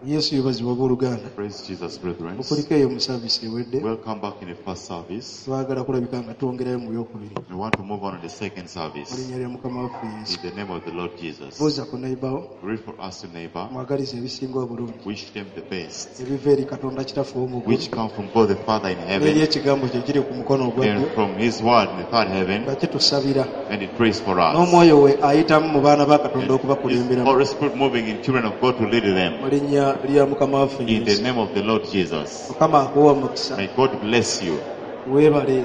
Yesu yeebazibwe abooluganda. Praise Jesus, brethren. Okuliko eyo mu service ewedde. Welcome back in the first service. Twagala kulabika nga twongerayo mu byokubiri. We want to move on in the second Mu service. linnya lya Mukama waffe In Yesu. the name of the Lord Jesus. Buuza ku neighbor Read for us to neighbor. mwagalize ebisinga obulungi. Wish them the best, Ebiva eri Katonda Kitaffe ow'omu ggulu. which come from God the Father in N'eri heaven, ekigambo kye kiri ku mukono ogwa and ddyo from His Word in the third heaven, nga kitusabira. and it prays for us. N'omwoyo we ayitamu mu baana ba Katonda And His okubakulemberamu. Holy Spirit moving in children of God to lead them. Mu linnya lya Mukama waffe In the Yesu. name of the Lord Jesus. Mukama akuwe omukisa. May God bless you. Weebale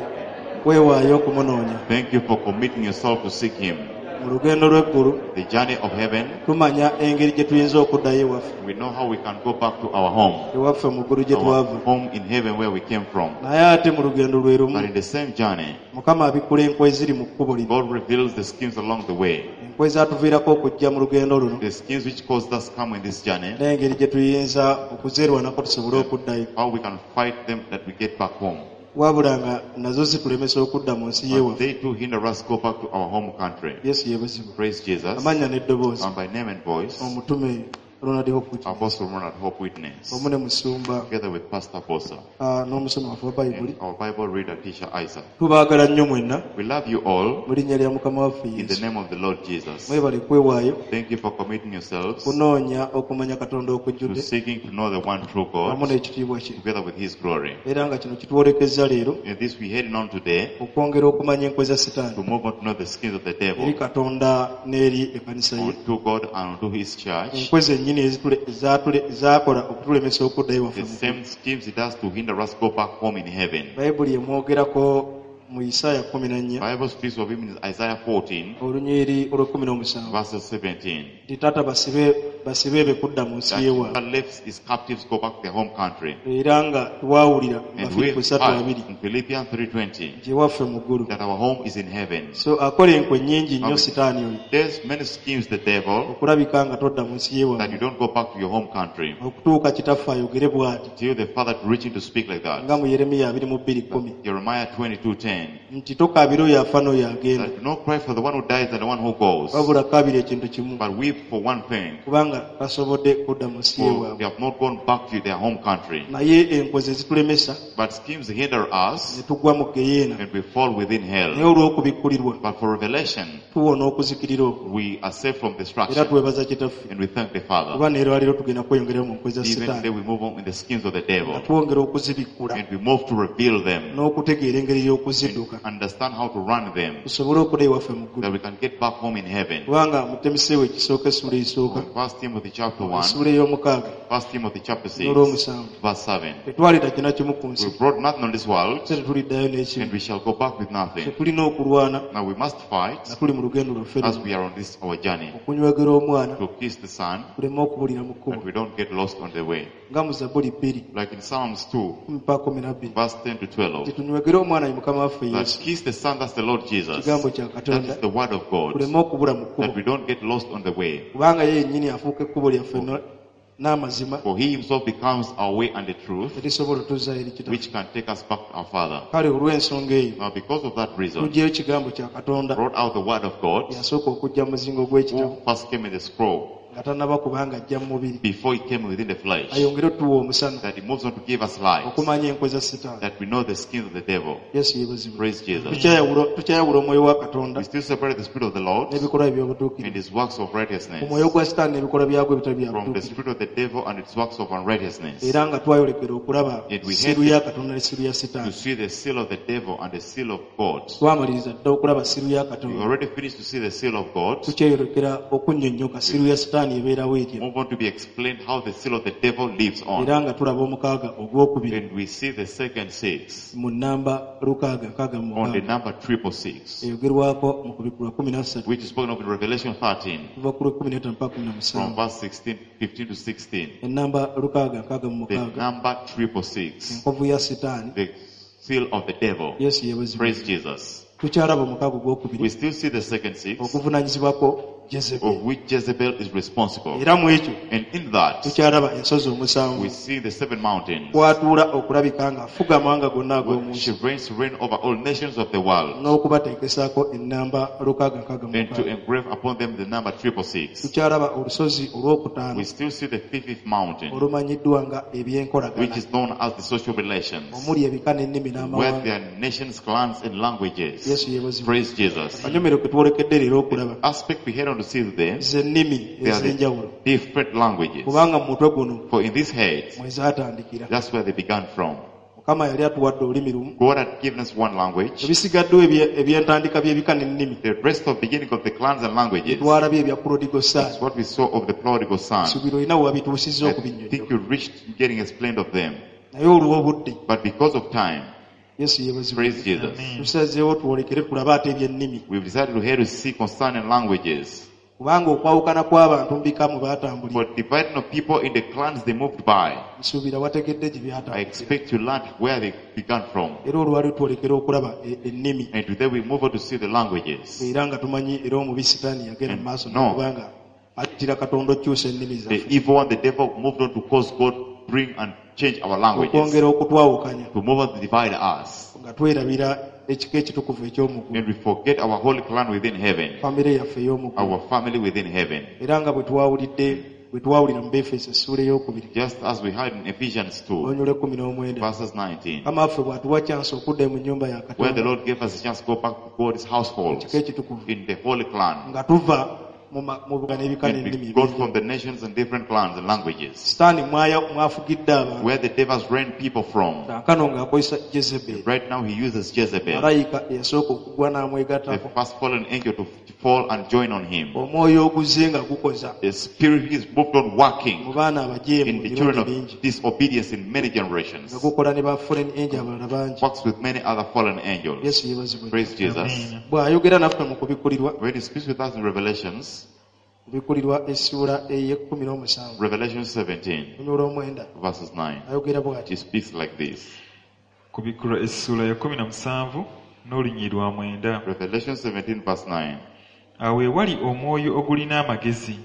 weewaayo okumunoonya. Thank you for committing yourself to seek Him. Mu lugendo lw'eggulu The journey of heaven, tumanya engeri gye tuyinza okuddayo ewaffe. we know how we can go back to our home. Ewaffe mu ggulu gye Our twava. home in heaven where we came from. Naye ate mu lugendo lwe But lumu in the same journey, Mukama abikkula enkwe eziri mu kkubo lino. God reveals the schemes along the way. Enkwe ezatuviirako okujja mu lugendo luno The schemes which caused us come in this journey, n'engeri gye tuyinza okuzeerwanako tusobole okuddayo. how we can fight them that we get back home. Wabula nga nazo zitulemesa okudda mu nsi But y'ewaffe. they too hinder us go back to our home country. Yesu yeebazibwe. Praise Jesus. Amannya n'eddoboozi And by name and voice, omutume Ronald Hope Witness Apostle Ronald Hope Witness, wamu ne musumba together with Pastor Bosa n'omusomi waffe wa Bayibuli. and our Bible reader, Teacher Isaac. Tubaagala nnyo mwenna We love you all mu linnya lya Mukama waffe in the Yesu. name of the Lord Jesus. Mwebale kwewaayo Thank you for committing yourselves kunoonya okumanya Katonda to okujjudde seeking to know the one true wamu God n'ekitiibwa kye. together with His glory. Era nga kino kitwolekezza leero In this we heading on today okwongera okumanya enkwe za to Sitaani move on to know the schemes of the eri devil Katonda n'eri ekkanisa ye. unto God and unto His church. Enkwe zennyini ezaakola okutulemesa okuddayo The waffe mu ggulu. same schemes it does to hinder us go back home in heaven. Bayibuli emwogerako mu Isaaya 14 Bible speaks of him in Isaiah 14 olunyiriri olw'ekumi n'omusanvu verses 17. nti taata basibe be kudda mu nsi That y'ewaabwe. he left his captives go back to their home country. Era nga twawulira mu And we Bafiripo ssatu heard abiri in Philippians 3:20 nti ewaffe mu ggulu. that our home is in heaven. So akola enkwe nnyingi nnyo Amen. Sitaani oyo There's many schemes the devil okulabika nga todda mu nsi that you y'ewaabwe don't go back to your home country okutuuka kitaffe ayogere bw'ati till the father to reach him to speak like that. nga mu Yeremiya 22:10 Jeremiah 22:10 nti tokaabira oyo afa n'oyo agenda that do not cry for the one who dies and the one who goes, wabula kaabira ekintu kimu but weep for one thing, kubanga tasobodde kudda mu nsi for y'ewaabwe. they have not gone back to their home country. Naye enkwe ze zitulemesa But schemes hinder ne us tugwa mu geyeena and we fall within naye hell. olw'okubikkulirwa But for revelation, tuwona okuzikirira okwo we are saved from era destruction twebaza kitaffe and we thank the Father. kuba neerwaliro tugenda kweyongerayo mu nkwe za Even today Sitaani we move on in the schemes of the nga devil twongera okuzibikkula and we move to reveal them n'okutegeera engeri y'okuzidduka and understand how to run them tusobole okudda ewaffe mu ggulu that we can get back home in heaven. kubanga mu Timoseewo ekisooka essuula esooka First Timothy chapter 1, essuula ey'omukaaga First Timothy chapter 6, n'olw'omusanvu verse 7. tetwaleeta kina kimu ku nsi We brought nothing on this world ate tetuliddayo n'ekimu and we shall go back with nothing. tetulina okulwana Now we must fight nga tuli mu lugendo lwaffe as luno we are on this our journey okunywegera omwana to kiss the Son tuleme okubulira mu kkubo that we don't get lost on the way. nga mu Zabbuli 2 Like in Psalms 2, 12 verse 10 to 12. titunywegere omwana ye Mukama waffe That Yesu kiss the Son, that's the Lord Jesus. kigambo kya That Katonda is the word of God. tuleme okubula mu That kkubo we don't get lost on the way. kubanga ye yennyini afuuka ekkubo lyaffe n'amazima For he himself becomes our way and the truth, erisobola otuzza eri kitaffe which can take us back to our Father. kale olw'ensonga eyo Now, because of that reason, tuggyeyo kigambo kya Katonda brought out the word of God, yasooka okujja mu muzingo gw'ekitabo who first came in the scroll nga tannaba kubanga ajja mu mubiri before he came within the flesh, ayongere otuwa omusana that he moves on to give us light, okumanya enkwe za Sitaani that we know the schemes of the devil. Yesu yeebazibwe Praise Jesus. tukyayawula omwoyo wa Katonda We still separate the Spirit of the Lord n'ebikolwa and eby'obutuukirivu his works of righteousness omwoyo gwa Sitaani n'ebikolwa byagwo ebitali bya from the butuukirivu spirit of the devil and its works of unrighteousness. era nga twayolekera okulaba Yet we siiru ya Katonda ne siiru ya To Sitaani see the seal of the devil and the seal of God. twamaliriza dda okulaba siiru ya We Katonda already finished to see the seal of God. tukyeyolekera okunnyonnyoka siiru ya Sitaani ebeerawo etya Move on to be explained how the seal of the devil lives on. era nga tulaba omukaaga ogwokubiri And we see the second six mu nnamba 666 on the number 666, eyogerwako mu kubikkulwa 13 which is spoken of in Revelation 13 kuva ku lw'e15 mpaka from 17 verse 16, 15 to 16. ennamba The 666 number 666, enkovu ya Sitaani the seal of the devil. Yesu yeebazibwe Praise Jesus. tukyalaba omukaaga ogwokubiri We still see the second six, okuvunaanyizibwako Jezebel. Of which Jezebel is responsible. Era mu ekyo And in that, tukyalaba ensozi omusanvu we see the seven mountains. kwatuula okulabika ng'afuga amawanga gonna Where ag'omu nsi she reigns to reign over all nations of the world n'okubateekesaako ennamba lukaaga nkaaga mu and to mukaaga. engrave upon them the number 666. Tukyalaba olusozi olwokutaano We still see the fifth mountain, olumanyiddwa nga which ebyenkolagana is known as the social relations, omuli ebika n'ennimi where n'amawanga. there are nations, clans, and languages. Yesu yeebazibwe. Praise Jesus. Akanyomero ke twolekedde leero okulaba Aspect we head on to see today, ze nnimi they are ez'enjawulo the different languages. kubanga mu mutwe guno For in this head, mwe zaatandikira. that's where they began from. Mukama yali atuwadde olulimi lumu. God had given us one language. Ebisigaddewo ebyentandika by'ebika n'ennimi The rest of beginning of the clans and languages twalabye ebya prodigal son. is what we saw of the prodigal son. Subira olina we wabituusizza I okubinnyonnyola. think you reached getting explained of them. Naye olw'obudde But because of time, Yesu yeebazibwe. praise Jesus. Tusazeewo twolekere tulabe ate eby'ennimi We've decided to hear to see concerning languages. kubanga okwawukana kw'abantu mu bika mwe baatambulira For dividing of people in the clans they moved by, nsuubira wategedde gye I byatandikira. expect you learned where they began from. Era olwali twolekera okulaba ennimi And today we move on to see the languages. era nga tumanyi era omubi sitaani yagenda mu maaso No. n'okubanga attira Katonda okukyusa ennimi The zaffe evil one, the devil, moved on to cause God bring and change our languages. okwongera okutwawukanya To move on to divide us. nga twerabira ekika ekitukuvu eky'omuggulu And we forget our holy clan within heaven. famire yaffe ey'omuggulu Our family within heaven. era nga bwe twawulidde bwe twawulira mu Befeso essuula ey'okubiri Just as we had in Ephesians 2, olunyiriri lw'ekumi n'omwenda verses 19, Mukama waffe bw'atuwa kyansi okudda mu nnyumba ya where the Katonda Lord gave us a chance to go back to God's household ekika ekitukuvu in the holy clan. nga tuva mu mu buga n'ebika And n'ennimi we got ebyenjawulo. from the nations and different clans and languages, Sitaani mwafugidde abantu where the devils ran people from. kaakano ng'akozesa Jezebel Right now he uses Jezebel, malayika eyasooka okugwa the n'amwegattako first fallen angel to fall and join on him. omwoyo oguzze nga gukoza The spirit is moved on mu working baana abajeemu in the children emirundi of mingi disobedience in many generations. nga gukola ne ba fallen angel abalala bangi. Works with many other fallen angels. Yesu yeebazibwe. Praise Jesus. Amen. Bw'ayogera naffe mu kubikkulirwa When he speaks with us in Revelations, kubikkulirwa essuula ey'ekkumi n'omusanvu Revelation 17, olunyiriri lw'omwenda verses 9, ayogera bw'ati he speaks like this. Kubikkulwa essuula ya 17 n'olunyiriri lwa 9. Revelation 17, verse 9. Awo ewali omwoyo ogulina amagezi.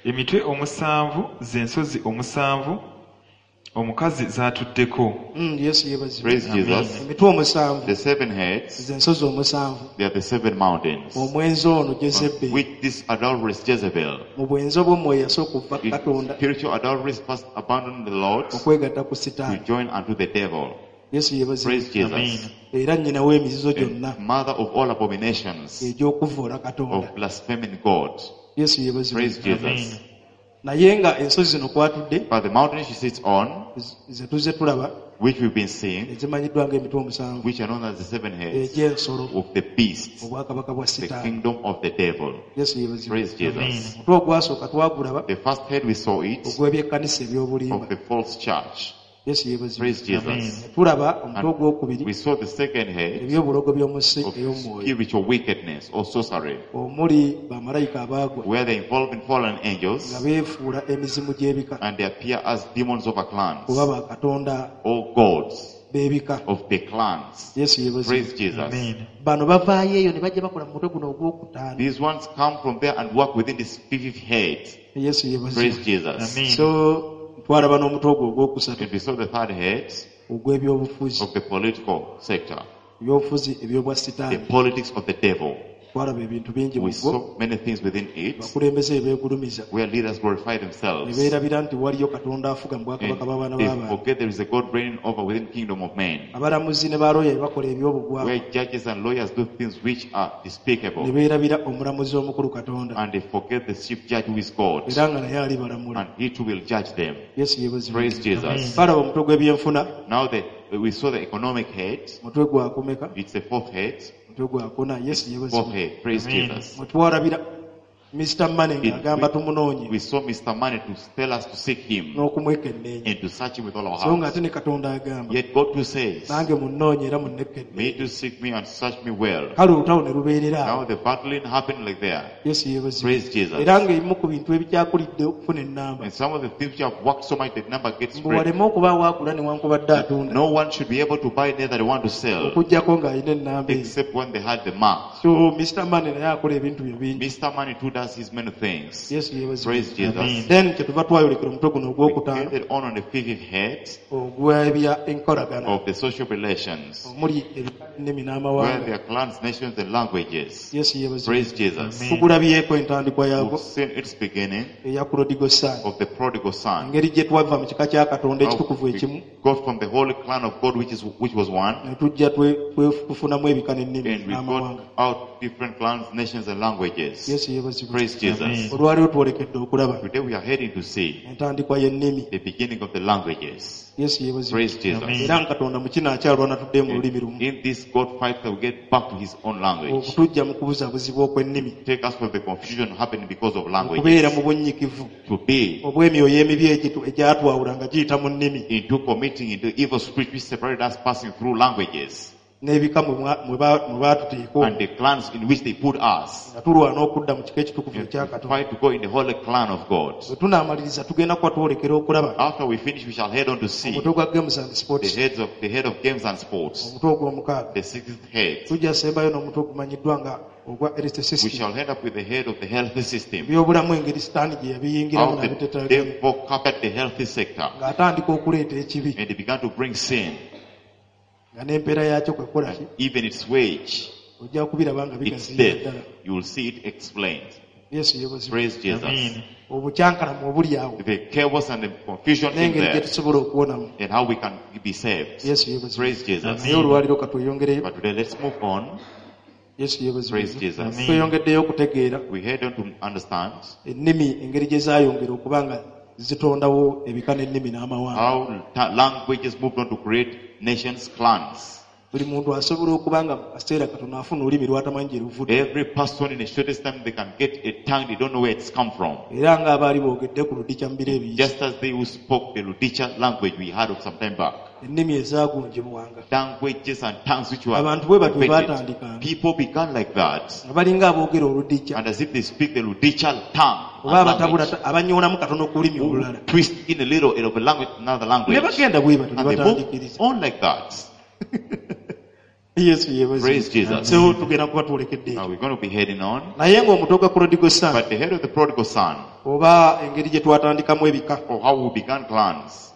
Emitwe omusanvu z'ensozi omusanvu omukazi z'atuddeko. Yesu yeebazibwe. Praise Jesus. Emitwe omusanvu The seven heads, ze nsozi omusanvu they are the seven mountains, omwenzi ono Jezebel which this adulteress Jezebel, mu bwenzi obw'omwoyo yasooka okuva ku in Katonda spiritual adultery, first abandoned the Lord okwegatta ku to Sitaani. join unto the devil. Yesu yeebazibwe. Praise Jesus. Amen. Era nnyina w'emizizo gyonna And mother of all abominations, egy'okuvvoola Katonda. of blaspheming God. Yesu yeebazibwe. Praise Jesus. Amen. Naye nga ensozi zino kwatudde But the mountain she sits on, ze tuzze tulaba which we've been seeing, ezimanyiddwa ng'emitwe omusanvu which are known as the seven heads egy'ensolo of the beast, obwakabaka bwa the Sitaani. kingdom of the devil. Yesu yeebazibwe. Praise Jesus. Amen. Omutwe ogwasooka twagulaba The first head we saw it ogw'ebyekkanisa eby'obulimba. of the false church. Yesu yeebazibwe. Praise Jesus. Amen. Tulaba omutwe ogwokubiri We saw the second head eby'obulogo by'omu nsi of ey'omwoyo spiritual wickedness or sorcery, omuli bamalayika abaagwa where they involve in fallen nga angels beefuula emizimu gy'ebika and they appear as demons of a clans kuba bakatonda or gods b'ebika. of the clans. Yesu yeebazibwe. Praise Jesus. Amen. Bano bavaayo eyo ne bajja bakola mu mutwe guno ogwokutaano. These ones come from there and work within this fifth head. Yesu yeebazibwe. Praise Jesus. Amen. So twalaba n'omutwe ogwo ogwokusatu And we saw the third head ogw'ebyobufuzi of the political sector, ebyobufuzi eby'obwa the sitaani. politics of the devil. Twalaba ebintu bingi mu We gwo saw many things within it abakulembeze beegulumiza where leaders glorify ne themselves beerabira nti waliyo Katonda afuga mu and bwakabaka bw'abaana they b'abantu. forget there is a God reigning over within kingdom of men, Abalamuzi ne balooya bakola eby'obugwagwa where judges and lawyers do things which are ne despicable, beerabira omulamuzi omukulu Katonda and they forget the chief judge who is God, era nga naye alibalamula. and he too will judge them. Yesu yeebazibwe. Praise Jesus. Twalaba omutwe gw'ebyenfuna Now we saw the economic head. mutwe gwakumeka It's the fourth head. mutwe gwakuna. Yesu Fourth yeebazibwe. head. Praise Amen. Jesus. Mwe twalabira Mr. Money ng'agamba tumunoonye We saw Mr. Money to tell us to seek him n'okumwekenneenya and to search him with all our so nga hearts. ate ne Katonda agamba Yet God too says, nange munnoonye era munnekenneenya. May you seek me and search me well. Kale olutalo ne lubeerera Now awo. the battling happened like there. Yesu yeebazibwe. Praise Jesus. Era ng'ebimu ku bintu ebikyakulidde okufuna ennamba And some of the things which have worked so much that number gets mbu spread. waleme okubaawo agula newankubadde atunda No one should be able to buy neither they want to sell okuggyako ng'alina ennamba eyo. except when they had the mark. So Mr. Money naye akola ebintu bye bingi. Mr. Money too does does his many things. Yesu yeebazibwe. Praise Jesus. Amen. Then kyetuva twayolekera omutwe guno We ogwokutaano ended on the fifth head ogw'ebya enkolagana of the social relations, omuli ebika ennimi where n'amawanga. there are clans, nations, and languages. Yesu yeebazibwe. Praise Jesus. Amen. Tugulabyeko entandikwa yaagwo We've seen its beginning eya prodigal son, of the prodigal son. engeri gye twava mu kika kya Katonda How ekitukuvu ekimu we got from the holy clan of God, which was one, ne tujja tufunamu ebika n'ennimi and we n'amawanga. got out different clans, nations, and languages. Yesu yeebazibwe. Praise Jesus. Amen. Olwaleero twolekedde okulaba Today we are heading to see entandikwa y'ennimi. the beginning of the languages. Yesu yeebazibwe. Praise Jesus. Amen. Era nga Katonda mu kino akyalwana tudde mu lulimi lumu, In this God fight that we get back to his own language. okutujja mu kubuzaabuzibwa okw'ennimi, Take us from the confusion happening because of okubeera languages mu bunyikivu to be obw'emyoyo emibi egyatwawula nga giyita mu nnimi into committing into evil spirit which separated us passing through languages n'ebika mwe baatuteeka and the clans in which they put us. nga tulwana okudda mu kika ekitukuvu And ekya to Katonda. fight to go in the holy clan of God. Bwe tunaamaliriza tugenda kuba twolekera okulaba After we finish, we shall head on to see omutwe gwa games and the sports, heads of the head of games and sports, omutwe ogw'omukaaga. the sixth head. Tujja sembayo n'omutwe ogumanyiddwa nga ogwa health We system, shall end up with the head of the healthy system. ebyobulamu engeri sitaani gye yabiyingiramu How the n'abiteteaganya devil covered the healthy sector ng'atandika okuleeta ekibi and he began to bring sin, nga n'empeera yaakyo kwe kukola ki even its wage, ojja kubiraba nga its bigaziya death. ddala. You will see it explained. Yesu yeebazibwe. Praise Jesus. Amen. Obukyankalamu obuli awo The chaos and the confusion in n'engeri gye there tusobola okuwonamu. and how we can be saved. Yesu yeebazibwe. Praise Jesus. Amen. Naye olwaliro katweyongereyo. But today let's move on. Yesu yeebazibwe. Praise Jesus. Amen. Tweyongeddeyo okutegeera We head on to understand ennimi engeri gye zaayongera okuba nga zitondawo ebika n'ennimi n'amawanga. how languages moved on to create nations, clans. Buli muntu asobola okuba nga mu kaseera katono afuna olulimi lw'atamanyi gye luvudde. Every person in the shortest time they can get a tongue they don't know where it's come from. Era ng'abaali boogedde ku Ludica mu biro ebiyise, Just as they who spoke the Ludicha language we heard of some time back. ennimi ezaagunjibwanga. Languages and tongues which were Abantu bwe batyo invented. baatandikanga People began like that. nga balinga aboogera Oludica And as if they speak the Ludicha tongue. oba and abatabula language. abanyoolamu katono ku lulimi olulala. Twist in a little of a language, another Ne language. bagenda bwe batyo ne And they move batandikiriza. on like that. Yesu yeebazibwe. Praise Jesus. So tugenda kuba twolekedde Now ekyo. we're going to be heading on. Naye ng'omutwe gwa prodigal son But the head of the prodigal son, oba engeri gye twatandikamu ebika or how we began clans,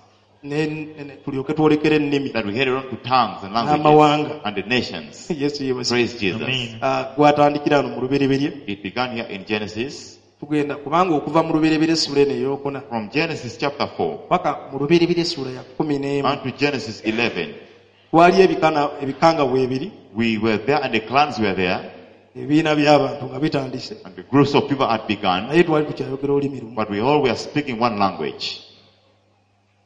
tulyoke twolekere ennimi that we headed on to tongues and languages n'amawanga. and the nations. Yesu yeebazibwe. Praise Jesus. Amen. Ah, gwatandikira wano mu Lubereberye. It began here in Genesis. Tugenda kubanga okuva mu Lubereberye essula eno ey'okuna From Genesis chapter 4 paka mu Lubereberye essula ya 11 unto Genesis 11. waliyo ebika nga weebiri, We were there and the clans were there ebibiina by'abantu nga bitandise, and the groups of people had begun, naye twali tukyayogera olulimi lumu. but we all were speaking one language.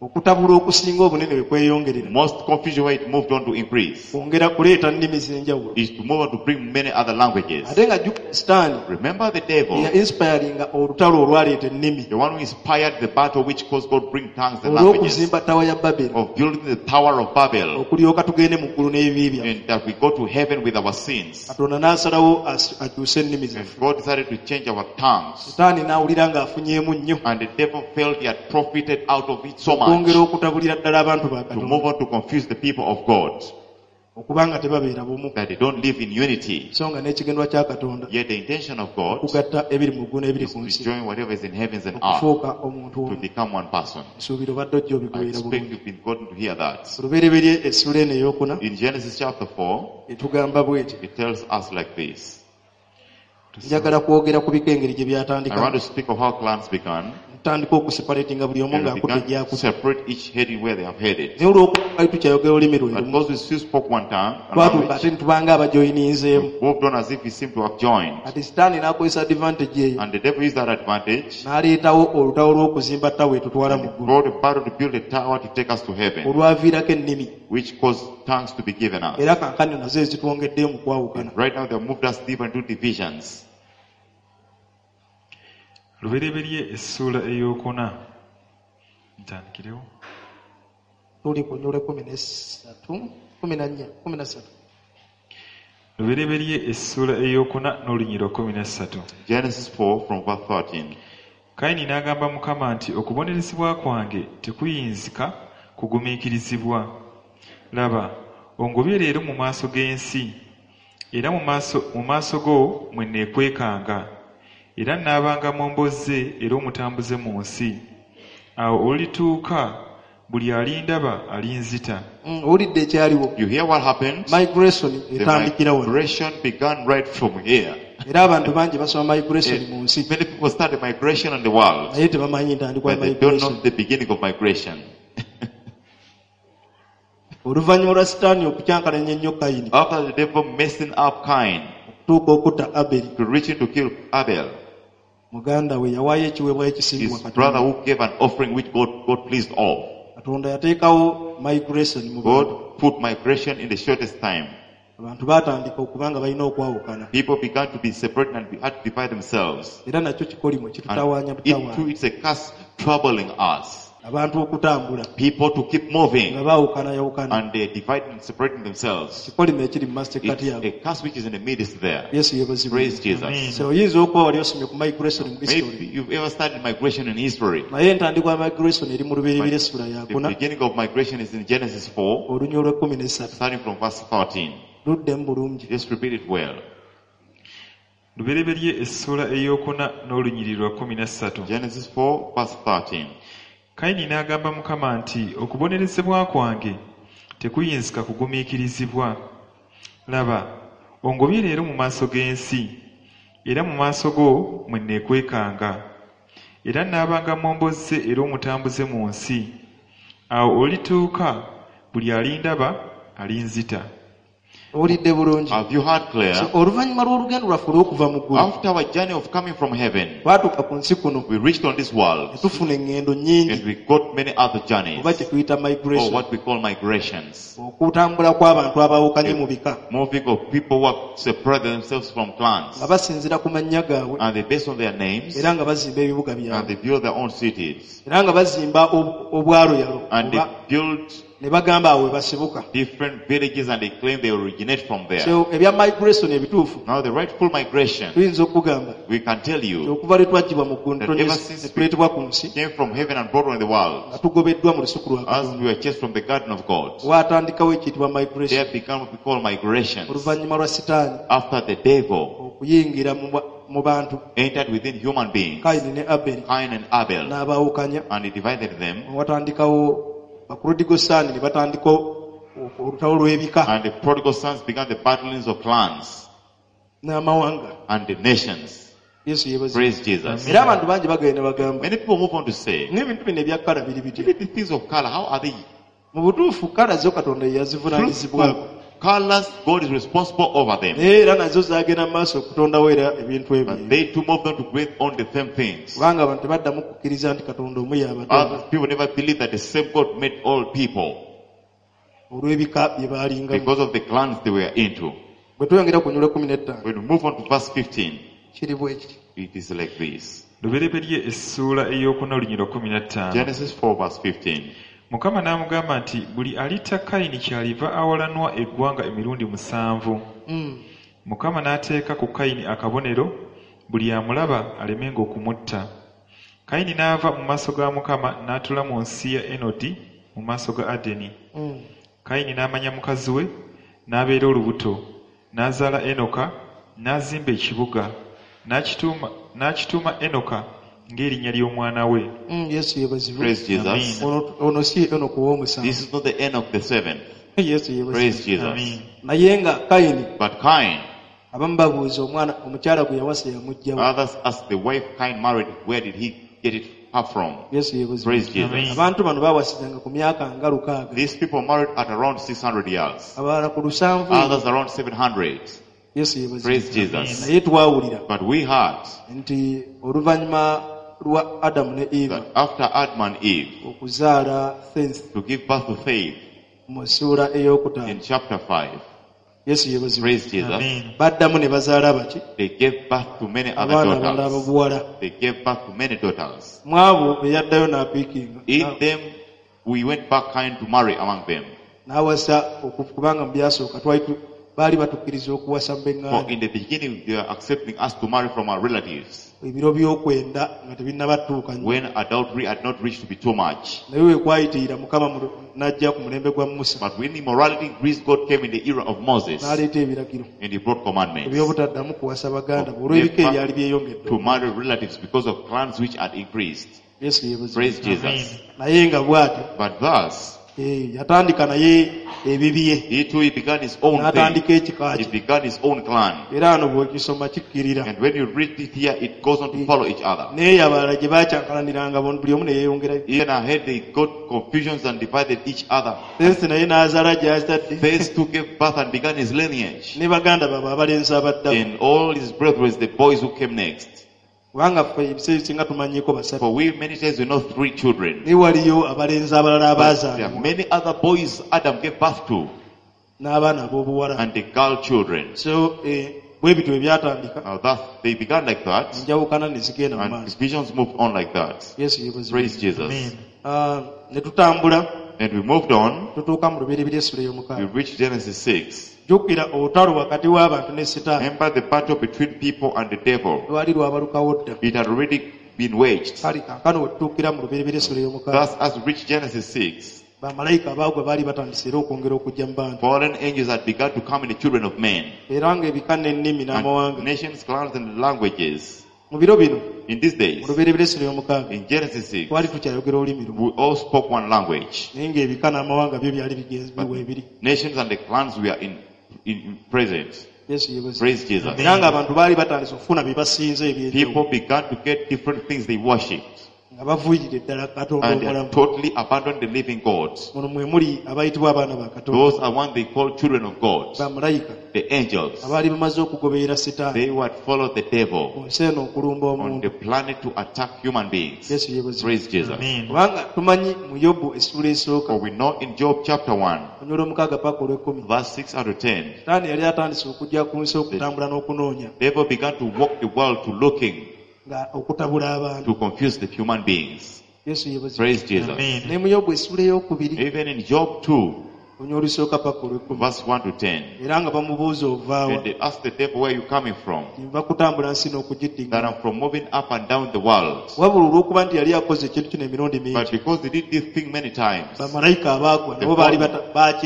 Okutabula okusinga obunene bwe kweyongerera Most confusion where it moved on to increase kwongera kuleeta nnimi z'enjawulo. is to move on to bring many other languages. Ate nga jjukira sitaani Remember the devil, eya inspiringa olutalo olwaleeta ennimi the one who inspired the battle which caused God to bring tongues and languages, olw'okuzimba ttawa ya Baberi of building the tower of Babel, okulyoka tugende mu ggulu n'ebibi byaffe. and that we go to heaven with our sins. Katonda n'asalawo akyuse ennimi And zaffe. God decided to change our tongues. Sitaani n'awulira ng'afunyeemu nnyo And the devil felt he had profited out of it so much okwongera okutabulira ddala abantu ba to Katonda move on to confuse the people of God, okuba nga tebabeera bumu, that they don't live in unity. so nga n'ekigendwa kya Katonda Yet the intention of God okugatta ebiri mu ggulu n'ebiri is ku to nsi join whatever is in heavens and earth okufuuka omuntu to omu. become one person. Nsuubira obadde ojja I obigoberera expect bulungi. you've been gotten to hear that. Olubereberye essula eno ey'okuna In Genesis chapter 4, etugamba bw'eti. it tells us like this. Njagala kwogera ku bika engeri gye I want byatandika. to speak of how clans began. Ntandika okuseparatinga buli omu And we ng'akudde began to gy'akudde. separate each heading where they have headed. Naye olw'okuba twali tukyayogera olulimi lwe But lumu, because we still spoke one tongue, a twatuuka language, ate ne tubanga abajoyininzeemu. moved on as if we seemed to have joined. Kati sitaani n'akozesa advantage eyo And the devil used that advantage n'aleetawo olutalo lw'okuzimba ttawa etutwala mu and ggulu brought a battle to build a tower to take us to heaven, olwaviirako ennimi which caused tongues to be given us. era kankano nazo ezitwongeddeyo mu kwawukana. Right now, they have moved us deeper into divisions. Lubereberye essuula ey'okuna. Ntandikirewo. Tuli ku nnyula 13, 14, 13. Lubereberye essuula ey'okuna n'olunyiriri 13. Genesis 4 from verse 13. Kayini n'agamba Mukama nti okubonerezebwa kwange tekuyinzika kugumiikirizibwa. Laba, ongobye leero mu maaso g'ensi, era mu maaso go mwe neekwekanga. Era nnaabanga momboze era omutambuze mu nsi. Awo olulituuka buli alindaba alinzita. Owulidde ekyaliwo. You hear what happened? Migration The etandikira wano. migration began right from here. Era abantu bangi basoma migration mu nsi Many people started migration in the world, naye tebamanyi ntandikwa ya but they don't migration. know the beginning of migration. Oluvannyuma lwa Sitaani okukyankalanya ennyo Kayini After the devil messing up Cain okutuuka okutta Aberi to reach him to kill Abel, muganda we yawaayo ekiweebwayo ekisiimibwa his brother Katonda. who gave an offering which God pleased of. Katonda yateekawo migration mu bantu. God put migration in the shortest time. Abantu baatandika okuba nga balina okwawukana. People began to be separated and had to divide themselves. Era nakyo kikolimo kitutawaanya And it too, butawaanya. it's a curse troubling us. Abantu okutambula People to keep moving nga baawukanayawukana. and they're dividing and separating themselves. Kikolimo ekiri mu masekkati It's yaabwe. a curse which is in the midst there. Yesu yeebazibwe. Praise Jesus. Amen. So oyinza okuba wali osomye ku migration mu history. Maybe you've ever studied migration in history. Naye entandikwa ya migration eri mu Lubereberye essula The yakuna beginning of migration is in Genesis 4, olunya olw'ekkumi n'essatu. starting from verse 13. Luddemu bulungi. Just repeat it well. Lubereberye essuula ey'okuna n'olunyiriri lwa 13. Genesis 4, verse 13. Kayini n'agamba Mukama nti okubonerezebwa kwange tekuyinzika kugumiikirizibwa. Laba, ongobye leero mu maaso g'ensi, era mu maaso go mwe neekwekanga. Era nnaabanga momboze era omutambuze mu nsi. Awo olituuka buli alindaba alinzita. Owulidde bulungi. Have you heard clear? So, oluvannyuma lw'olugendo lwaffe olw'okuva mu ggulu After our journey of coming from heaven, twatuuka ku nsi kuno we reached on this ne world tufuna eŋŋendo nnyingi and we got many other journeys, oba kye tuyita or migration what we call migrations. okutambula kw'abantu abaawukanye mu bika Moving of people who have separated themselves from clans nga basinziira ku mannya gaabwe and they based on their names era nga bazimba ebibuga and byabwe they build their own cities era nga bazimba obwaloyalo and they oba build ne bagamba awo we basibuka. different villages and they claim they originate from there. So ebya migration ebituufu Now the rightful migration, tuyinza okugamba we can tell nti you, okuva lwe twaggyibwa mu ggulu that ever since ne tuleetebwa ku nsi came from heaven and brought on the world, nga tugobeddwa mu lusuku lwa as Katonda we were chased from the garden of God, waatandikawo ekiyitibwa migration there began what we call migrations. oluvannyuma lwa Sitaani After the devil okuyingira mu bantu entered within human beings, Kayini ne Aberi Cain and Abel, n'abaawukanya and he divided them, watandikawo baprodigal son ne batandika olutalo lw'ebika and the prodigal sons began the battlings of clans n'amawanga. and the nations. Yesu yeebazibwe. Praise Jesus. Era abantu bangi bagenda bagamba Many people move on to say, n'ebintu bino ebya kala biri bitya. even the things of color, how are they? Mu butuufu kala zo Katonda ye yazivunaanyizibwako. Truthful colors, God is responsible over them. Naye era nazo zaagenda mu maaso okutondawo era ebintu ebyo. But they too move them to create on the same things. Kubanga abantu tebaddamu kukkiriza nti Katonda omu y'abatonda Other people never believe that the same God made all people olw'ebika bye baalingamu. because of the clans they were into. Bwe tweyongera ku nyula 15 When we move on to verse 15, kiri bwe kiti. it is like this. Lubereberye essuula ey'okuna olunyiriri lwa 15. Genesis 4 verse 15. Mukama n'amugamba nti buli alitta Kayini kyaliva awalanwa eggwanga emirundi 7. Mukama n'ateeka ku Kayini akabonero buli amulaba alemenga okumutta. Kayini n'ava mu maaso ga Mukama n'atuula mu nsi ya Enodi mu maaso ga Adeni. Kayini n'amanya mukazi we n'abeera olubuto n'azaala Enoka n'azimba ekibuga n'akituuma Enoka ng'erinnya ly'omwana we. Yesu yeebazibwe. Praise Jesus. Amen. Ono si Enoka ow'omusanvu. This is not the end of the seventh. Yesu yeebazibwe. Praise Jesus. Amen. Naye nga Kayini But Cain, abamu babuuza omwana omukyala gwe yawasa yamuggyawo. others ask the wife Cain married, where did he get it her from? Yesu yeebazibwe. Praise Jesus. Amen. Abantu bano baawasizanga ku myaka nga 600. These people married at around 600 years. Abalala ku 700. Others around 700. Yesu yeebazibwe. Praise Jesus. Naye twawulira But we heard nti oluvannyuma lwa Adamu ne Eva that after Adam and Eve okuzaala Seth to give birth to Faith mu ssuula ey'okutaano in chapter 5, Yesu yeebazibwe. praise Jesus, Amen. Baddamu ne bazaala baki they gave birth to many other abaana abalala daughters. ababuwala. They gave birth to many daughters. Mu abo be yaddayo n'apiikinga In them, we went back kind to marry among them. n'awasa kubanga mu byasooka twali baali batukkiriza okuwasa mu For beŋŋanda in the beginning, they were accepting us to marry from our relatives. Ebiro by'okwenda nga tebinnabatuuka nnyo. When adultery had not reached to be too much. Naye we kwayitirira mukama n'ajja ku mulembe gwa Musa But when immorality increased, God came in the era of Moses n'aleeta ebiragiro and he brought commandments eby'obutaddamu kuwasa baganda bo olw'ebika ebyali byeyongedde. To marry relatives because of clans which had increased. Yesu yeebazibwe. Praise Jesus. Naye nga bw'atyo But thus, eh, yatandika naye ebibye he too, he began his own thing. n'atandika ekika He kye began his own clan. era ano bw'okisoma kikkirira And when you read it here, it goes on to follow each other. naye abalala gye baakyankalaniranga buli omu ne yeeyongerayo. Even ahead, they got confusions and divided each other. Seesi naye n'azaala gy'azadde Phase two gave birth and began his lineage. ne baganda baabwe abalenzi abaddako And all his brethren, the boys who came next. Kubanga ffe ebiseera ebisinga tumanyiiko basatu For we, many times, we know three children. naye waliyo abalenzi abalala But there are abaazaalibwa many other boys Adam gave birth to n'abaana ab'obuwala and the girl children. So eh, bwe bityo ebyatandika Now that they began like that, enjawukana ne zigenda mu and maaso. divisions moved on like that. Yesu yeebazibwe. Praise Jesus. Amen. Ah, ne tutambula And we moved on. tutuuka mu lubereberye essula We ey'omukaaga. reached Genesis 6. Jjukira olutalo wakati w'abantu ne sitaani Remember the battle between people and the devil. lwali lwabalukawo dda. It had already been waged. Kale kaakano we tutuukira mu lubereberye essula ey'omukaaga Thus, as we reached Genesis 6, bamalayika abaagwa baali batandise era okwongera okujja mu bantu fallen angels had begun to come in the children of men. era ng'ebika n'ennimi And n'amawanga nations, clans, and languages. Mu biro bino In these days, mu lubereberye essula ey'omukaaga in Genesis 6, twali tukyayogera olulimi lumu we all spoke one language. Naye ng'ebika n'amawanga byo byali bigenzi biwa ebiri. Nations and the clans were in present. Yesu yeebazibwe. Praise Jesus. Era ng'abantu baali batandise okufuna bye basinza eby'enjawulo People began to get different things they worshipped. Nga bavuuyirira ddala Katonda And they omulamu. had totally abandoned the living God. Muno mwe muli abayitibwa abaana ba Katonda Those are one they call children of God, bamalayika the angels. abaali bamaze okugoberera sitaani They would follow the ku devil nsi eno okulumba on omuntu. the planet to attack human beings. Yesu yeebazibwe. Praise Jesus. Amen. Kubanga tumanyi mu Yobu essuula esooka For we know in Job chapter 1, olunyiriri olw'omukaaga paka olw'ekkumi verse 6 out of 10, sitaani yali atandise okujja ku nsi okutambula n'okunoonya devil began to walk the world to looking nga okutabula abantu. To confuse the human beings. Yesu yeebazibwe. Praise Jesus. Amen. Ne mu Yobu essuula ey'okubiri Even in Job 2, olunyiriri olusooka paka olw'ekkumi verse 1 to 10, era nga bamubuuza ovaawa and they asked the devil, "Where are you coming from?" nva kutambula nsi "That n'okugiddiŋŋana. I'm from moving up and down the world." Wabula olw'okuba nti yali akoze ekintu kino emirundi But mingi because they did this thing many times, bamalayika abaagwa nabo baali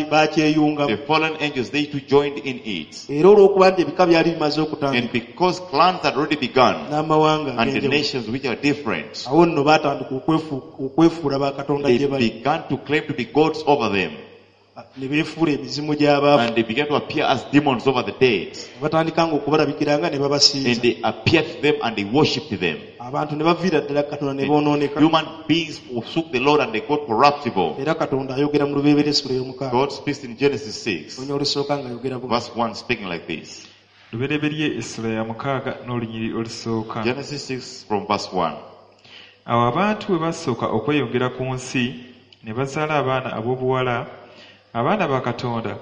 bakyeyungamu the fallen angels, they too joined in it. Era olw'okuba nti ebika byali bimaze And okutandika because clans had already begun, n'amawanga and the ag'enjawulo nations which are different, awo nno baatandika okwefuula bakatonda they gye bali began to claim to be gods over them. Ne beefuula emizimu gy'abaafu And they began to appear as demons over the dead. Ne batandika nga okubalabikiranga ne And babasinza they appeared to them and they worshipped them. Abantu ne baviira ddala Katonda ne boonooneka. Human beings forsook the Lord and they got corruptible. Era Katonda ayogera mu lubereberye essula ey'omukaaga God speaks in Genesis 6, olunyiriri olusooka ng'ayogera bw'ati. Verse 1, speaking like this. Lubereberye essula ya mukaaga n'olunyiriri olusooka. Genesis 6 from verse 1. Awo abantu bwe basooka okweyongera ku nsi ne bazaala abaana ab'obuwala abaana ba Katonda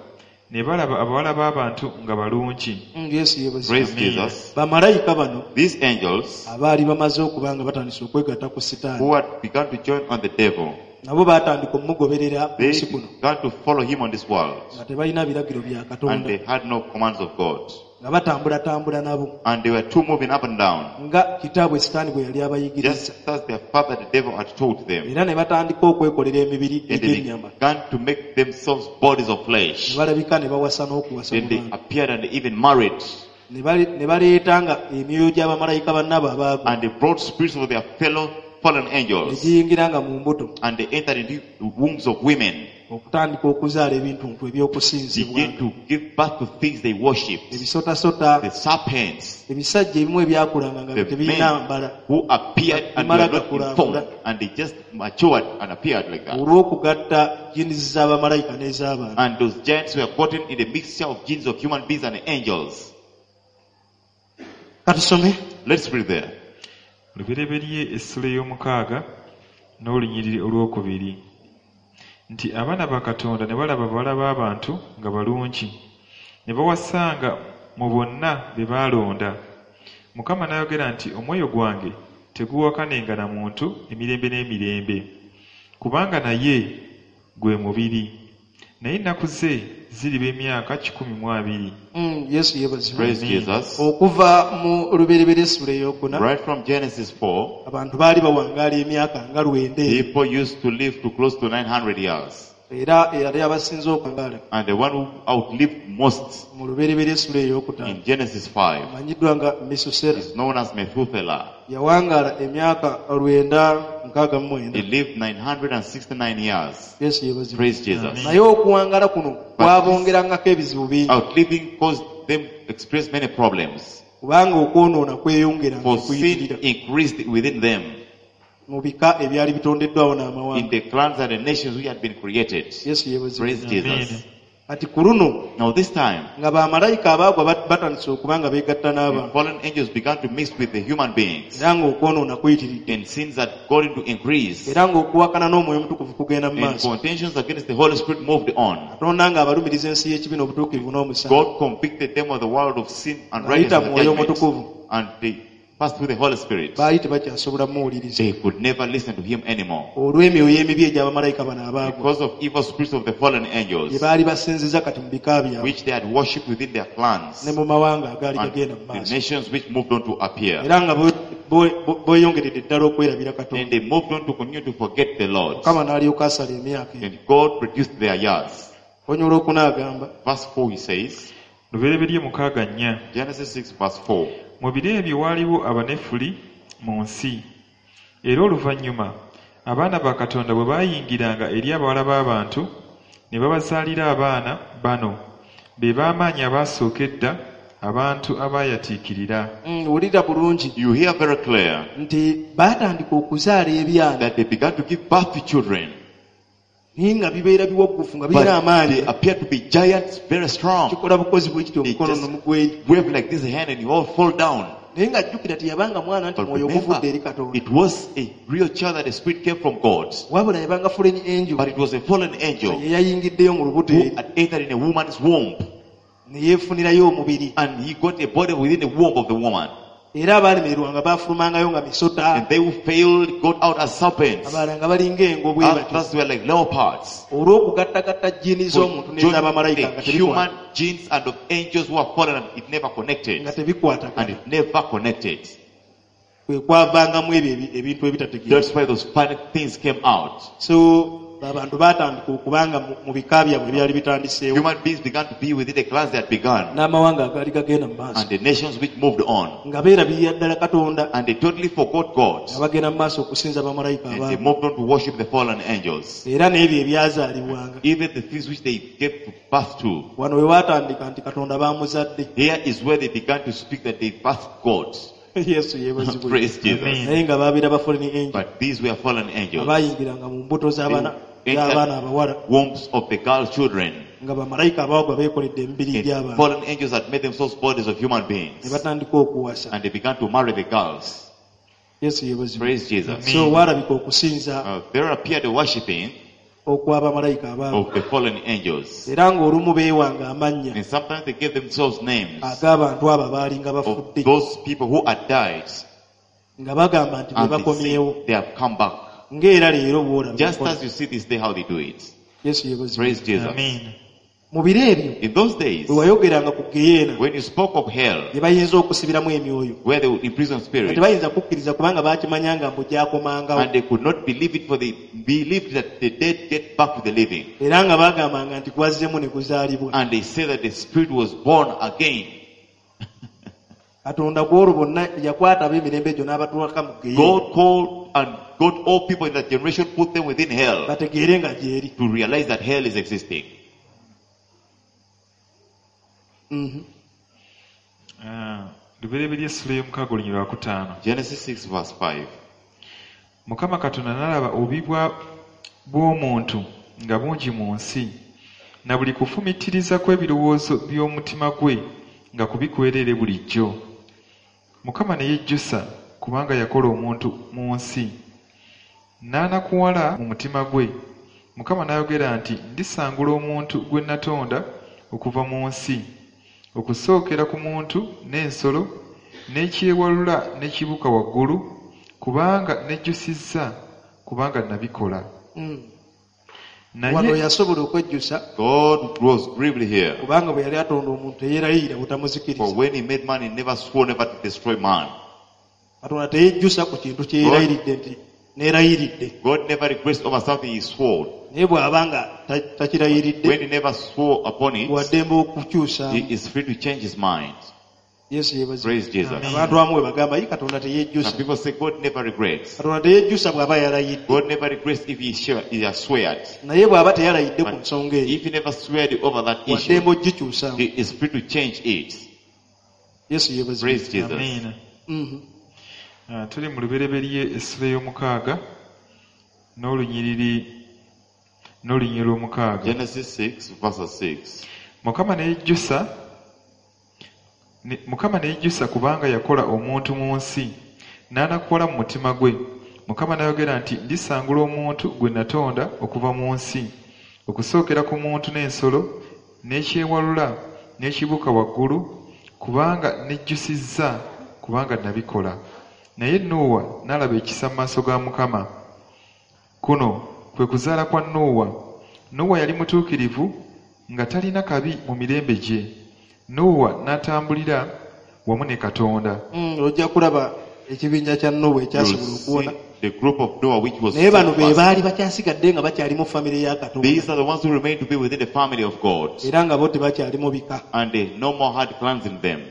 ne balaba abawala b'abantu nga balungi. Yesu yeebazibwe. Praise Amen. Jesus. Bamalayika bano These angels abaali bamaze okuba nga batandise okwegatta ku sitaani who had begun to join on the devil, nabo baatandika omugoberera ku they nsi kuno began to follow him on this world. Nga tebalina biragiro bya And Katonda they had no commands of God. Nga batambulatambula nabo And they were too moving up and down, nga kitaabwe sitaani bwe yali abayigiriza just as their father, the devil, had taught them. Era ne batandika okwekolera emibiri And they egy'ennyama began to make themselves bodies of ne flesh. balabika ne bawasa n'okuwasa Then mu they bantu appeared and they even married. Ne baleeta nga emyoyo gy'abamalayika bannaabwe abaagwa And they brought spirits of their fellow fallen ne angels. giyingira nga mu mbuto And they entered into the wombs of women. Okutandika okuzaala ebintuntu ebyokusinzibwa Begin to give birth to things they worshipped. Ebisotasota The serpents, ebisajja ebimu ebyakulanga nga the tebirina men mbala who appeared and were not informed, and they just matured and appeared like that. Olw'okugatta genes z'abamalayika n'ez'abantu. And those giants were gotten in the mixture of genes of human beings and angels. Katusome. Let's read there. Lubereberye essula ey'omukaaga n'olunyiriri olwokubiri nti abaana ba Katonda ne balaba abawala b'abantu nga balungi ne bawasanga mu bonna be baalonda. Mukama n'ayogera nti omwoyo gwange teguwakanenga na muntu emirembe n'emirembe kubanga naye gwe mubiri Naye ennaku ze ziriba emyaka 120. Yesu yeebazibwe. Praise Jesus. Okuva mu Lubereberye essula eyokuna, Right from Genesis 4, abantu baali bawangaala emyaka nga 900. People used to live to close to 900 years. Era eyali abasinze okuwangaala And the one who outlived most mu Lubereberye essula eyokutaano in Genesis 5 amanyiddwa nga Mesusera, is known as Methuselah. yawangaala emyaka 969. He lived 969 years. Yesu yeebazibwe. Praise Jesus. Naye okuwangaala kuno kwabongerangako ebizibu bingi, Outliving caused them experience many problems. kubanga okwonoona kweyongera For sin kuyitirira increased within them mu bika ebyali bitondeddwawo in n'amawanga. the clans and the nations which had been created. Yesu yeebazibwe. Praise Jesus. Kati ku luno Now this time, nga bamalayika abaagwa batandise okuba nga beegatta the n'abantu, fallen angels began to mix with the human beings, era ng'okwonoona kuyitiridde, and sins had gotten to increase, era ng'okuwakana n'Omwoyo Omutukuvu kugenda mu and maaso. contentions against the Holy Spirit moved on. Katonda ng'abalumiriza ensi y'ekibi n'obutuukirivu n'omusango God convicted them of the world of sin and ng'ayita righteousness mu and Mwoyo judgment, Omutukuvu. and they passed through the Holy Spirit. Baali tebakyasobola muwuliriza They could never listen to him anymore olw'emyoyo emibi egy'abamalayika bano abaagwa because of evil spirits of the fallen gye angels, baali basinziza kati mu bika byabwe which they had worshipped within their clans ne mu mawanga agaali and gagenda mu the maaso, nations which moved on to appear. era nga beeyongeredde ddala okwerabira Then Katonda. they moved on to continue to forget the Lord. Mukama n'alyoka asala emyaka eyo. And God produced their years. Onyola okuna agamba, Verse 4 he says, Lubereberye 6:4. Genesis 6 verse 4. Mu biro ebyo waaliwo Abanefuli mu nsi. Era oluvannyuma abaana ba Katonda bwe baayingiranga eri abawala b'abantu ne babazaalira abaana, bano be b'amaanyi abaasooka edda, abantu abaayatiikirira. Wulira bulungi You hear very clear nti baatandika okuzaala ebyana, that they began to give birth to children, naye nga bibeera biwaggufu nga but birina amaanyi, they appear to be giants, very strong. Kikola bukozi bwe kiti They omukono just nomugweri. wave like this hand and you all fall down. Naye ng'ajjukira teyabanga mwana nti But mwoyo remember, oguvudde eri Katonda, it was a real child that the spirit came from God. wabula yabanga fallen angel But it was a fallen angel ye yayingiddeyo mu lubuto who eri had entered in a woman's womb. ne yeefunirayo omubiri. And he got a body within the womb of the woman. Era abaalemererwanga baafulumangayo nga misota, And they who failed got out as serpents. abalala nga balinga engo bwe batyo, Others were like leopards. olw'okugattagatta jjiini z'omuntu For joining n'ez'abamalayika nga the human tebikwata- genes and of angels who are fallen, and it never connected. nga And tebikwatagana. it never connected. Kwe kwavangamu ebyo ebintu ebitategeera. That's why those funny things came out. So abantu baatandika okubanga mu bika byabwe ebyali bitandiseewo Human beings began to be within the clans that had begun n'amawanga agaali gagenda mu maaso, and the nations which moved on. nga beerabirira ddala Katonda, And they totally forgot God. nga bagenda mu maaso okusinza bamalayika And they abaagwa, moved on to worship the fallen angels. era n'ebyo ebyazaalibwanga. Even the things which they gave birth to. Wano we baatandika nti Katonda baamuzadde. Here is where they began to speak that they birthed God. Yesu yeebazibwe. Praise Jesus. Amen. Naye nga babeera ba fallen angel But these were fallen angels. abaayingiranga mu mbuto They z'abaana entered abawala, wombs of the girl children. nga bamalayika abaagwa beekoledde emibiri And gy'abantu, fallen angels had made themselves bodies of human ne beings. batandika okuwasa. And they began to marry the girls. Yesu yeebazibwe. Praise Jesus. Amen. So waalabika okusinza There appeared the worshipping okw'abamalayika abaagwa, of the fallen angels. era ng'olumu beewanga amannya And sometimes they gave themselves names ag'abantu abo abaalinga of bafudde, those people who had died. nga bagamba nti be And they bakomyewo, say they have come back. Ng'era leero bw'olaba Just enkola. as you see this day how they do it. Yesu yeebazibwe. Praise Jesus. Amen. Mu biro ebyo In those days, bwe wayogeranga ku geyeena when you spoke of hell, gye bayinza okusibiramu emyoyo, where they would imprison nga spirits, tebayinza kukkiriza kubanga baakimanyanga mbu gyakomangawo, and they could not believe it, for they believed that the dead get back to the living. Era nga baagambanga nti gwazzemu ne guzaalibwa. And they say that the spirit was born again. Katonda ku olwo bonna yakwata ab'emirembe egyo n'abatwaka mu geyeena, God called and got all people in that generation, put them within hell bategeere nga gyeri. to realize that hell is existing. Ah, Lubereberye essula y'omukaaga olunyiriri lwa kutaano. Genesis 6 verse 5. Mukama Katonda n'alaba obubi bw'omuntu nga bungi mu nsi, na buli kufumiitiriza kw'ebirowoozo by'omutima gwe nga kubi kwereere bulijjo. Mukama ne yejjusa kubanga yakola omuntu mu nsi, n'anakuwala mu mutima gwe. Mukama n'ayogera nti, ndisangula omuntu gwe natonda okuva mu nsi, okusookera ku muntu n'ensolo n'ekyewalula n'ekibuuka waggulu, kubanga nejjusizza kubanga nabikola. Wano Naye yasobola okwejjusa God was grieved here. kubanga bwe yali atonda omuntu teyeerayirira For butamuzikiriza. when he made man, he never swore never to destroy man. Katonda teyejjusa ku kintu kye yeerayiridde nti neerayiridde. God never regrets over something he swore. Naye bw'aba nga takirayiridde When he never swore upon it, waddembe okukyusa. he is free to change his mind. Yesu yeebazibwe. Praise Jesus. Amen. Abantu abamu bwe bagamba ye Katonda Some teyejjusa. people say God never regrets. Katonda teyejjusa bw'aba yalayidde. God never regrets if he has sweared. Naye bw'aba teyalayidde ku nsonga eyo If he never sweared over that issue, waddembe ogikyusaamu. he is free to change it. Yesu yeebazibwe. Praise Jesus. Amiina. Mhm. Ah, tuli mu lubereberye essula ey'omukaaga n'olunyiriri n'olunyiriri lw'omukaaga. Genesis 6, verse 6. Mukama ne yejjusa kubanga yakola omuntu mu nsi n'anakuwala mu mutima gwe. Mukama n'ayogera nti ndisangula omuntu gwe natonda okuva mu nsi, okusookera ku muntu n'ensolo n'ekyewalula n'ekibuuka waggulu, kubanga nejjusizza kubanga nabikola. Naye Nuuwa n'alaba ekisa mu maaso ga Mukama. Kuno kwe kuzaala kwa Nuuwa. Nuuwa yali mutuukirivu nga talina kabi mu mirembe gye. Nuuwa n'atambulira wamu ne Katonda. Ojja kulaba ekibinja kya Nuuwa You'll ekyasobola okuwona. see the group of Noah which was Naye bano be saved first. baali bakyasigadde nga bakyali mu famire ya Katonda. These are the ones who remain to be within the family of God. Era nga bo tebakyali mu bika And they no more had clans in them.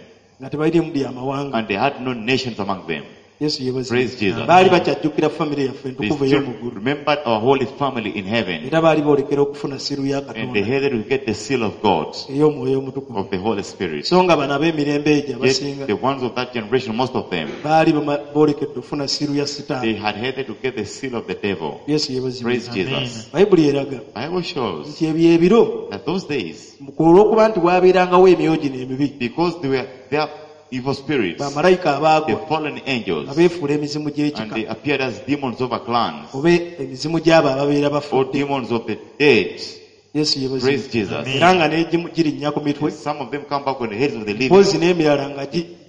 nga tebalirimu byamawanga. And they had no nations among them. Yesu yeebazibwe. Praise Jesus. Baali bakyajjukira famire yaffe They entukuvu still ey'omu ggulu. remembered our holy family in heaven. Era baali boolekera okufuna siru ya And they Katonda headed to get the seal of God, ey'omwoyo omutukuvu. of the Holy Spirit. So nga bano ab'emirembe egyo abasinga Yet the ones of that generation, most of them, baali boolekedde okufuna siru ya they Sitaani. had headed to get the seal of the devil. Yesu yeebazibwe. Praise Jesus. Bayibuli eraga Bible shows nti ebyo ebiro that those days, olw'okuba nti waabeerangawo emyoyo gino emibi because they were there evil spirits, bamalayika the abaagwa fallen angels, nga beefuula emizimu and gy'ekika they appeared as demons over clans oba emizimu gy'abo ababeera or bafudde. demons of the dead. Yesu yeebazibwe. Praise Jesus. Amen. Era nga n'egimu girinnya ku mitwe Some of them come back on the heads of the living, mpozi n'emirala nga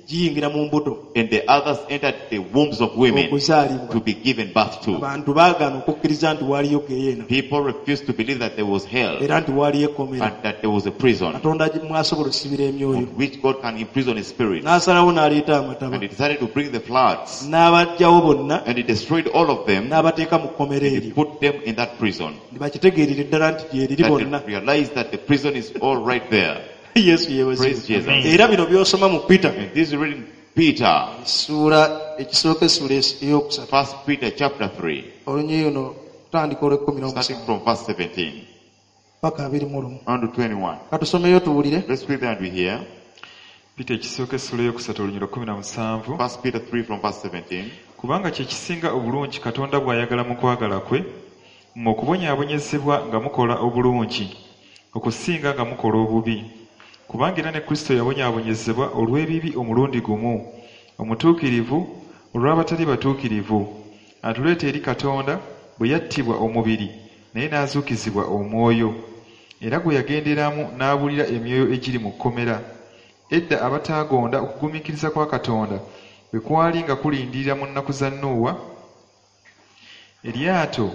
giyingira mu mbuto and the others entered the wombs of women okuzaalibwa. to be given birth to. Abantu baagaana okukkiriza nti waaliyo geyeena People refused to believe that there was hell era nti waaliyo ekkomera and that there was a prison Katonda mwasobola osibira emyoyo. on which God can imprison his spirit. N'asalawo n'aleeta amataba And he decided to bring the floods n'abaggyawo bonna and he destroyed all of them n'abateeka mu kkomera and he eryo put them in that prison. ne bakitegeerera ddala nti gyeriri That bonna. they realized that the prison is all right there. Yesu yeebazibwe. Praise Jesus. Amen. Era bino by'osoma mu Peter And this is written Peter, essuula ekisooka essuula ey'okusatu First Peter chapter 3, olunyiriri luno tutandika olw'ekkumi starting n'omusanvu from verse 17 paka 21. on to 21. Katusomeyo tuwulire. Let's read that we hear. Peter ekisooka essula ey'okusatu olunyiriri 17. First Peter 3 from verse 17. Kubanga kye kisinga obulungi Katonda bw'ayagala mu kwagala kwe, mmwe okubonyaabonyezebwa nga mukola obulungi, okusinga nga mukola obubi. Kubanga era ne Kristo yabonyaabonyezebwa olw'ebibi omulundi gumu, omutuukirivu olw'abatali batuukirivu, atuleeta eri Katonda bwe yattibwa omubiri, naye n'azuukizibwa omwoyo. Era gwe yagenderamu n'abuulira emyoyo egiri mu kkomera. Edda abataagonda okugumiikiriza kwa Katonda bwe kwali nga kulindirira mu nnaku za Nuuwa, eryato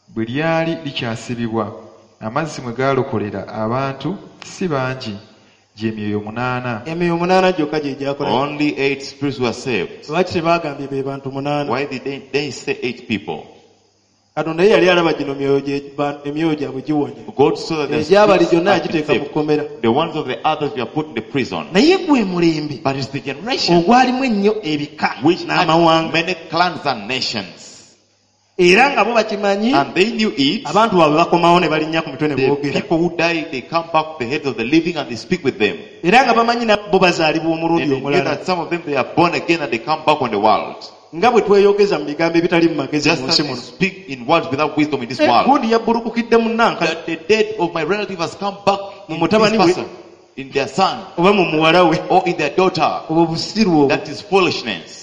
bwe lyali likyasibibwa, amazzi mwe gaalokolera abantu si bangi, gy'emyoyo 8. Emyoyo 8 gyokka gye gyakola. Only 8 spirits were saved. Lwaki tebaagambye be bantu 8? Why did they say 8 people? Katonda ye yali alaba gino emyoyo gyabwe giwonye. God saw that the Egyabali spirits gyonna had been yagiteeka mu saved. kkomera. The ones of the others were put in the prison. Naye gwe mulembe But it's the generation ogwalimu ennyo ebika which had n'amawanga many clans and nations. era nga bo bakimanyi And they knew it. abantu baabwe bakomawo ne balinnya ku mitwe ne The boogera. people who die, they come back to the heads of the living and they speak with them. Era nga bamanyi nabo bazaalibwa And omulundi they knew omulala. that some of them, they are born again and they come back on the world. Nga bwe tweyogeza mu bigambo ebitali mu magezi Just mu as nsi we muno. speak in words without wisdom in this Eh, world. gundi yabbulukukidde mu nnanka That the dead of my relative has come back in this Mutabani we- person, in their son, oba mu muwala we or in their daughter. obwo busiru obwo. That is foolishness.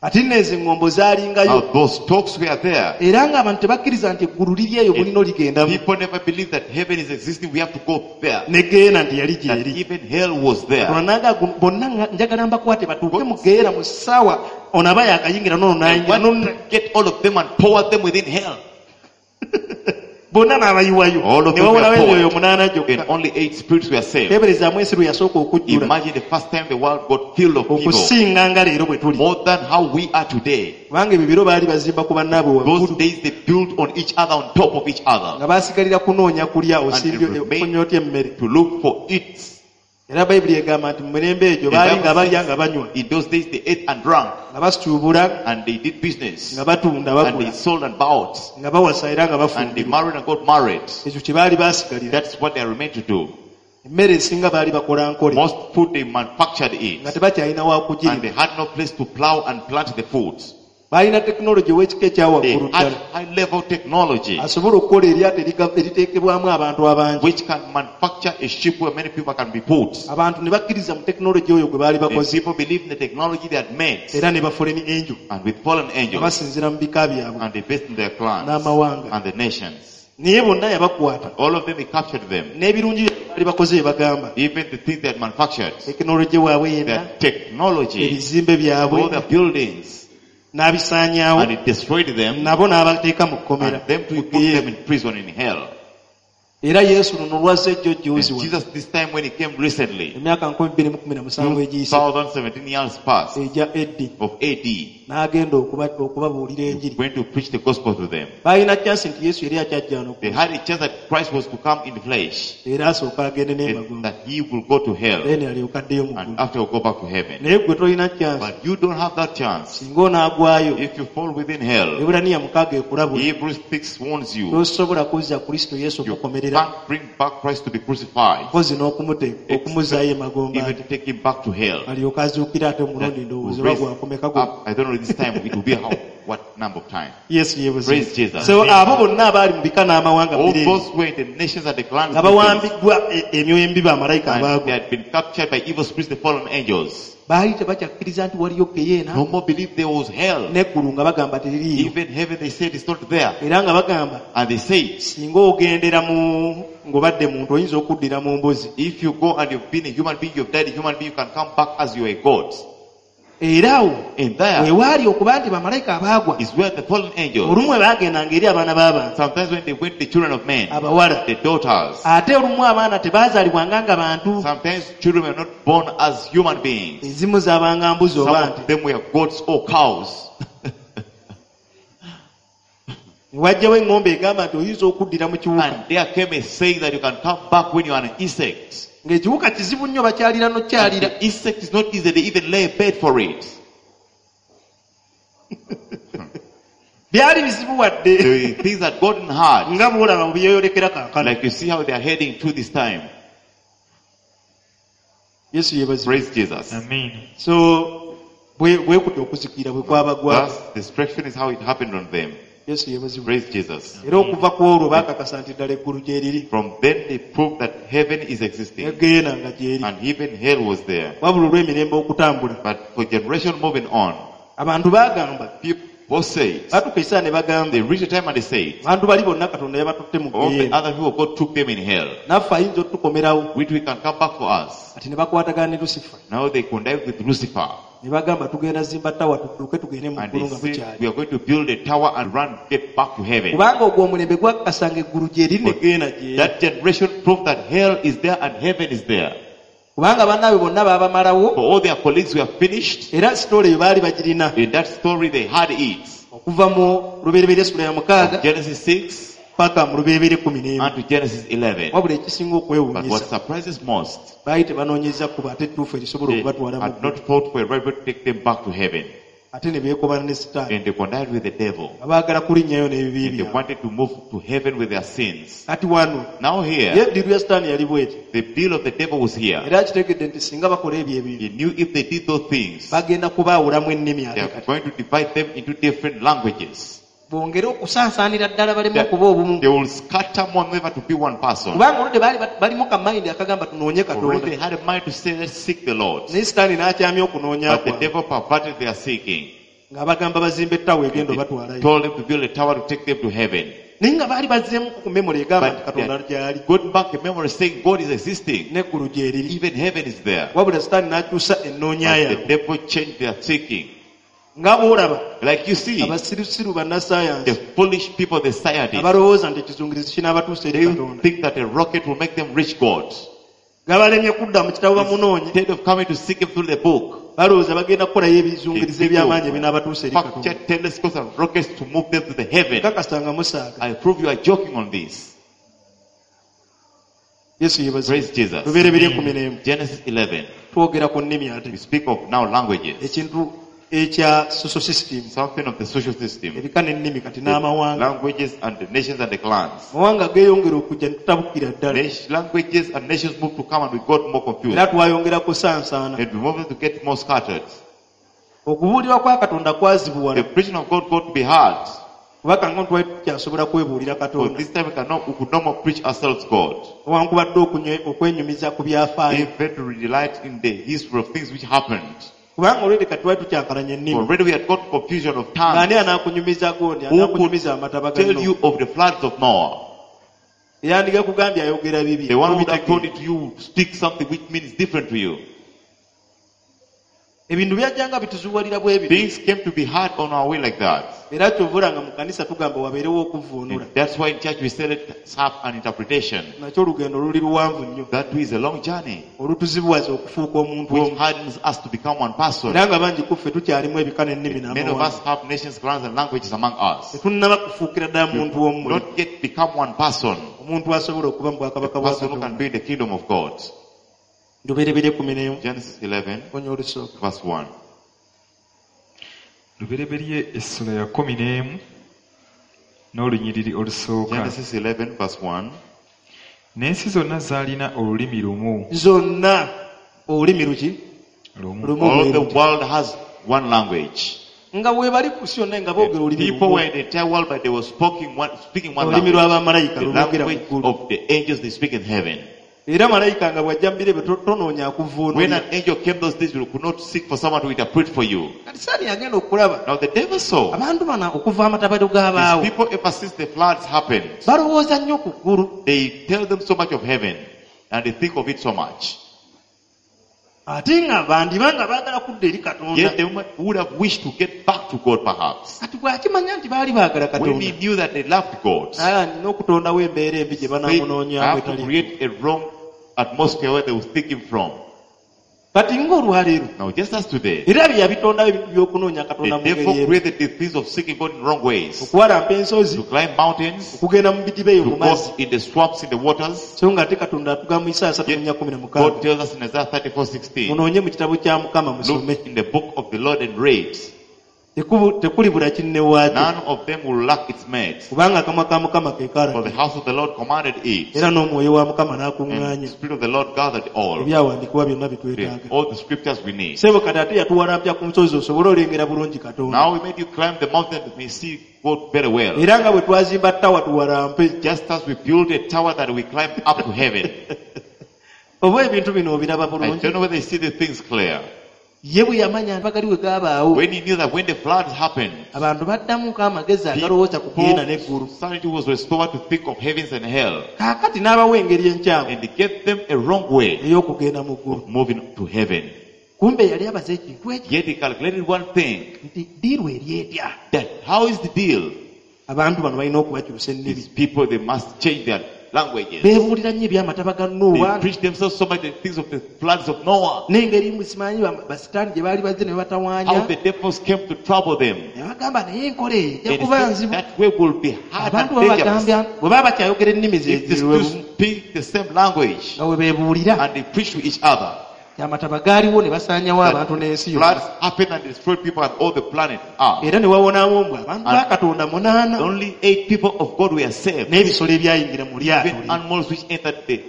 Ate nno ezo eŋŋombo Now zaalingayo those talks were there. era ng'abantu tebakkiriza nti eggulu liri eyo mulina oligendamu People never believe that heaven is existing. We have to go there. ne geena nti yali That gyeri. even hell was there. Katonda n'agamba bonna njagala mbakwate batuuke mu geera mu ssaawa ono aba yakayingira n'ono I n'ayingira want n'ono to get all of them and pour them within hell. Bonna n'abayiwayo All of ne them were wawolawo emyoyo poured. munaana And gyokka. only 8 spirits were saved. Teeberezaamu ensi lwe yasooka okujjula Imagine the first time the world got filled of people. okusinga nga leero bwe tuli. More than how we are today. Kubanga ebyo biro baali bazimba ku bannaabwe Those waggulu days they built on each other, on top of each other. nga baasigalira kunoonya kulya osimbye And remain- ofunye otya emmere. To look for it. Era Bayibuli egamba nti mu mirembe egyo The baali Bible nga balya says, nga banywa In those days they ate and drank. nga basuubula And they did business. nga batunda And they bagula sold and bought. nga bawasa era nga And they bafumbirwa. married and got married. Ekyo kye baali baasigalira. That's what they remained to do. Emmere esinga baali bakola nkole Most food they manufactured nga it. tebakyalina wa And kugirima. they had no place to plow and plant the food. Balina tekinologi ow'ekika ekya They waggulu had ddala high level technology asobola okukola eryato eriteekebwamu abantu abangi. which can manufacture a ship where many people can be put. Abantu ne bakkiriza mu tekinologi oyo gwe baali The bakoze people believed in the technology they had made era ne bafuleni angel and with fallen nga angels basinziira mu bika byabwe and they based in their clans n'amawanga. and the nations. Naye bonna yabakwata All of them, he captured them. n'ebirungi bye baali bakoze bye bagamba Even the things they had manufactured, tekinologi waabwe yenna their technology, ebizimbe all byabwe their buildings, n'abisaanyaawo and it destroyed them. nabo n'abateeka mu kkomera And them to mu put geyeena. them in prison in hell. Era Yesu luno lwazze ejjo And jjuuzi wano Jesus, this time when he came recently, emyaka 2017 egiyise 2017 years past egya AD of AD, n'agenda okubabuulira enjiri. went to preach the gospel to them. Baalina chance nti Yesu yali akyajja wano They had a chance that Christ was to come in the flesh, era asooka agende and n'emagombe that he will go to hell, then alyoke addeyo mu and ggulu. after will go back to heaven. Naye gwe tolina chance But you don't have that chance. singa onaagwayo If you fall within hell, Ebulaniya mukaaga ekulabula Hebrews 6 warns you, tosobola kuzza Kristo Yesu you okukomerera can't bring back Christ to be crucified, mpozi n'okumuteeka okumuzzaayo emagombe even ate to take him back to hell. alyoke azuukire ate omulundi That ndowooza will oba raise gwakomeka gwo. up, I don't know this time it will be how, what number of time. Yesu yeebazibwe. Praise Jesus. So abo bonna abaali mu bika n'amawanga All mu biro ebyo, those who were in the nations and the clans nga bawambiddwa emyoyo emibi bamalayika and they abaagwa had been captured by evil spirits, the fallen angels. baali tebakyakkiriza nti waliyo geyeena No more believe there was hell. n'eggulu nga bagamba teririiyo Even heaven, they said, is not there. era nga bagamba And they said, singa ogendera mu ng'obadde muntu oyinza okuddira mu mbuzi if you go and you've been a human being, you've died a human being, you can come back as you are a God. Era awo And there wewaali okuba nti bamalayika abaagwa is where the fallen angels, olumu we baagendanga eri abaana b'abantu sometimes when they went to the children of men, abawala the daughters, ate olumu abaana tebaazaalibwanga nga bantu sometimes children were not born as human beings. ezimu zaabanga mbuzi Some oba of nte them were goats or cows. Ne wajjawo eŋŋombe egamba nti oyinza okuddira mu kiwuka And there came a saying that you can come back when you are an insect. Ng'ekiwuka kizibu nnyo bakyalira And n'okyalira the insect is not easy, they even lay a bed for it. Byali bizibu wadde The things that gotten hard, nga bw'olaba bwe byeyolekera kaakano. like you see how they are heading to this time. Yesu yeebazibwe. Praise Jesus. Amen. So bwe kutya okuzikirira bwe kwabagwako. Thus, destruction is how it happened on them. Yesu yeebazibwe. Praise Jesus. Era okuva ku olwo baakakasa nti ddala eggulu gye riri From then they proved that heaven is existing negeena nga gyeri and even hell was there. wabula olw'emirembe okutambula But for generation moving on, abantu baagamba people said, batuuka ekiseera ne bagamba they reached a time and they said, abantu bali bonna Katonda yabatutte mu all the geyeena other people God took them in hell, naffe ayinza otukomerawo which we can come back for us. kati ne bakwatagana ne Lusifa Now they connived with Lucifer ne bagamba tugenda zimba tawa tudduke tugende mu and ggulu they nga said, bukyali we are going to build a tower and run, get back to heaven. kubanga ogwo omulembe gwakakasanga eggulu gye riri ne geyeena gyeri That generation proved that hell is there and heaven is there. Kubanga bannaabwe bonna baabamalawo For all their colleagues were finished. era sitoola eyo baali bagirina In that story, they had it. okuva mu lubereberye essula ya mukaaga Genesis 6 paka mu lubereberye 11 and to Genesis 11. wabula ekisinga But what okwewuunyisa surprises most, baali tebanoonyeza kkubo ate ettuufu erisobola they okubatwala mu had ggulu not fought for a right way to take them back to heaven. Ate ne beekobana ne Sitaani And they connived with the devil. nga baagala kulinnyayo n'ebibi And they byabwe wanted to move to heaven with their sins. Kati wano Now ye here, eddiru ya Sitaani yali bweti the deal of the devil was here. era akitegedde nti singa bakola ebyo ebintu He knew if they did those things, bagenda kubaawulamu ennimi they ate are kati going to divide them into different languages. bongere okusaasaanira ddala baleme That okuba obumu they will scatter more, never to be one person. kubanga oludde baali balimu kamayindi akagamba tunoonye Already Katonda they had a mind to say, let's seek the Lord. naye Sitaani n'akyamya okunoonya But the kwabwe devil perverted their seeking. ng'abagamba bazimba ettawa egenda He obatwalayo told them to build a tower to take them to heaven. Naye nga baali bazzeemu ku memory egamba nti But Katonda they gy'ali got back a memory saying God is existing. n'eggulu gye riri Even heaven is there. wabula Sitaani n'akyusa ennoonya But the yaabwe devil changed their seeking. Nga bw'olaba Like you see, abasirusiru the bannasayansi foolish people, the scientists, abalowooza nti ekizungirizi kinaabatuusa eri they Katonda think that a rocket will make them reach God. gabalemye kudda mu kitabo bamunoonye Instead of coming to seek him through the book, balowooza bagenda kukolayo they ebizungirizi think eby'amaanyi they will ebinaabatuusa eri Katonda. manufacture telescopes and rockets to move them to the heaven. Kakasa nga musaaga. I prove you are joking on this. Yesu yeebazibwe. Praise Jesus. Lubereberye 11. Genesis 11. Twogera ku nnimi ate We speak of now languages. ekintu ekya social system Something of the social system. ebika n'ennimi kati The n'amawanga languages and the nations and the clans. amawanga geeyongera okujja ne tutabukira ddala Languages and nations moved to come and we got more confused. era twayongera kusansaana And we moved to get more scattered. okubuulirwa kwa Katonda The kwazibuwala preaching of God got to be hard. kubanga nga twali tukyasobola kwebuulira For Katonda this time we could no more preach ourselves God. newankubadde okwenyumiza ku byafaayo Even to delight in the history of things which happened. kubanga olwedde kati twali tukyankalanya ennimi Already we had got confusion of ng'ani tongues. anaakunyumiza gondi Who could anaakunyumiza amataba ga tell Nowa you of the floods of Noah? eyandikakugambye ayogera bibi The one who would have told tobitegeera. it to you would speak something which means different to you. Ebintu byajjanga bituzuwalira bwe bityo Things came to be hard on our way like that. era kyova nga mu kanisa tugamba wabeerewo okuvvuunula And that's why in church we say let's have an interpretation. nakyo olugendo luli luwanvu nnyo That is a long journey olutuzibuwaza okufuuka omuntu which omu hardens us to become one person. era nga bangi ku ffe tukyalimu ebika n'ennimi Many of n'amawanga us have nations, clans, and languages among us. tetunnaba kufuukira ddala muntu omu Not yet become one person. omuntu asobola okuba mu A bwakabaka bwa person who can Katonda be in the kingdom of God. Lubereberye 11 Genesis 11, onya olusooka verse 1. Lubereberye essula ya 11 n'olunyiriri olusooka. Genesis 11, verse 1. N'ensi zonna zaalina olulimi lumu. Zonna olulimi luki Lumu. Lumu All bwe the luti. world has one language. Nga we bali ku si yonna nga boogera olulimi People lumu were in the entire world, but they were speaking one olulimi language. lw'abamalayika The lwogera mu language ggulu of the angels they speak in heaven. era malayika nga bw'ajja mu bire bye tonoonya When akuvuunulira an angel came those days, you could not seek for someone to interpret for you. kati saani yagenda okulaba Now the devil saw abantu bano okuva amatabalo g'abaawo these people ever since the floods happened. balowooza nnyo ku ggulu They tell them so much of heaven and they think of it so much. ate nga bandiba nga baagala kudda eri Katonda Yet they would have wished to get back to God perhaps. kati bw'akimanya nti baali baagala When he Katonda knew that they loved God, naye nina okutondawo embeera embi gye they banaamunoonyamu have to etali create a wrong atmosphere where they will seek him from. kati ng'olwaleero Now, just as today, era bye yabitondawo ebintu by'okunoonya Katonda the mu ngeri devil emu created the things of seeking God in wrong ways. okuwalampa ensozi To climb mountains, okugenda mu bidiba eyo to mu mazzi go in the swamps, in the waters. so nga ate Katonda atugamba mu Isaaya 34:16 God tells us in Isaiah 34:16, munoonye mu kitabo kya Mukama musome look in the book of the Lord and read. Tekulibula kinnewaakyo None of them will lack its mate. kubanga akamwa ka Mukama ke For the kalaga house of the Lord commanded it, era n'omwoyo wa Mukama and the n'akuŋŋaanya Spirit of the Lord gathered all. ebyawandiikibwa byonna bye twetaaga All the scriptures we need. sebo kati ate yatuwalampya ku nsozi osobole olengera bulungi Katonda Now we made you climb the mountain that may see God very well. era nga bwe twazimba ttawa tuwalampe Just as we built a tower that we climb up to heaven. oba ebintu bino obiraba I bulungi don't know whether you see the things clear. ye bwe yamanya bagali we gaabaawo When he knew that when the floods happened, abantu baddamuko amagezi agalowooza ku ggeyeena n'eggulu people, sanity was restored to think of heavens and hell. kaakati n'abawa engeri enkyamu And he gave them a wrong way ey'okugenda mu ggulu of moving to heaven. kumbe yali abaze ekintu ekyo Yet he calculated one thing, nti ddiiru eri etya that how is the deal? abantu bano balina okubakyusa ennimi These people, they must change their languages. beebuulira nnyo ebyamataba ga They Nowa preach themselves so much the things of the floods of Noah. n'engeri musimanyi basitaani gye baali bazze ne How batawaanya the devils came to trouble them. ne bagamba naye enkola eyo ejja And he kuba said, nzibu that way will be hard abantu and dangerous. babagambya bwe baba bakyayogera ennimi If they zeziwe still speak the same language nga bwe beebuulira and they preach to each other, amataba gaaliwo ne basaanyawo that abantu n'ensi yonna floods happened and destroyed people and all the planet Earth. era ne wawonawo mbwe abantu ba Katonda 8 Only 8 people of God were saved. n'ebisolo ebyayingira mu lyato Even animals which entered the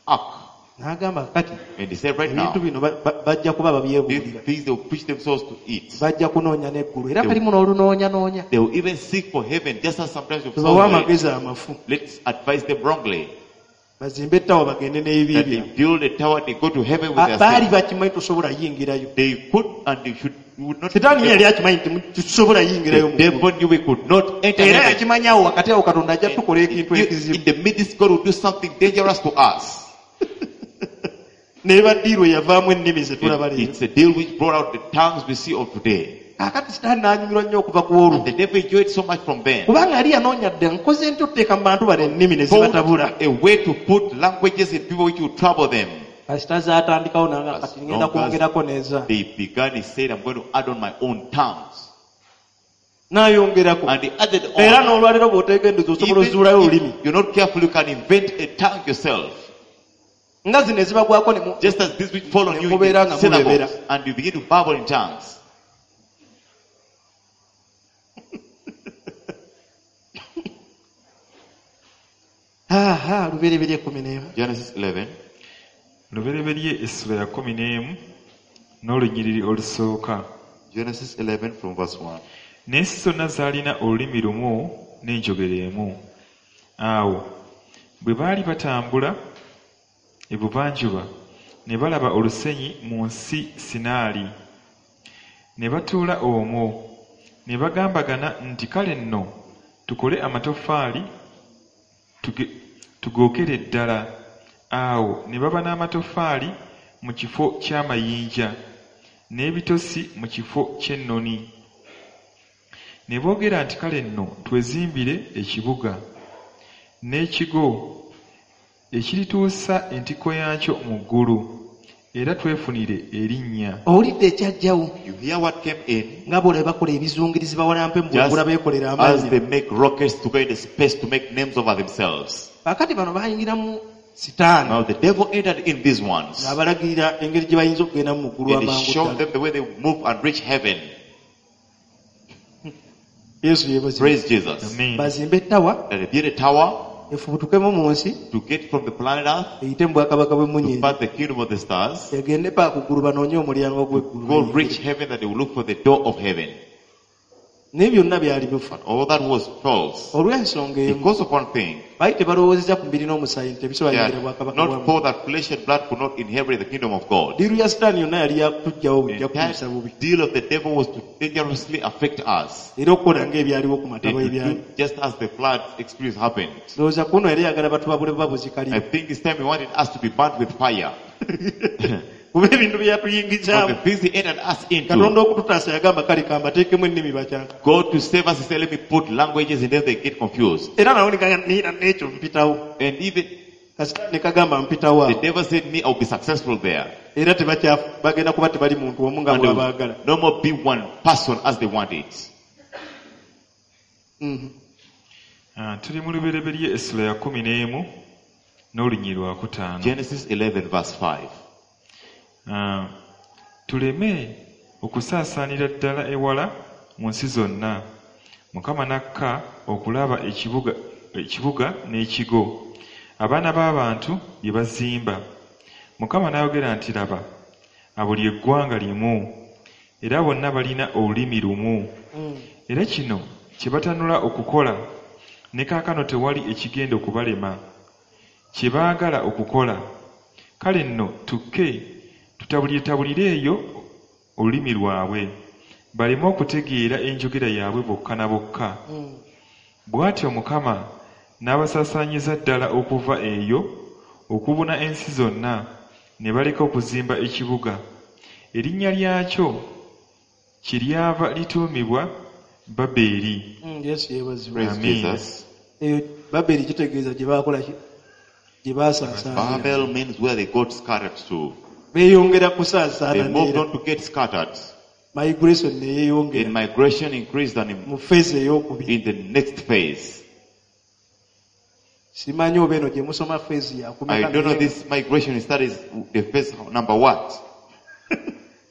ark. n'agamba kati And they said right now, ebintu bino bajja kuba these babyebuulira things they will preach themselves to eat. bajja kunoonya n'eggulu era kalimu n'olunoonyanoonya They will even seek for heaven, just as sometimes you tubawe amagezi amafu Let's advise them wrongly. bazimbe ettawa bagende n'ebibi That they byabwe build a tower, they go to heaven with their baali sins. bakimanyi tosobola yingirayo They could and they should would not. sitaani ye yali akimanyi nti tusobola yingirayo The mu ggulu devil knew we could not enter era heaven. yakimanyi awo wakati awo Katonda ajja tukola ekintu In ekizibu the midst, God will do something dangerous to us. n'eba ddiiru eyavaamu ennimi ze tulaba leero It's a deal which brought out the tongues we see of today. Kaakati sitaani n'anyumirwa nnyo okuva ku olwo And the devil enjoyed so much from them. kubanga yali yanoonya dda nkoze ntya otuteeka mu bantu bano ennimi ne zibatabula Found a way to put languages in people which would trouble them. Kasita zaatandikawo nanga As kati ngenda long as kwongerako n'eza they began, he said, I'm going to add on my own tongues. N'ayongerako And he added era on. n'olwaleero bw'oteegendereza osobola Even ozuulayo olulimi if you're not careful, you can invent a tongue yourself. Nga zino ezibagwako ne mu- Just as this which fall on you in Mubeera the nga mulebera. synagogues, and you begin to babble in tongues. Aha, Lubereberye 11. Genesis 11. Lubereberye essula ya 11 n'olunyiriri olusooka. Genesis 11 from verse 1. N'ensi zonna zaalina olulimi lumu n'enjogera emu. Awo bwe baali batambula ebuvanjuba ne balaba olusenyi mu nsi Sinaali ne batuula omwo ne bagambagana nti kale nno tukole amatoffaali tugookere ddala. Awo ne baba n'amatoffaali mu kifo ky'amayinja n'ebitosi mu kifo ky'ennoni. Ne boogera nti kale nno twezimbire ekibuga n'ekigo ekirituusa entikko yaakyo mu ggulu era twefunire erinnya. Owulidde ekyajjawo You hear what came in? nga bw'olaba bakola ebizungirizi bawalampe mu Just bwengula beekolera as amannya. they make rockets to go into space to make names over themselves. Kaakati bano bayingiramu sitaani Now the devil entered in these ones. ng'abalagirira engeri gye bayinza okugenda mu ggulu And he amangu showed ddala. them the way they move and reach heaven. Yesu yeebazibwe. Praise Jesus. Amen. Bazimbe ettawa That they built a tower efubutukemu mu nsi to get from the planet Earth eyite mu bwakabaka to bw'emmunyeenye pass the kingdom of the stars, egende paka ku ggulu banoonye omulyango gw'eggulu go reach heaven, that they will look for the door of heaven. Naye byonna byali bifu But all that was false. olw'ensonga emu Because of one thing, baali tebalowoozeza ku mubiri n'omusaayi nti they tebisobola had bwakabaka not bwa thought that flesh and blood could not inherit the kingdom of God. Ddiiru ya sitaani yonna yali yakutujjawo The bujja entire kutuyisa bubi deal of the devil was to dangerously affect us. era okukola ng'ebyaliwo ku And mataba to ebyali do just as the flood experience happened. Ndowooza kuno yali ayagala batubabule buba I buzikalire think this time he wanted us to be burnt with fire. Kuba ebintu bye But yatuyingizaamu the things he entered us into, Katonda okututaasa yagamba kale kambateekemu ennimi bakyanka God to save us, he said, let me put languages in them, they get confused. Era nawo niira n'ekyo mpitawo And even kasitaani ne kagamba mpitawo the awo devil said, me, I'll be successful there. Era tebakya bagenda kuba tebali muntu omu nga And they will bw'abaagala no more be one person as they want it. Mhm. Ah, tuli mu Lubereberye essula ya 11 n'olunyiriri lwakutaano. Genesis 11 verse 5. Ah, tuleme okusaasaanira ddala ewala mu nsi zonna. Mukama n'akka okulaba ekibuga, ekibuga n'ekigo abaana b'abantu bye bazimba. Mukama n'ayogera nti laba abuli eggwanga limu era bonna balina olulimi lumu era kino kye batanula okukola ne kaakano tewali ekigenda okubalema kye baagala okukola. Kale nno tukke tutabuliretabulire eyo olulimi lwabwe baleme okutegeera enjogera yaabwe bokka na bokka. Bw'atyo Mukama n'abasaasaanyiza ddala okuva eyo okubuna ensi zonna ne baleka okuzimba ekibuga. Erinnya lyakyo kyeryava lituumibwa Babeeri. Yesu yeebazibwe. Praise Amen. Jesus. Eyo Baberi kitegeeza gye baakola ki gye baasaasaanira Babel means where they got scattered to. Beeyongera They kusaasaana moved neera on to get scattered. Migration neyeeyongera In migration increased and mu feezi ey'okubiri in the next phase. Simanyi oba eno gye musoma feezi I yakumeka don't know this migration studies the phase number what.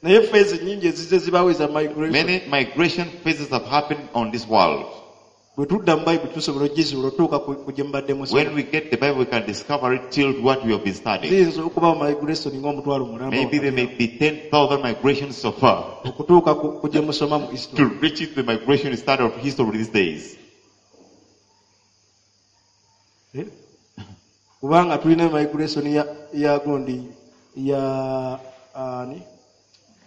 Naye feezi nnyingi ezizze zibaawo eza migration. Many migration phases have happened on this world. Bwe tudda mu Bayibuli tusobola ogizuula otuuka ku ku gye mubadde When musoma. we get the Bible, we can discover it till what we have been studying. Ziyinza okubawo migration ng'omutwalo mulamba Maybe there may wakati be 10,000 migrations so far awo, okutuuka ku ku gye musoma mu to history. reach the migration start of history these days. Eh? Kubanga tulina migration ya, ya gundi ya ani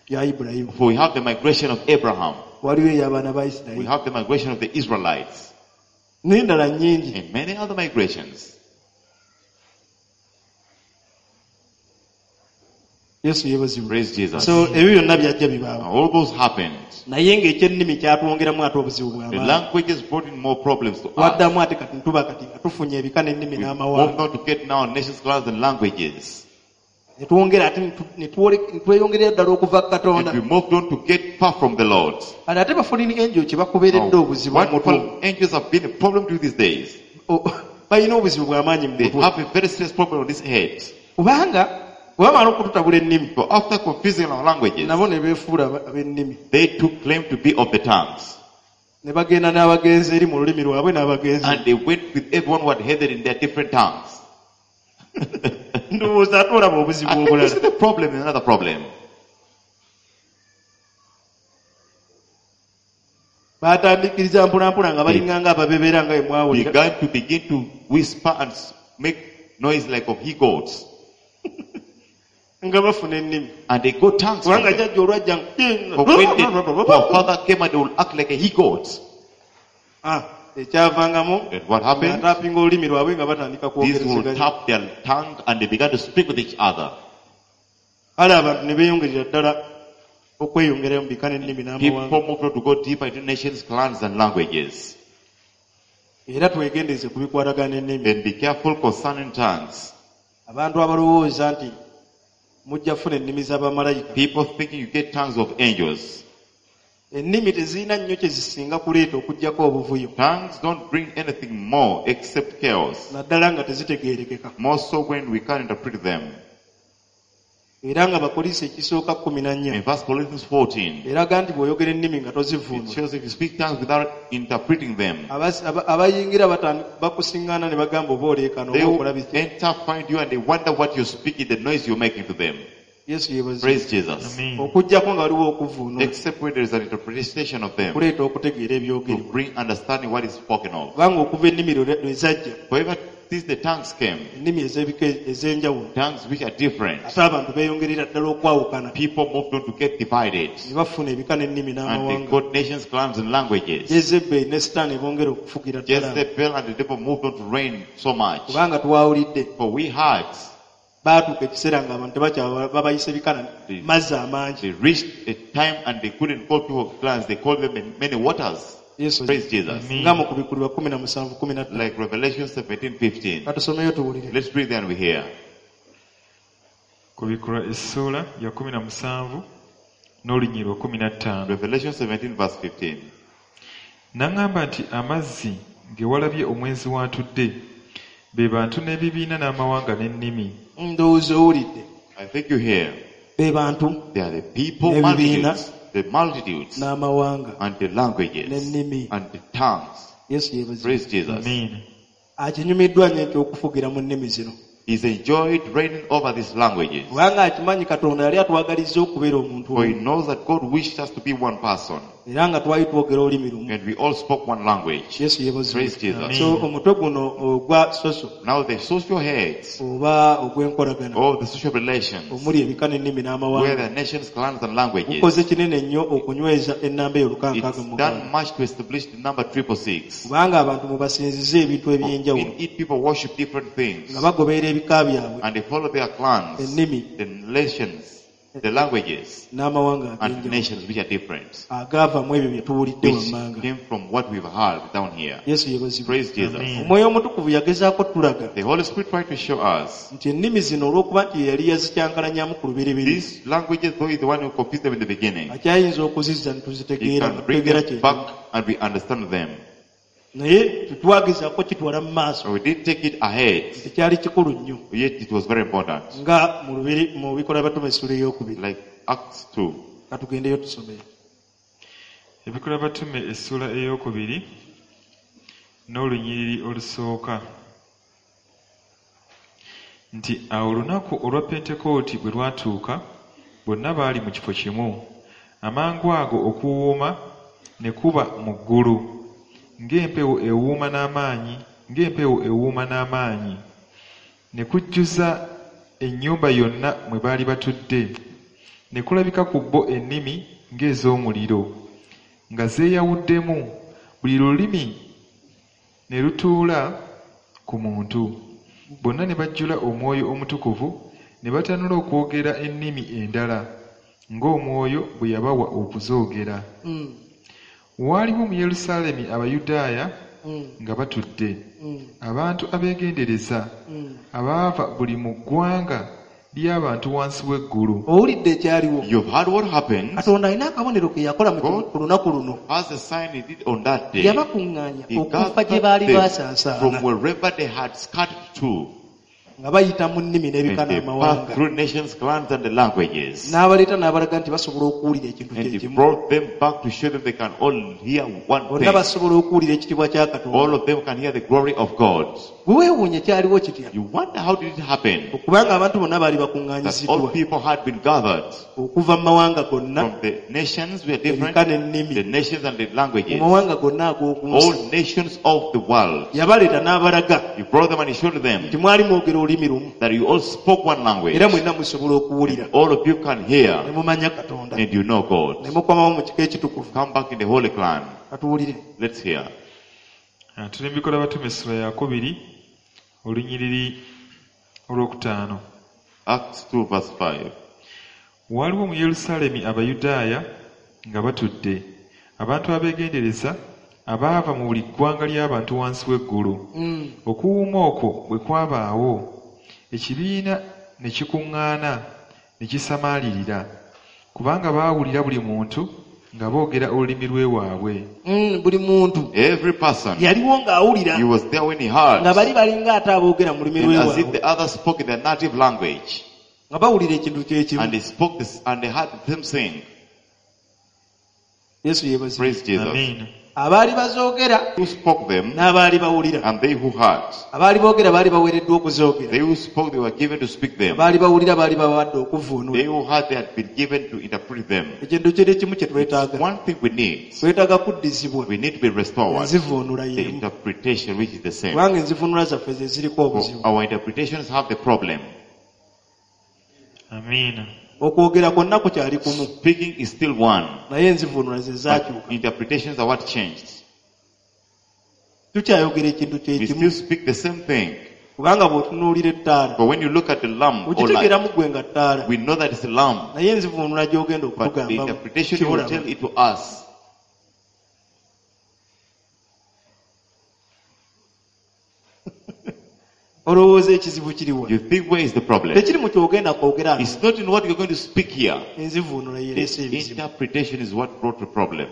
ya Ibulayimu. For we have the migration of Abraham. Waliwo ey'abaana ba We Isirayiri have the migration of the Israelites n'endala nnyingi. And many other migrations. Yesu yeebazibwe. Praise Jesus. So ebyo byonna byajja bibaawo. And all those happened. Naye ng'ekyennimi kyatwongeramu ate obuzibu The bw'amaanyi. languages brought in more problems to us. Twaddamu ate kati ntuba kati nga tufunye ebika n'ennimi We n'amawanga. moved on to get now nations, clans, and languages. Ne twongera ate ne tu- ne twole- ne tweyongerera ddala okuva ku And Katonda. we moved on to get far from the Lord. Kati ate ba-fallen angel kye bakubeeredde Now, obuzibu what mu mutwe. fallen angels have been a problem to these days. Balina obuzibu bw'amaanyi mu They mutwe. have a very serious problem on this head. Kubanga bwe bamala okututabula ennimi, So after confusing our languages, nabo ne beefuula ab'ennimi. they took claim to be of the tongues. Ne bagenda n'abagenzi eri mu lulimi lwabwe n'abagenzi. And they went with everyone who had headed in their different tongues. Ndowooza ate olaba obuzibu I think this obulala. is the problem, another problem. Baatandikiriza mpolampola nga balinganga ababebeera nga bwe mwawulira. Began to begin to whisper and make noise like of he goats. Nga bafuna ennimi. And they got tongues. From Kubanga them. jjajja olwajja For when our father came and they will act like a he goat. Ah, ekyavangamu And what happened? ng'ataapinga olulimi lwabwe nga batandika These will kwogerezeganya. tap their tongue and they began to speak with each other. Kale abantu ne beeyongerera ddala okweyongerayo mu bika n'ennimi n'amawanga. People moved on to go deeper into nations, clans, and languages. Era twegendereze ku bikwatagana n'ennimi. Then be careful concerning tongues. Abantu abalowooza nti mujja kufuna ennimi z'abamalayika. People thinking you get tongues of angels. Ennimi tezirina nnyo kye zisinga kuleeta okuggyako obuvuyo. Tongues don't bring anything more except chaos. Naddala nga tezitegeerekeka. More so when we can't interpret them. Era nga Bakolinso ekisooka 14 In 1 Corinthians 14, eraga nti bw'oyogera ennimi nga it tozivuunula. shows if you speak tongues without interpreting them, Abayingira bakusiŋŋaana ne bagamba oba oleekaana they oba will okola biki. enter, find you, and they wonder what you're speaking, the noise you're making to them. Yesu yeebazibwe. Praise Jesus. Amen. Okuggyako nga waliwo okuvuunula Except when there is an interpretation of them kuleeta okutegeera to ebyogerebwa. bring understanding what is spoken of. Kubanga okuva ennimi lwe zajja, However, since the tongues came, ennimi ez'ebika ez'enjawulo, tongues which are different, ate abantu beeyongerera ddala okwawukana people moved on to get divided. ne bafuna ebika n'ennimi And they n'amawanga. got nations, clans, and languages. Jezebeli ne Sitaani bongera okufugira ddala. Jezebel and the devil moved on to reign so much. Kubanga twawulidde For we had, baatuuka ekiseera ng'abantu tebakyaba babayise bika na mazzi amangi. they reached a time and they couldn't call people clans, they called them many waters. Yesu Praise Jesus. Amen. nga mu kubikulirwa 17:15. Like Revelation 17, 15. Katusomeyo tuwulire. Let's read and we hear. Kubikulwa essuula ya 17 n'olunyiriri lwa 15. Revelation 17 verse 15. N'aŋŋamba nti amazzi ge walabye omwenzi w'atudde be bantu n'ebibiina n'amawanga n'ennimi. Ndowooza owulidde. I think you hear. Be bantu They are the people, N'ebibiina. multitudes, the multitudes, n'amawanga and the languages, N'ennimi. and the tongues. Yesu yeebazibwe. Praise Jesus. Amen. Akinyumiddwa nnyo eky'okufugira mu nnimi zino. He's enjoyed reigning over these languages. Kubanga akimanyi Katonda yali atwagalizza okubeera omuntu For he omu. knows that God wished us to be one person, Era nga twali twogera olulimi lumu. and we all spoke one language. Yesu yeebazibwe. Praise Jesus. Amen. So omutwe guno ogwa soso Now the social heads, oba ogw'enkolagana or the social relations, omuli ebika n'ennimi where n'amawanga the nations, clans, and languages, gukoze kinene nnyo okunyweza ennamba eyo it's 666. done much to establish the number 666. Kubanga abantu mubasinziza ebintu eby'enjawulo In it, people worship different things, nga bagoberera ebika byabwe and they follow their clans, ennimi the nations, the languages, n'amawanga and ag'enjawulo nations which are different, agaava mu ebyo bye tuwulidde which wammanga. came from what we've heard down here. Yesu yeebazibwe. Praise Jesus. Amen. Omwoyo Omutukuvu yagezaako tulaga The Holy Spirit tried to show us nti ennimi zino olw'okuba nti ye yali yazikyankalanyamu ku lubereberye these languages, though he's the one who confused them in the beginning, akyayinza okuzizza ne he tuzitegeera nga can bring tutegeera them kye back and we understand them. Naye tetwagezaako kitwala mu maaso. So we did take it ahead, Tekyali kikulu nnyo yet it was very important. nga mu lubiri mu bikolwa by'abatume essula ey'okubiri. Like Acts 2. Katugendeyo tusomeyo. Ebikolwa Batume essuula ey'okubiri n'olunyiriri olusooka nti awo olunaku olwa Pentekooti bwe lwatuuka bonna baali mu kifo kimu amangu ago okuwuuma ne kuba mu ggulu ng'empewo ewuuma n'amaanyi ng'empewo ewuuma n'amaanyi ne kujjuza ennyumba yonna mwe baali batudde ne kulabika ku bo ennimi ng'ez'omuliro nga zeeyawuddemu buli lulimi ne lutuula ku muntu bonna ne bajjula omwoyo omutukuvu Ne batanula okwogera ennimi endala ng'omwoyo bwe yabawa okuzoogera. Waaliwo mu Yerusaalemi Abayudaaya nga batudde, abantu abeegendereza, abaava buli mu ggwanga ly'abantu wansi w'eggulu. Owulidde ekyaliwo? You've heard what happened. Katonda alina akabonero ke yakola mu God ku lunaku luno. Has a sign he did on that day. Yabakuŋŋaanya He okuva gye gathered baali them baasaasaana from wherever they had scattered to. nga bayita mu nnimi And n'ebika they passed n'amawanga. through nations, clans, and the languages. N'abaleeta n'abalaga nti basobola okuwulira ekintu And kye he kimu. brought them back to show them they can all hear one Bonna thing. basobola okuwulira ekitiibwa kya Katonda. All of them can hear the glory of God. Bwe weewuunya kyaliwo kitya? You wonder how did it happen Okubanga abantu bonna baali that all bakuŋŋaanyiziddwa people had been gathered okuva mu mawanga gonna, from the nations were different, ebika n'ennimi, the nations and the mu languages, mawanga gonna ag'oku nsi. all nations of the world. Yabaleeta n'abalaga He brought them and he showed them nti mwali mwogera olulimi lumu that you all spoke one language. era mwenna musobola okuwulira All of you can ne hear mumanya Katonda and you know God. ne mukomawo mu kika ekitukuvu. Come back in the holy clan. Katuwulire. Let's hear. Ah, tuli mu Bikolwa Batume essula yakubiri olunyiriri olwokutaano. Acts 2 verse 5. Waaliwo mu Yerusaalemi Abayudaaya nga batudde, abantu abeegendereza abaava mu buli ggwanga ly'abantu wansi w'eggulu. Okuwuuma okwo bwe kwabaawo, ekibiina ne kikuŋŋaana ne kisamaalirira, kubanga baawulira buli muntu nga boogera olulimi lw'ewaabwe. Buli muntu Every person, yaliwo ng'awulira he was there when he heard. nga bali balinga ate aboogera mu lulimi And as if lw'ewaabwe the others spoke in their native language. nga bawulira ekintu kye kimu. And they spoke this, and they heard the same thing. Yesu yeebazibwe. Praise Jesus. Amiina. Abaali bazoogera Who spoke them n'abaali bawulira. and they who heard. Abaali boogera baali baweereddwa okuzoogera. They who spoke, they were given to speak them. Abaali bawulira baali babawadde okuvuunula. They who heard, they had been given to interpret them. Ekintu kiri kimu kye twetaaga. One thing we need, Twetaaga kuddizibwa we need to be restored. enzivuunula The y'emu. interpretation, which is the same. Kubanga enzivuunula zaffe ze ziriko For obuzibu. our interpretations have the problem. Amiina. Okwogera kwonna kukyali kumu Speaking is still one, naye enzivuunula ze but zaakyuka. interpretations are what changed. Tukyayogera ekintu kye We kimu still speak the same thing. kubanga bw'otunuulira ettaala But when you look at the lamb or light, okitegeeramu ggwe nga ttaala we know that it's a lamb. naye enzivuunula gy'ogenda But the okutugambamu interpretation you will kiolaba. tell it to us. Olowooza ekizibu kiriwa? You think where is the problem? Tekiri mu kyogenda kwogera It's not in what you're going to speak here. enzivuunula yereese The ebizibu. interpretation is what brought the problem.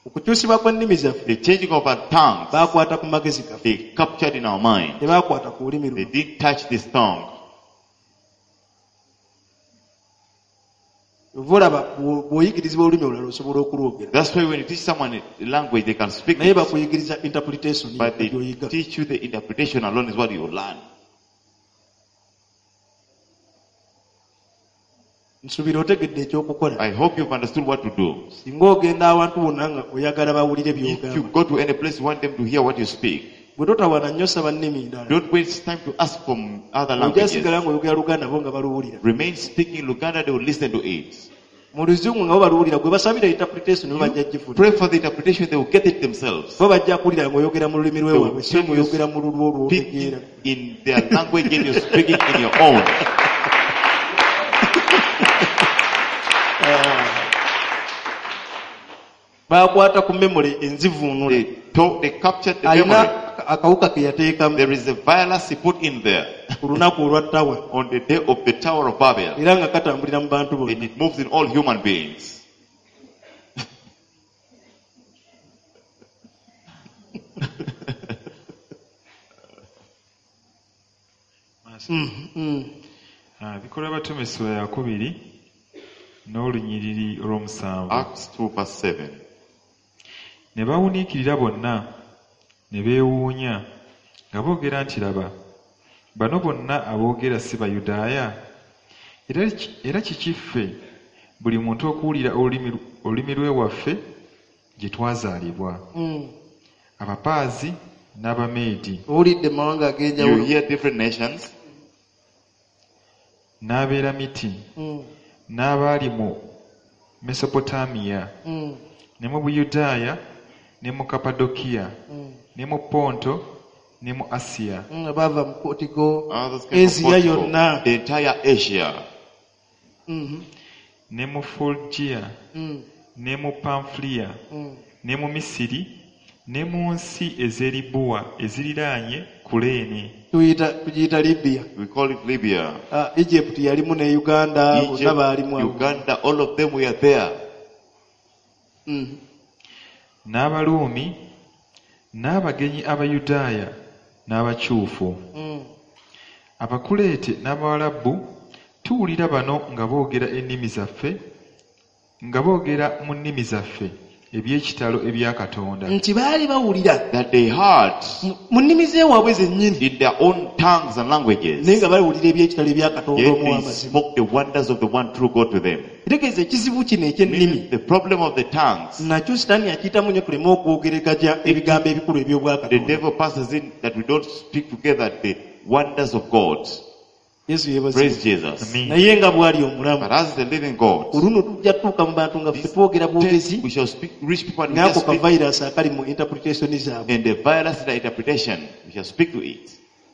Okukyusibwa kw'ennimi zaffe The changing of our tongues, baakwata ku magezi gaffe they captured in our mind. tebaakwata ku lulimi They luno. didn't touch this tongue. Ova olaba bw'oyigirizibwa olulimi olulala osobola okulwogera That's why when you teach someone a language, they can speak naye it. bakuyigiriza interpretation But they gy'oyiga. teach you the interpretation alone is what you learn. Nsuubira otegedde ekyokukola. I hope you've understood what to do. Singa ogenda awantu wonna nga oyagala bawulire If you by'ogamba go to any place, you want them to hear what you speak. bwe totawaana nnyo saba nnimi ndala Don't waste time to ask from other ojja languages. sigala ng'oyogera Luganda bo nga baluwulira. Remain speaking Luganda, they will listen to it. Mu luzungu nga bo baluwulira gwe basabira interpretation bo bajja gifuna. Pray for the interpretation, they will get it themselves. Bo bajja kuwulira ng'oyogera mu lulimi lw'ewaabwe They si will tell you ng'oyogera mu lulwo Speaking lw'otegeera. in their language and you're speaking in your own. Baakwata ku memory enzivuunula. They captured the Alina memory. akawuka ke yateekamu There is a virus he put in there ku lunaku olwa ttawa on the day of the Tower of Babel. era nga katambulira mu bantu And bonna. it moves in all human beings. Ah, Bikolwa Batume essula yakubiri n'olunyiriri olw'omusanvu. Acts 2 verse 7. Ne bawuniikirira bonna ne beewuunya nga boogera nti laba bano bonna aboogera si Bayudaaya? Era kiki ffe buli muntu okuwulira olulimi lw'ewaffe gye twazaalibwa? Abapaazi n'Abameedi Owulidde mu mawanga You ag'enjawulo. hear different nations, n'Abeeramiti n'abaali mu Mesopotamiya ne mu Buyudaaya ne mu Kapadokiya ne mu Ponto ne mu Asiya Abaava mu Portugal, Others came from Asia Portugal, yonna. the entire Asia, Ne mu Fulugiya ne mu Panfuliya ne mu Misiri ne mu nsi ez'e Libuwa eziriraanye Kuleene Tugiyita Libya. We call it Libya. Ah, Egypt yalimu ne Uganda, bonna Egypt, baalimu awo. Uganda, all of them were there. N'Abaruumi n'abagenyi Abayudaaya n'abakyufu Abakuleete n'Abawalabu tuwulira bano nga boogera ennimi zaffe nga boogera mu nnimi zaffe eby'ekitalo ebya Katonda. Nti baali bawulira That they heard mu nnimi z'ewaabwe zennyini in their own tongues and languages. naye nga bawulira eby'ekitalo ebya Katonda Yet they omuw'amazima. spoke the wonders of the one true God to them. Kitegeeza ekizibu kino eky'ennimi Meaning the problem of the tongues, nakyo Sitaani akiyitamu nnyo tuleme okwogeregaja ebigambo ebikulu the eby'obwakatonda. devil passes in that we don't speak together the wonders of God. Yesu yeebazibwe. Praise Jesus. Amen. Naye nga bw'ali omulamu But as the living God, ku luno tujja tutuuka mu bantu nga ffe twogera bwogezi we shall speak, reach people and we n'ako shall ka speak, virus akali mu interpretation zaabwe and the virus in the interpretation, we shall speak to it.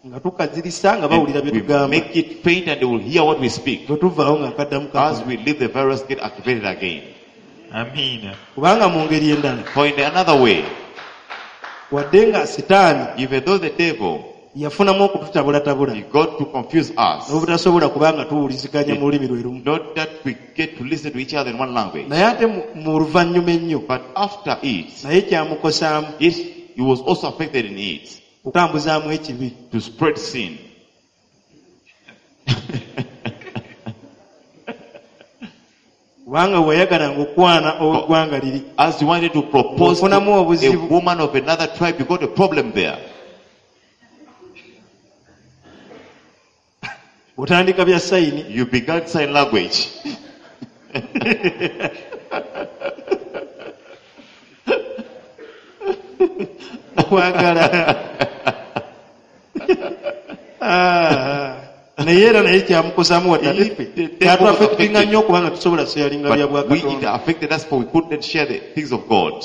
nga tukazirisa nga bawulira And bye we tugamba make it faint and they will hear what we speak. bwe tuvaawo nga akaddamu As kakola. we leave, the virus get activated again. Amiina. Kubanga mu ngeri endala For in another way, wadde nga Sitaani even though the devil, yafunamu okututabulatabula he got to confuse us, n'obutasobola kubanga tuwuliziganya mu lulimi lwe lumu not that we get to listen to each other in one language, naye ate mu luvannyuma ennyo but after it, naye kyamukosaamu he was also affected in it okutambuzaamu ekibi to spread sin. Kubanga weyagalanga okwana ow'eggwanga liri As you wanted to propose to Ofunamu a obuzibu. woman of another tribe, you got a problem there. Otandika bya sayini You began sign language. Okwagala. Ah, naye era naye kyamukosaamu wadde ate ffe kyatuaffectinga nnyo okubanga tusobola seyalinga bya But we, it bwakatonda affected us, for we couldn't share the things of God.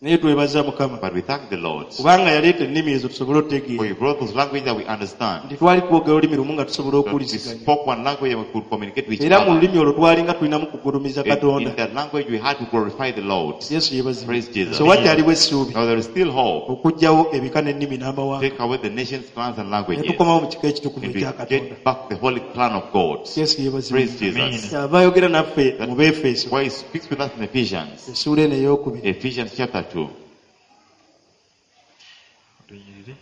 Naye twebaza Mukama But we thank the Lord kubanga yaleeta ennimi ezo tusobole for otutegeera he brought those language that we understand. nti twali twogera olulimi lumu nga tusobola That we okuwuliziganya spoke one language and we could communicate with each era mu other. lulimi olwo twalinga tulinamu kugulumiza And in Katonda. that language we had to glorify the Lord. Yesu yeebazibwe. Praise Jesus. So wakyaliwo essuubi Now there is still hope. okuggyawo ebika n'ennimi n'amawanga Take away the nations, clans, and ne languages. tukomawo mu kika ekitukuvu And we ekya Katonda. get back the holy plan of God. Yesu yeebazibwe. Praise Jesus. Kyava ayogera naffe mu Beefeso Why he speaks with us in Ephesians. essuula eno ey'okubiri Ephesians chapter 2. Olunyiriri.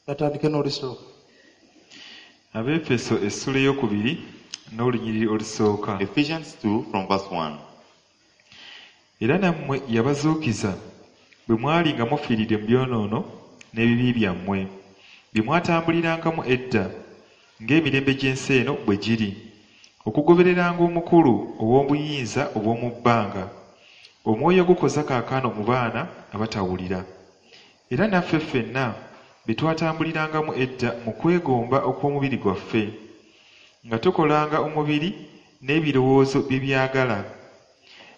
Batandike n'olusooka. Abeefeso essula ey'okubiri n'olunyiriri olusooka. Ephesians 2 from verse 1. Era nammwe yabazuukiza bwe mwali nga mufiiridde mu byonoono n'ebibi byammwe bye mwatambulirangamu edda ng'emirembe gy'ensi eno bwe giri okugobereranga omukulu ow'obuyinza obw'omu bbanga omwoyo ogukoza kaakano mu baana abatawulira era naffe ffenna be twatambulirangamu edda mu kwegomba okw'omubiri gwaffe nga tukolanga omubiri n'ebirowoozo bye byagala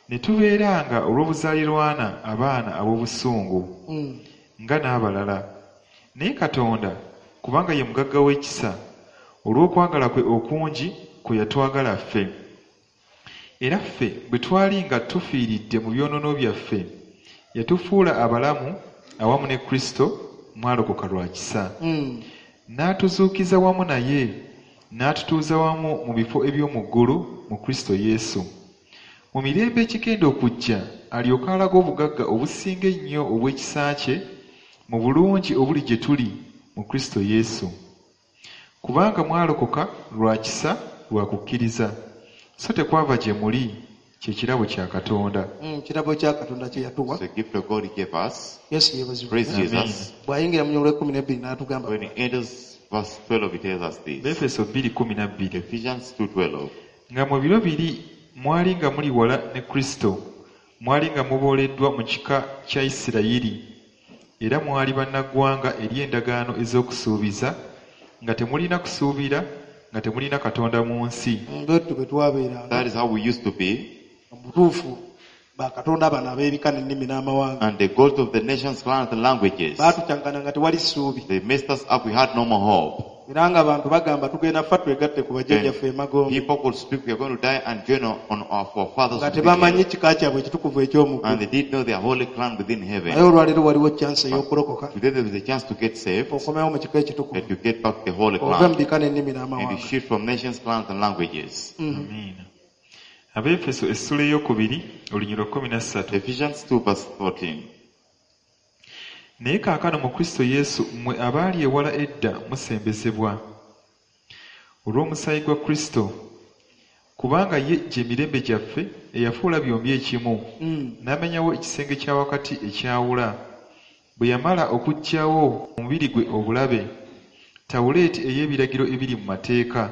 ne tubeeranga olw'obuzaalirwana abaana ab'obusungu nga n'abalala naye Katonda kubanga ye mugagga w'ekisa olw'okwagala kwe okungi kwe yatwagala ffe era ffe bwe twali nga tufiiridde mu byonoono byaffe yatufuula abalamu awamu ne Kristo mwalokoka lwa kisa n'atuzuukiza wamu naye n'atutuuza wamu mu bifo eby'omu ggulu mu Kristo Yesu mu mirembe ekigenda okujja alyoke alaga obugagga obusinga ennyo obw'ekisa kye mu bulungi obuli gye tuli mu Kristo Yesu kubanga mwalokoka lwa kisa lwa kukkiriza so tekwava gye muli kye kirabo kya Katonda. Kirabo kya Katonda kye yatuwa. It's a gift of God he gave us. Yesu yeebazibwe. Praise Amen. Jesus. Bw'ayingira mu lw'ekkumi n'ebbiri n'atugamba When he enters verse 12, he tells us this. Befeso 2:12 Ephesians 2:12. Nga mu biro biri mwali nga muli wala ne Kristo mwali nga mubooleddwa mu kika kya Isirayiri era mwali bannaggwanga eri endagaano ez'okusuubiza nga temulina kusuubira nga temulina Katonda mu nsi. Bwettu bwe twabeeranga. That is how we used to be. Mu butuufu bakatonda bano ab'ebika n'ennimi n'amawanga And the gods of the nations, clans, and languages, baatucankana nga tewali ssuubi. they messed us up. We had no more hope. Era ng'abantu bagamba tugenda ffa twegatte ku bajjajjaffe emagombe People could speak, we are going to die and join on our forefathers. nga who be tebamanyi here. kika kyabwe ekitukuvu eky'omu And ggulu. they did know their holy clan within Naye heaven. olwaleero waliwo chance ey'okulokoka Today there is a chance to get saved okomewo mu kika ekitukuvu and to get back to the holy ove mu clan bika n'ennimi and you n'amawanga. shift from nations, clans, and languages. Amiina. Abeefeso essula eyokubiri olunyiriri 13. Ephesians 2 verse 14. Naye kaakano mu Kristo Yesu mmwe abaali ewala edda musembezebwa olw'omusaayi gwa Kristo, kubanga ye gye mirembe gyaffe eyafuula byombi ekimu, n'amenyawo ekisenge kya wakati ekyawula, bwe yamala okuggyawo mu mubiri gwe obulabe, tawuleeti ey'ebiragiro ebiri mu mateeka,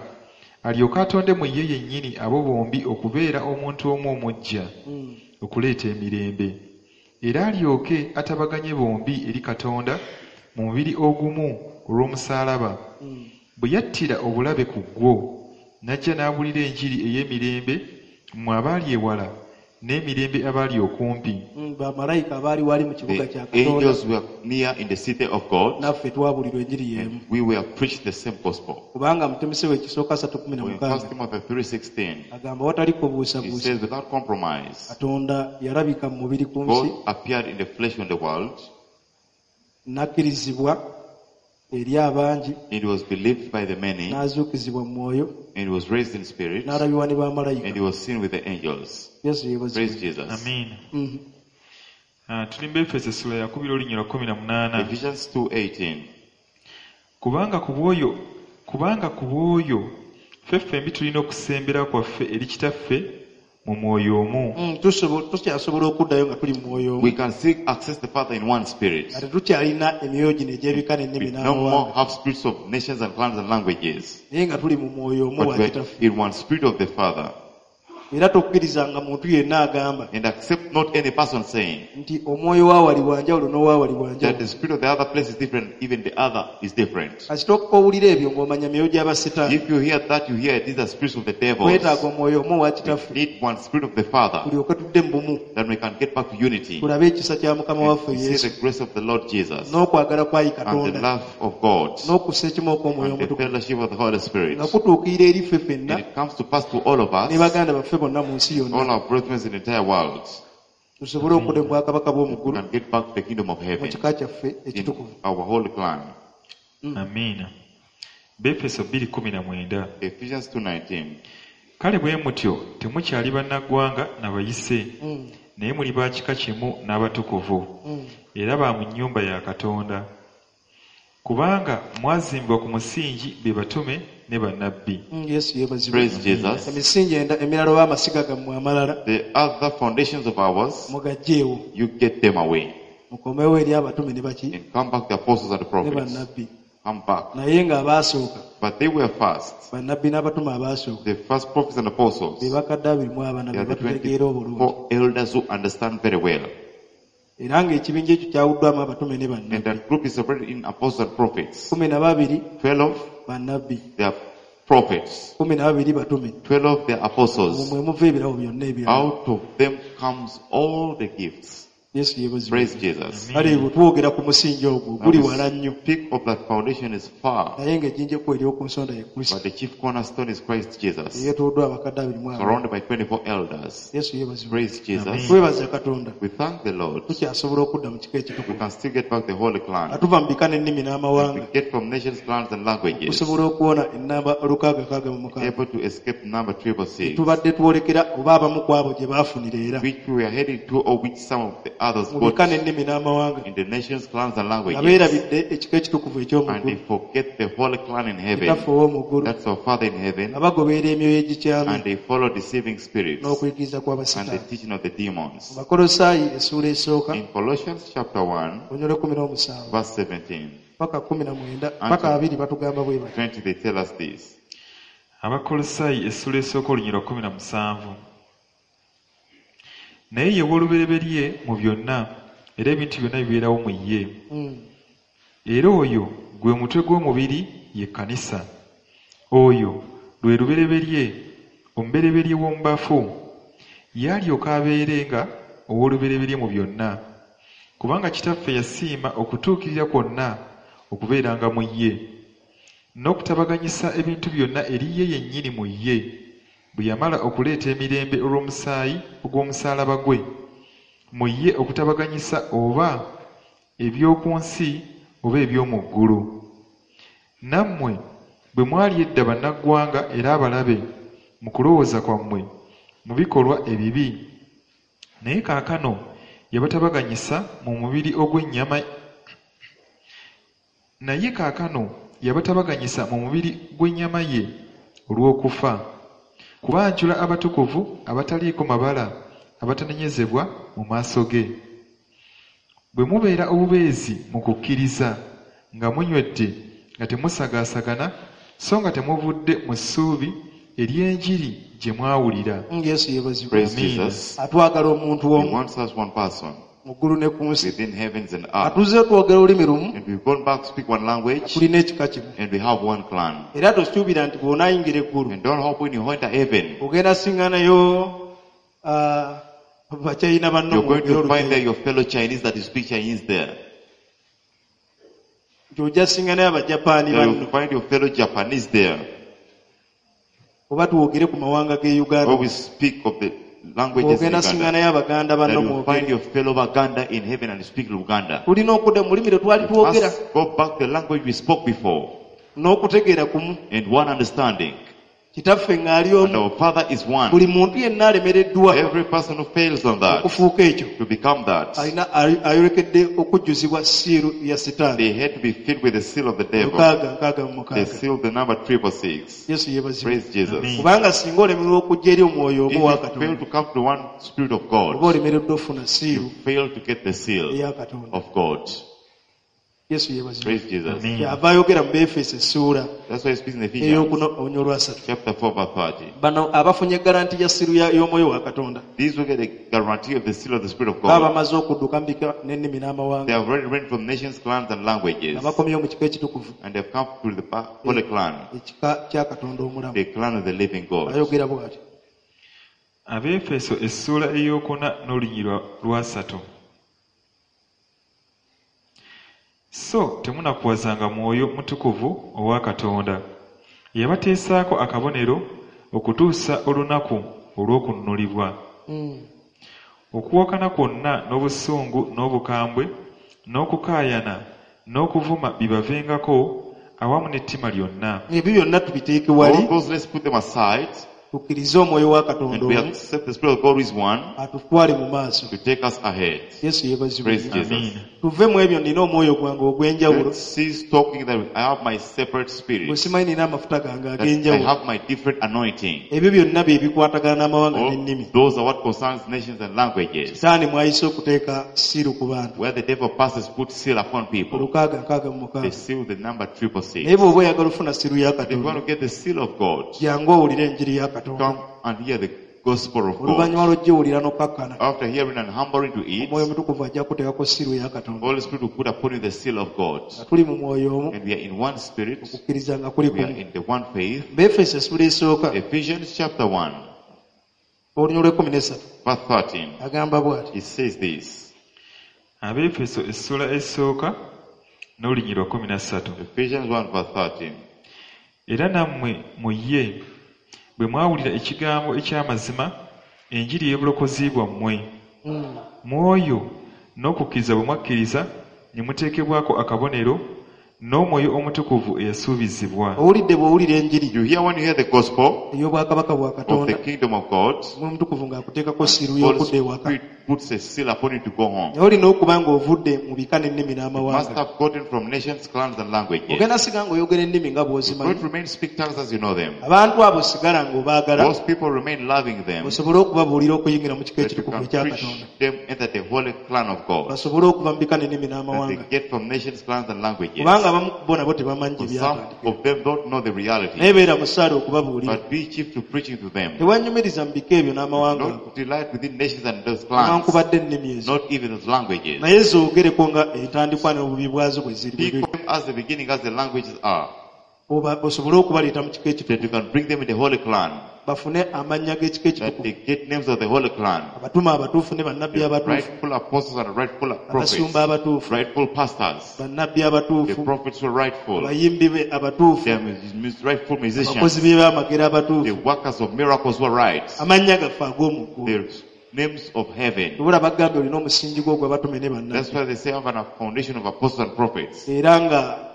alyoke atonde mu ye yennyini abo bombi okubeera omuntu omu omuggya, okuleeta emirembe, era alyoke atabaganye bombi eri Katonda mu mubiri ogumu olw'omusaalaba, bwe yattira obulabe ku gwo, n'ajja n'abuulira enjiri ey'emirembe mmwe abaali ewala n'emirembe abaali okumpi. Bamalayika abaali wali mu kibuga The kya Katonda angels were near in the city of God naffe twabulirwa enjiri y'emu. and we were preached the same gospel. Kubanga mu Timoseewo ekisooka 3:16 In 1 Timothy 3:16, agamba watali it kubuusabuusa says, without compromise, Katonda yalabika mu mubiri ku nsi God appeared in the flesh on the world. n'akkirizibwa eri abangi It was believed by the many, n'azuukizibwa mu mwoyo and he was raised in spirit, n'alabibwa ne and bamalayika. he was seen with the angels. Yesu yeebazibwe. Praise Jesus. Amiina. Tuli mu Befeso essula yakubiri olunyiriri 18. Ephesians 2:18. Kubanga ku bw'oyo ffe ffembi tulina okusembera kwaffe eri Kitaffe mu mwoyo omu. Tukyasobola okuddayo nga tuli mu mwoyo omu. We can still access the Father in one spirit. Nga tetukyalina emyoyo gino egy'ebika n'ennimi We no more n'amawanga. have spirits of nations and clans and languages, Naye nga tuli mu mwoyo omu but wa we're Kitaffe. in one spirit of the Father. Era tokkirizanga muntu yenna agamba And accept not any person saying nti omwoyo wa wali wa njawulo n'owa wali wa that njawulo. the spirit of the other place is different, even the other is different. Kasita owulira ebyo ng'omanya myoyo gy'abasitaani. If you hear that, you hear these are spirits of the devils. Twetaaga omwoyo omu owa We Kitaffe need one spirit of the Father tulyoke tudde mu bumu that we can get back to unity. tulabe ekisa kya Mukama And waffe to see Yesu the grace of the Lord Jesus n'okwagala kwa ayi and the Katonda love of God n'okussa ekimu okw'omwoyo and the omutukuvu fellowship of the Holy Spirit. nga kutuukirira eri ffe ffenna And it comes to pass to all of ne us, baganda baffe bonna mu nsi yonna all our brethren in the entire world, tusobole okudda mu bwakabaka bw'omu we ggulu can get back to the kingdom of mu heaven kika kyaffe in ekitukuvu. our holy clan. Amiina. Befeso 2:19. Ephesians 2:19. Kale bwe mutyo temukyali bannaggwanga na bayise, naye muli ba kika kimu n'abatukuvu, era ba mu nnyumba ya Katonda. Kubanga mwazimbibwa ku musingi be batume ne bannabbi. Yesu yeebazibwe. Praise Jesus. Emisingi emirala oba amasiga gammwe amalala The other foundations of ours, mugaggyeewo you get them away mukomewo eri abatume ne baki and come back the apostles and the ne prophets. bannabbi. Come back. Naye ng'abaasooka But they were first. bannabbi n'abatume abaasooka The first prophets and apostles. be bakadde 24 They be are the batutegeera obulungi. 24 elders who understand very well. Era ng'ekibinja ekyo kyawuddwamu abatume ne And bannabbi. that group is separated in apostles and prophets. 12 12, bannabbi, they are prophets. 12 batume. 12, they are Omwo apostles. mwe muva ebirabo byonna ebirala. Out of them comes all the gifts. Yesu yeebazibwe. Praise Jesus. Kale bwe twogera ku musingi ogwo Now guli we wala nnyo speak of that foundation is far, naye ng'ejjinja ekkubo ery'oku nsonda ye Kristo but the chief cornerstone is Christ Jesus, eyeetooloddwa abakadde 24. surrounded by 24 elders. Yesu yeebazibwe. Praise Jesus. Twebaza Katonda We thank the Lord. tukyasobola okudda mu kika We ekitukuvu. can still get back the holy clan. Nga tuva mu bika n'ennimi We n'amawanga get from nations, clans, and languages. tusobola okuwona ennamba 666. Able to escape number 666, Tubadde twolekera oba abamu ku abo gye baafunira era which we are heading to, or which some of the others mu bika got n'ennimi n'amawanga in the nations, clans, and nga languages. beerabidde ekika ekitukuvu eky'omu And they ggulu forget the holy clan in heaven. kitaffe ow'omu ggulu That's our Father in heaven. nga bagoberera emyoyo egikyamye And they follow deceiving spirits n'okuyigiriza and the kw'abasitaani. teaching of the demons. Mu Bakolosaayi essuula esooka In Colossians chapter 1, olunyolo 17 verse 17, paka 19 paka 20 batugamba bwe bati. 20, they tell us this. Abakolosaayi essula esooka olunyiriri 17. Naye ye w'olubereberye mu byonna, era ebintu byonna bibeerawo mu ye. Era oyo gwe mutwe gw'omubiri ye kkanisa. Oyo lwe lubereberye, omubereberye w'omu bafu, yalyoka abeerenga ow'olubereberye mu byonna. Kubanga Kitaffe yasiima okutuukirira kwonna okubeeranga mu ye, n'okutabaganyisa ebintu byonna eri ye yennyini mu ye, bwe yamala okuleeta emirembe olw'omusaayi ogw'omusaalaba gwe, mu ye okutabaganyisa oba eby'oku nsi oba eby'omu ggulu. Nammwe bwe mwali edda bannaggwanga era abalabe mu kulowooza kwammwe mu bikolwa ebibi, naye kaakano yabatabaganyisa mu mubiri ogw'ennyama naye kaakano yabatabaganyisa mu mubiri gw'ennyama ye olw'okufa, kubanjula abatukuvu abataliiko mabala abatanenyezebwa mu maaso ge. Bwe mubeera obubeezi mu kukkiriza, nga munywedde nga temusagaasagana so nga temuvudde mu ssuubi ery'enjiri gye mwawulira. Yesu yeebazibwe. Praise Amen. Jesus. Atwagala omuntu He omu wants us one person mu ggulu ne ku nsi. within heavens and earth. Atuze twogera olulimi lumu, And we've gone back to speak one language tulina ekika kimu. and we have one clan. Era tosuubira nti bw'onaayingira eggulu And don't hope when you enter heaven, ogenda siŋŋanayo bachayina banno you're going mwogere to find there Oluganda. your fellow Chinese that you speak Chinese there. Nti ojja siŋŋanayo Abajapaani That banno you'll find your fellow Japanese there. oba twogere ku mawanga g'e Uganda. Or we speak of the languages in Ogenda Uganda. siŋŋanayo Abaganda That banno you'll find mwogere. your fellow Baganda in heaven and speak Luganda. Tulina okudda mu lulimi lwe twali We twogera must go back to the language we spoke before n'okutegeera kumu. and one understanding. Kitaffe ng'ali And omu. our Father is one. Buli muntu yenna alemereddwa Every person who fails on that okufuuka ekyo to become that, alina ayolekedde okujjuzibwa siiru ya sitaani. they had to be filled with the seal of the devil. Lukaaga nkaaga mu The mukaaga. seal, the number 666. Yesu yeebazibwe. Praise Jesus. Amen. Kubanga singa olemererwa okujja eri omwoyo If omu owa you fail Katonda to come to one spirit of oba God, olemereddwa ofuna siiru you fail to get the seal eya Katonda. of God. Yesu yeebazibwe. Praise Jesus. Amen. Kyava ayogera mu Beefeso essuula That's why he speaks in Ephesians ey'okuna olunya olwasatu. chapter 4 verse 30. Bano abafunye garanti ya siiru y'omwoyo wa Katonda These will get the guarantee of the seal of the Spirit of baba God. bamaze okudduka mu bika n'ennimi They n'amawanga have already run from nations, clans, and languages. nga bakomyewo mu kika ekitukuvu And they've come to the holy clan, ekika kya Katonda omulamu. the clan of the living God. Ayogera bw'ati. Abeefeso essuula ey'okuna n'olunyiriri lwasatu. So temunakuwazanga Mwoyo Mutukuvu owa Katonda, eyabateesaako akabonero okutuusa olunaku olw'okununulibwa. Okuwakana kwonna n'obusungu n'obukambwe n'okukaayana n'okuvuma bibavengako awamu n'ettima lyonna. Ebyo byonna tubiteeke All wali those, let's put them aside tukkirize omwoyo wa Katonda and we omu accept the Spirit of God who is one atutwale mu maaso. to take us ahead. Yesu yeebazibwe. Praise Jesus. Amen. Tuve mu ebyo nina omwoyo gwange ogw'enjawulo Let's cease talking that I have my separate bwe spirit, simanyi nina amafuta gange that I ag'enjawulo. have my different anointing. Ebyo byonna bye bikwatagana n'amawanga All n'ennimi. those are what concerns nations and languages. Sitaani mwayise okuteeka siiru ku bantu. Where the devil passes, put seal upon people. Olukaaga nkaaga mu They mukaaga. seal the number 666. Naye bw'oba oyagala ofuna siiru ya If you Katonda want to get the seal of God, jangu owulire enjiri ya Katonda. come and hear the gospel of Oluvannyuma God. lw'ogiwulira n'okkakkana After hearing and humbling to it, Omwoyo Omutukuvu ajja kuteekako siiru ya Katonda. Holy Spirit will put upon you the seal of God. Nga tuli mu mwoyo omu And we are in one spirit, okukkiriza nga kuli we are kumu. in the one faith. Beefeso essuula esooka Ephesians chapter 1, olunya olw'ekkumi n'essatu verse 13. agamba bw'ati. It says this. Abeefeso essuula esooka n'olunyiriri lwa 13. Ephesians 1, verse 13. Era nammwe mu ye bwe mwawulira ekigambo eky'amazima, enjiri ey'obulokozi bwammwe. Mu oyo n'okukkiriza bwe mwakkiriza ne muteekebwako akabonero n'Omwoyo Omutukuvu eyasuubizibwa. Owulidde bw'owulira enjiri You hear when you hear the gospel ey'obwakabaka bwa of the Katonda kingdom of God, Omwoyo Omutukuvu ng'akuteekako siiru Holy y'okudda ewaka. Spirit puts a seal upon you to go home. Naye olina okuba ng'ovudde mu bika n'ennimi You must n'amawanga. have gotten from nations, clans, and languages. Ogenda siga ng'oyogera ennimi nga You bw'ozimanyi. don't remain speak tongues as you know them. Abantu abo sigala ng'obaagala Those people remain loving them osobole okubabuulira okuyingira mu kika that you ekitukuvu can ekya preach Katonda. them enter the holy clan of God. Basobole okuva mu bika n'ennimi That they n'amawanga. get from nations, clans, and languages. Kubanga abamu ku bo nabo tebamanyi gye For some byatandikira. of them don't know the reality. Naye beera musaale okubabuulira. But be chief to preaching to them. Tewanyumiriza mu bika ebyo n'amawanga ago. Not delight within nations and those clans, Newankubadde ennimi ezo. not even those languages. Naye zoogereko nga entandikwa n'obubi bwazo bwe ziri bwe Speak biri. of them as the beginning, as the languages are. Oba osobole okubaleeta mu kika That ekitukuvu you can bring them in the holy clan. bafune amannya g'ekika That ekitukuvu they get names of the holy clan. abatume abatuufu ne bannabbi The abatuufu rightful apostles and rightful prophets. abasumba abatuufu Rightful pastors. bannabbi The abatuufu prophets were rightful. abayimbi be abatuufu The rightful abakozi musicians. b'ebyamagero The abatuufu workers of miracles were right. amannya gaffe ag'omu ggulu The names of heaven. obula bagambye olina omusingi gwo gw'abatume ne bannabbi That's why they say have a foundation of apostles and prophets. era nga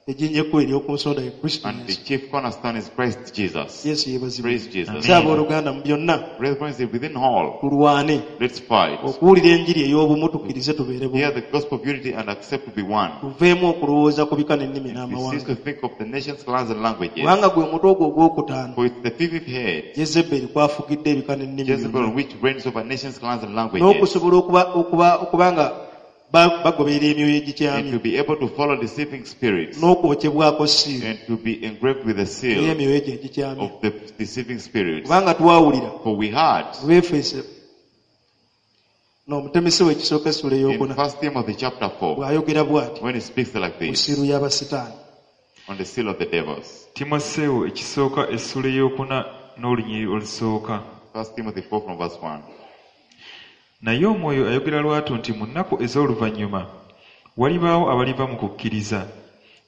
ejjinja ekkulu ery'oku nsonda ye kristo And the yesu chief cornerstone is Christ Jesus. Yesu yeebazibwe Praise Jesus. so abooluganda mu byonna Brethren, within all, tulwane let's fight. okuwulira enjiri ey'obumu tukkirize tubeere bumu Hear the gospel of unity and accept to be one. tuveemu okulowooza ku bika n'ennimi We cease n'amawanga to think of the nations, clans, and languages. kubanga gwe mutwe ogwo ogwokutaano For it's the fifth head, yezeberi kwafugidde ebika n'ennimi Jezebel, byonna which reigns over nations, clans, and languages. n'okusobola okuba okuba okuba nga bagoberera emyoyo And egikyamye to be able to follow deceiving spirits. n'okwokyebwako siiru And to be engraved with the seal ey'emyoyo egyo egikyamye of the deceiving spirits. kubanga twawulira For we heard mu Befeso n'omutemesi we ekisooka essula in ey'okuna First Timothy chapter 4, bw'ayogera bw'ati when he speaks like ku this, siiru y'abasitaani on the seal of the devils. Timoseewo ekisooka essula ey'okuna n'olunyiriri olusooka. First Timothy 4 from verse 1. Naye Omwoyo ayogera lwatu nti mu nnaku ez'oluvannyuma walibaawo abaliva mu kukkiriza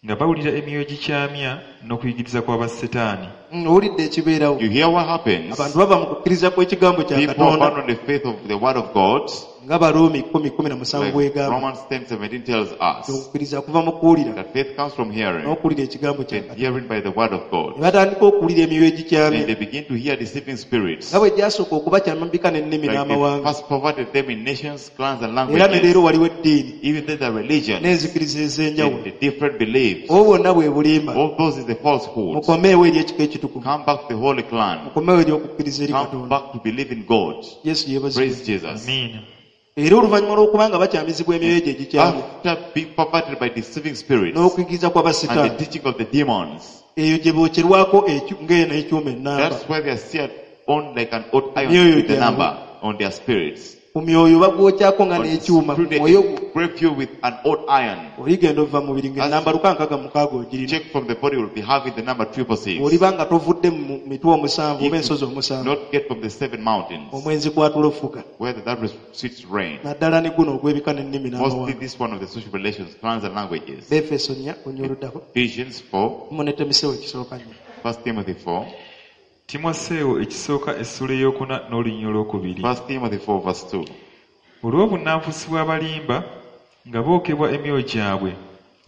nga bawulira emyoyo gikyamya n'okuyigiriza kw'abasetaani. Owulidde ekibeerawo You hear what happens? abantu bava mu kukkiriza kw'ekigambo kya People katonda abandon the faith of the word of God. nga baruumi 10:17 Like bwegamba Romans 10:17 tells us okukkiriza kuva mu kuwulira that faith comes from hearing, n'okuwulira ekigambo kya and katonda hearing by the word of God. ne batandika okuwulira emyoyo And egikyamye they begin to hear deceiving spirits. nga bwe gyasooka okubakyama mu bika n'ennimi Like they n'amawanga first perverted them in nations, clans, and era ne languages. leero waliwo eddiini Even then the religions n'enzikiriza ez'enjawulo and the different beliefs. obwo bwonna bwe bulimba All those is the falsehood. mukomeewo eri ekika ekitukuvu Come back to the holy clan. mukomeewo eri okukkiriza eri Come katonda back to believe in God. yesu yeebazibwe Praise Jesus. Amiina. era oluvannyuma lw'okuba nga bakyamizibwa emyoyo egyo egikyamye After being perverted by deceiving spirits n'okuyigiriza and the kw'abasitaani teaching of the demons, eyo gye bookyerwako ng'eno ekyuma ennamba that's why they are seared on like an old iron Myoyo with the gyabwe. number on their spirits. ku myoyo bagwokyako nga On n'ekyuma ku through they mwoyo gwo engrave you with an old iron. oligenda ova mu mubiri ng'ennamba 666 ogirina Check from the body will be having the number 666. bw'oliba nga tovudde mu mitwe omusanvu oba If ensozi you omusanvu not get from the seven mountains omwenzi kwatula ofuga where the that sweet rain. naddala ne guno ogw'ebika n'ennimi Mostly n'amawanga this one of the social relations, clans and languages. befeso nnya olunyiriri oluddako Ephesians 4, mu ne timoseewo ekisooka nnya 1 Timothy 4, Timoseewo ekisooka essula ey'okuna n'olunyiriri olwokubiri. 1 Timothy 4 verse 2. Olw'obunnanfuusi bw'abalimba nga bookebwa emyoyo gyabwe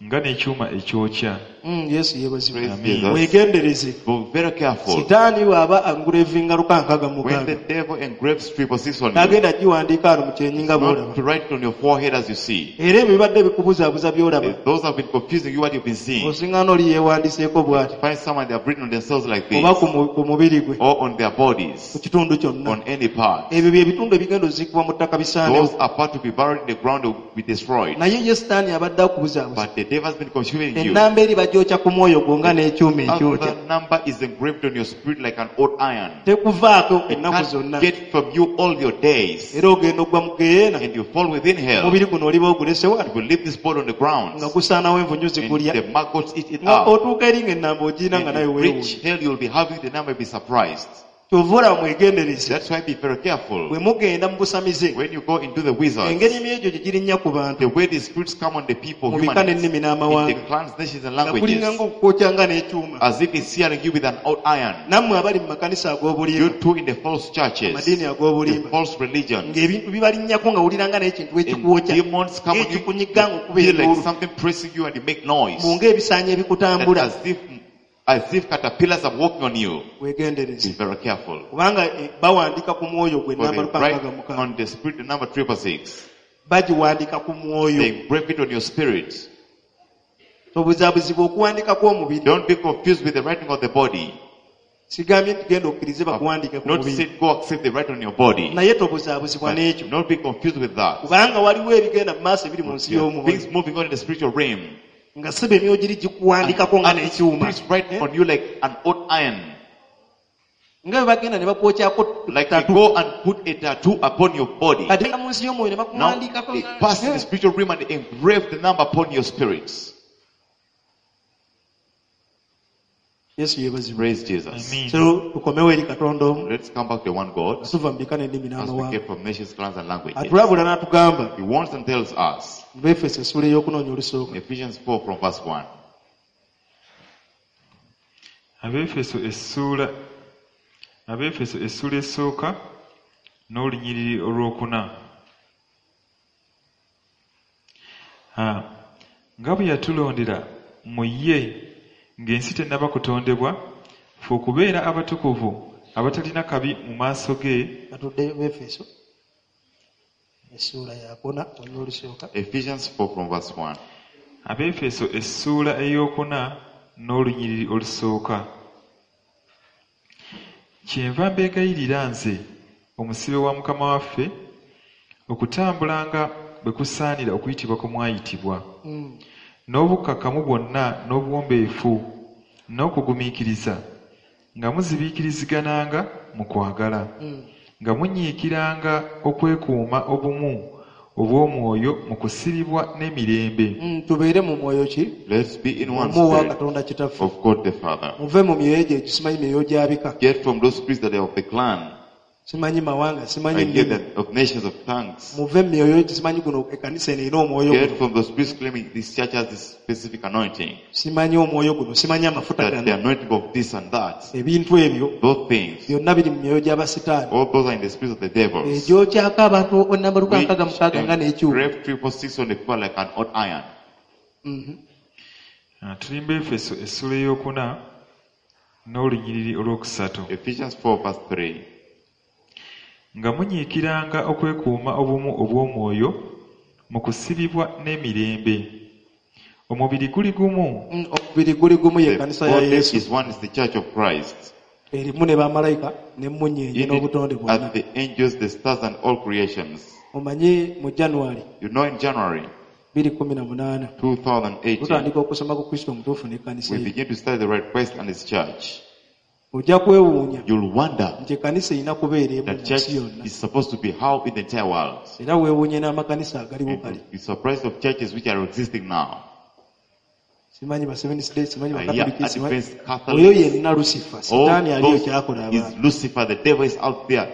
nga n'ekyuma ekyokya. Yesu yeebazibwe Praise Amen. Jesus. weegendereze Be very careful. sitaani bw'aba angurevinga When 666 the devil engraves 666 on you, n'agenda giwandiika wano mu kyenyi nga not bw'olaba to write it on your forehead as you see. era ebyo bibadde bikubuzaabuza by'olaba Those have been confusing you what you've been seeing. osiŋŋaana oli yeewandiseeko bw'ati Find someone they have written on themselves like this, oba ku mu- ku mubiri gwe or on their ku bodies, kitundu kyonna on any part. ebyo bye bitundu ebigenda oziikibwa mu ttaka bisaanewo Those are part to be buried in the ground will be destroyed. naye ye sitaani abadde akubuzaabuza But the devil has been consuming you. ennamba eri bagyokya ku mwoyo gwo nga n'ekyuma ekyokya Other number is engraved on your spirit like an old iron. tekuvaako It ennaku can't zonna get from you all your days. era ogenda ogwa mu geyeena And you fall within hell. omubiri guno oliba ogulese wano You will leave this body on the ground. nga gusaanawo envunyu And zikulya the maggots eat it nga up. otuuka eri ng'ennamba ogirina nga And nawe you weewuunya reach hell, you'll be having the number, you'll be surprised. kyova olaba mwegendereze That's why be very careful. bwe mugenda mu busamize When you go into the wizards, engeri emyoyo gye girinnya ku bantu the way the spirits come on the people, mu bika human, n'ennimi in the n'amawanga clans, nations, and nga kulinga languages, ng'okukwokya nga n'ekyuma as if it's searing you with an old iron. nammwe abali mu makanisa You ag'obulimba too in the false churches, amadiini the ag'obulimba false religions, ng'ebintu bibalinnyako nga wulira nga n'ekintu and ekikwokya demons come on you, ng'ekikunyiga ng'okuba you feel like enduulu something pressing you and you make noise. mu ng'ebisaanyi That ebikutambula as if caterpillars are walking on you. Be weegendereze very careful. kubanga bawandiika ku mwoyo gwe For namba they write 666 on the spirit the number 666. bagiwandiika ku mwoyo They engrave it on your spirit. tobuzaabuzibwa okuwandiika kw'omubiri Don't be confused with the writing of the body. sigambye nti genda okkirize bakuwandiike ku Not mubiri say go accept the writing on your body. naye tobuzaabuzibwa But n'ekyo not be confused with that. kubanga waliwo ebigenda mu maaso ebiri mu nsi There are y'omwoyo things moving on in the spiritual realm. nga seba emyoyo giri gikuwandikako nga And n'ekyuma spirits write Eh? on you like an old iron. nga bwe bagenda ne bakwokyako Like they tatu go and put a tattoo upon your body. kati mu nsi y'omwoyo ne Now bakuwandiikako they pass in the spiritual realm and they engrave the number upon your spirits. Yesu yeebazibwe. Praise Jesus. Amen. So tukomewo eri Katonda omu Let's come back to one God nga tuva mu bika n'ennimi as we n'amawanga. came from nations, clans, and languages. Atulabula n'atugamba He warns and tells us mu Befeso essuula ey'okunoonya olusooka. in Ephesians 4 from verse 1. Abeefeso essuula esooka n'olunyiriri olwokuna. Ha, nga bwe yatulondera mu ye ng'ensi tennaba kutondebwa, ffe okubeera abatukuvu abatalina kabi mu maaso ge. Katuddeyo Befeso essuula yakuna olunyiriri olusooka. Ephesians 4 from verse 1. Abeefeso essuula ey'okuna n'olunyiriri olusooka. Kyenva mbeegayirira nze omusibe wa Mukama waffe okutambulanga bwe kusaanira okuyitibwa kwe mwayitibwa, n'obukkakkamu bwonna n'obuwombeefu n'okugumiikiriza, nga muzibiikirizigananga mu kwagala, nga munyiikiranga okwekuuma obumu obw'omwoyo mu kusibibwa n'emirembe. Tubeere mu mwoyo ki? Let's be in one Omu owa spirit Katonda Kitaffe. of God the Father. Muve mu myoyo egyo egisimanyi myoyo gya bika. Get from those spirits that are of the clan. Simanyi mawanga, simanyi I hear nnimi. that of nations, of tongues. Muve mu myoyo egisimanyi guno ekkanisa eno erina omwoyo Get guno. from those spirits claiming this church has this specific anointing. Simanyi omwoyo guno, simanyi amafuta That the gano. anointing of this and that. Ebintu ebyo Those things. byonna biri mu myoyo gy'abasitaani. All those are in the spirit of the devils. Egyokyako abantu ennamba Which 666 nga n'ekyuma. engrave 346 on the people like an odd iron. Ah, tuli mu Efeso essuula ey'okuna n'olunyiriri olwokusatu. Ephesians 4 verse 3. Nga munyiikiranga okwekuuma obumu obw'omwoyo mu kusibibwa n'emirembe. Omubiri guli gumu Omubiri guli gumu ye The kkanisa ya body Yesu. is one, is the church of Christ. Erimu ne bamalayika n'emmunyeenye In n'obutonde it bwonna. are the angels, the stars, and all creations. Omanyi mu January You know, in January 2018 2018, tutandika okusoma ku Kristo omutuufu n'ekkanisa we ye. begin to study the right Christ and his church. Ojja kwewuunya You'll wonder nti ekkanisa erina kubeera emu that mu church nsi yonna. is supposed to be how in the entire world. Era weewuunye n'amakanisa agaliwo And kale. you'll be surprised of churches which are existing now. Simanyi ba Seventh Day, simanyi I hear Bakatoliki, simanyi Adventist, oyo Catholics. yenna Lucifer, All Sitaani aliyo those ky'akola is abantu. Lucifer, the devil is out there.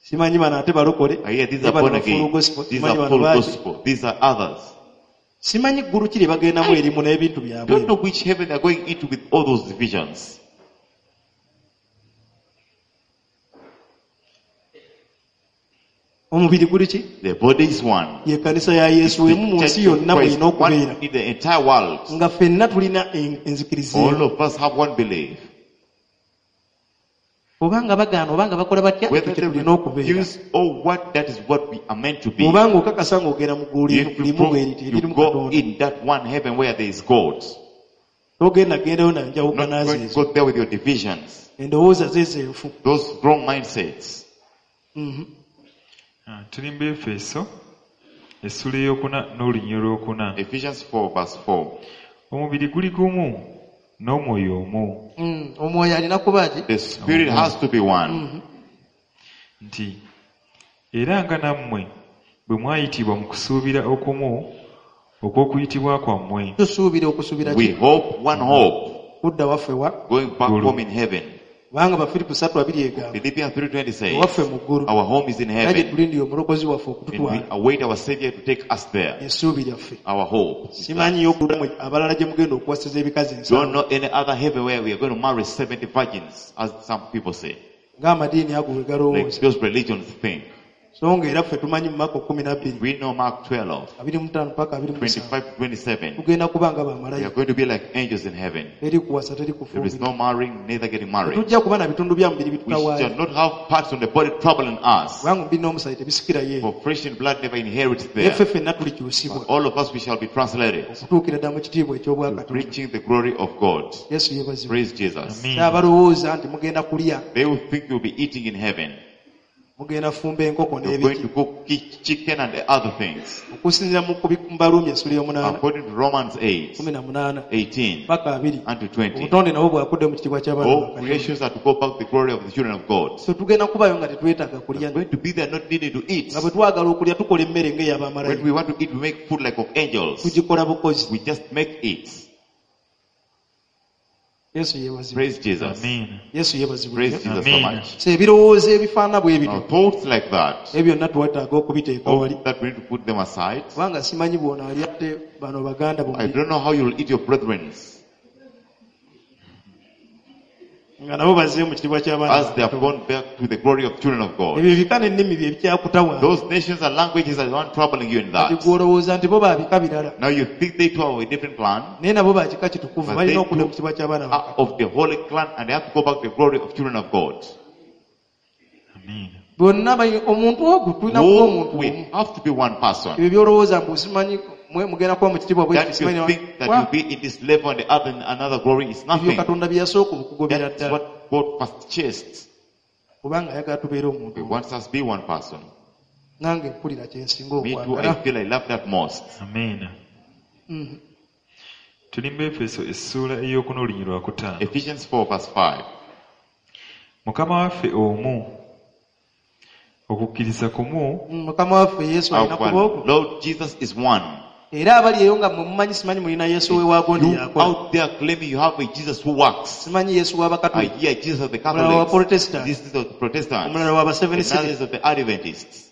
Simanyi bano ate balokole, I hear these ne are bano born ba full again. gospel, These simanyi are bano full baaki. gospel. These are others. Simanyi ggulu ki lye bagendamu erimu n'ebintu byabwe. Don't know which heaven they're going into with all those divisions. Omubiri guli ki? The body is one. Ye kkanisa ya Yesu The emu mu church nsi of yonna Christ, bw'erina okubeera. one in the entire world. Nga ffenna tulina enzikiriza All emu. of us have one belief. Obanga bagaana obanga bakola batya, Whether ekyo they kye tulina okubeera. refuse or what, that is what we are meant to be. Bw'obanga okakasa ng'ogenda mu ggulu If you, limu prove, bwe riti you eririmu go Katonda. in that one heaven where there is God. Togenda gendayo na Not njawukana going to zeezo. go there with your divisions, Endowooza ze zenfu. those wrong mindsets. Ah, tuli mu Efeso essuula ey'okuna n'olunyiriri olwokuna. Ephesians 4 verse 4. Omubiri guli gumu n'omwoyo omu. Omwoyo alina kuba ki? The spirit has to be one. Nti era nga nammwe bwe mwayitibwa mu kusuubira okumu okw'okuyitibwa kwammwe. Tusuubira okusuubira We ki? hope one hope, Kudda waffe wa? going back Gulu. home in heaven. Kubanga Bafiripo 3:2 egamba Philippians 3:20 says, ewaffe mu ggulu our home is in era gye heaven, tulindira omulokozi waffe and we okututwala await our Savior to take us there. essuubi lyaffe. Our hope. is that. Simanyiyo ggulu abalala gye mugenda okuwasiza ebikazi Don't ensanvu know any other heaven where we are going to marry 70 virgins, as some people say. ng'amadiini ago bwe Like galowooza. those religions think. So nga era ffe tumanyi mu Mako 12 We know Mark 12, 25 paka 27 25 to 27. tugenda kuba nga We are bamalayika. going to be like angels in heaven. Teri kuwasa, teri There is kufumbirwa. no marrying, neither getting married. Tetujja kuba na bitundu bya mubiri We bitutawaanya. shall not have parts on the body troubling us. Kubanga omubiri n'omusaayi tebisikirayo eyo. For flesh and blood never inherits Naye there. ffe ffenna tulikyusibwa All of us, we shall be translated okutuukira ddala mu kitiibwa to eky'obwakatonda. preaching the glory of God. Yesu yeebazibwe. Praise Jesus. Amen. Abalowooza nti mugenda kulya, They will think you'll be eating in heaven. mugenda fumba enkoko You're going n'ebiki. to cook chicken and the other things. Okusinziira mu Baruumi essula ey'omunaana, According to Romans 8, 18 18 paka 20. and to 20. Obutonde nabwo bwakudde mu kitiibwa ky'abaana ba All Katonda. creations are to go back to the glory of the children of God. So tugenda kubayo nga tetwetaaga kulya. We're going to be there not needing to eat. Nga bwe twagala okulya tukola emmere When ng'ey'abamalayika. we want to eat, we make food like of angels. Tugikola bukozi. We just make it. Yesu yeebazibwe. Praise Jesus. Amiina. Yesu yeebazibwe. Praise Jesus so Amen. much. So ebirowoozo ebifaanana bwe bityo Now, thoughts like that, ebyo byonna twetaaga okubiteeka all wali that we need to put them aside. kubanga simanyi bw'ono ali ate bano baganda I bombi don't know how you'll eat your brethren nga nabo bazzeeyo mu kitiibwa as ky'abaana they have gone back to the glory of children of God. ebyo ebika n'ennimi bye bikyakutawaana Those nations and languages are the one troubling you in kati that. gwe olowooza nti bo ba bika birala Now you think they too are of a different clan, naye nabo ba kika kitukuvu But balina they okudda too mu kitiibwa ky'abaana ba are of the holy clan, and they have to go back to the glory of children of God. Amiina. Bonna omuntu ogwo tulina kuba Oh, omuntu we omu have to be one person. ebyo byolowooza mbu simanyi mwe mugenda kuba mu kitiibwa bwe That kiti, simanyi you think that Wa, you'll be in this level and the other in another glory is ebyo nothing. Katonda bye yasooka okukugobera That's ddala what God first chased. kubanga ayagala tubeere omuntu He omu. wants us to be one person. Nange mpulira kye nsinga Me too, I okwagala. feel I love that most. Amiina. Mhm. Tuli mu Efeso essuula ey'okuna olunyiriri lwakutaano. Ephesians 4 verse 5. Mukama waffe omu, okukkiriza kumu, Mukama waffe Yesu alina kuba Our ogwo Lord Jesus is one. era abali eyo nga mwe mumanyi simanyi mulina Yesu we waagondi You yakola out there claiming you have a Jesus who works. simanyi Yesu I w'abakatuliki hear Jesus of the omulala wa Catholics. Protestant This is of the Protestants. omulala wa Seven Another City is of the Adventists.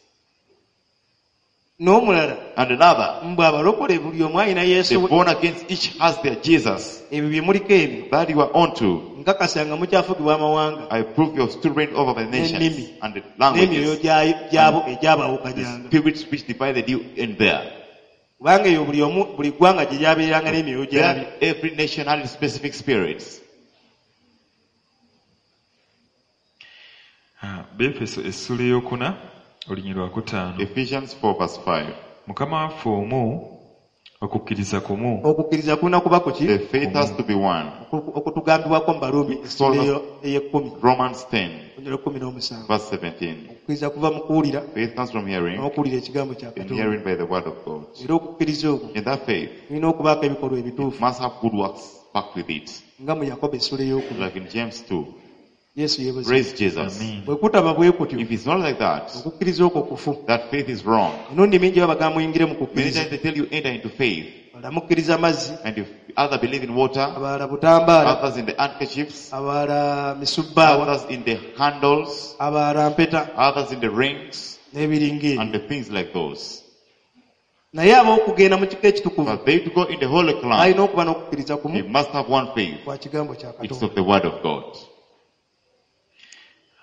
n'omulala And another. mbwe abalokole buli omu alina The Yesu we born against each has their Jesus. ebyo bye muliko ebyo That you are onto. nkakasa nga mukyafugibwa amawanga I prove your still reign over the nations N'ennimi. and the n'emyoyo languages. gyabo The egyabawukanyanga spirits which divided you in there. kubanga eyo buli omu buli ggwanga gye lyabeeranga n'emyoyo gyabyo. There, every nation had its specific spirits. Ah, Beefeso essuula ey'okuna olunyiriri lwakutaano. Ephesians 4 verse 5. Mukama waffe omu, okukkiriza kumu, Okukkiriza kulina kuba ku ki The faith has to be one. Okutugambibwako mu Baruumi essuula ey'ekkumi Romans 10 olunyiriri lw'ekkumi n'omusanvu. verse 17. Okukkiriza kuva mu kuwulira Faith comes from hearing, n'okuwulira ekigambo kya and Katonda. hearing by the word of God. Era okukkiriza okwo In that faith, kulina okubaako ebikolwa ebituufu must have good works backed with it. nga mu Yakobo essuula ey'okubiri. Like in James 2. Yesu yeebazibwe. Praise Jesus. Amiina. Bwe kutaba bwe kutyo If it's not like that, okukkiriza okwo kufu. that faith is wrong. Emirundi mingi babagamba muyingire mu Many kukkiriza times they tell you enter into faith, abalala mukkiriza mazzi and if other believe in water, abalala butambaala others in the handkerchiefs, abalala misubbaawa others in the candles, abalala mpeta others in the rings, n'ebiringa ebyo and the things like those. Naye ab'okugenda mu kika ekitukuvu But they to go in the holy clan, balina okuba n'okukkiriza they kumu must have one faith. kwa kigambo kya It's Katonda. of the word of God.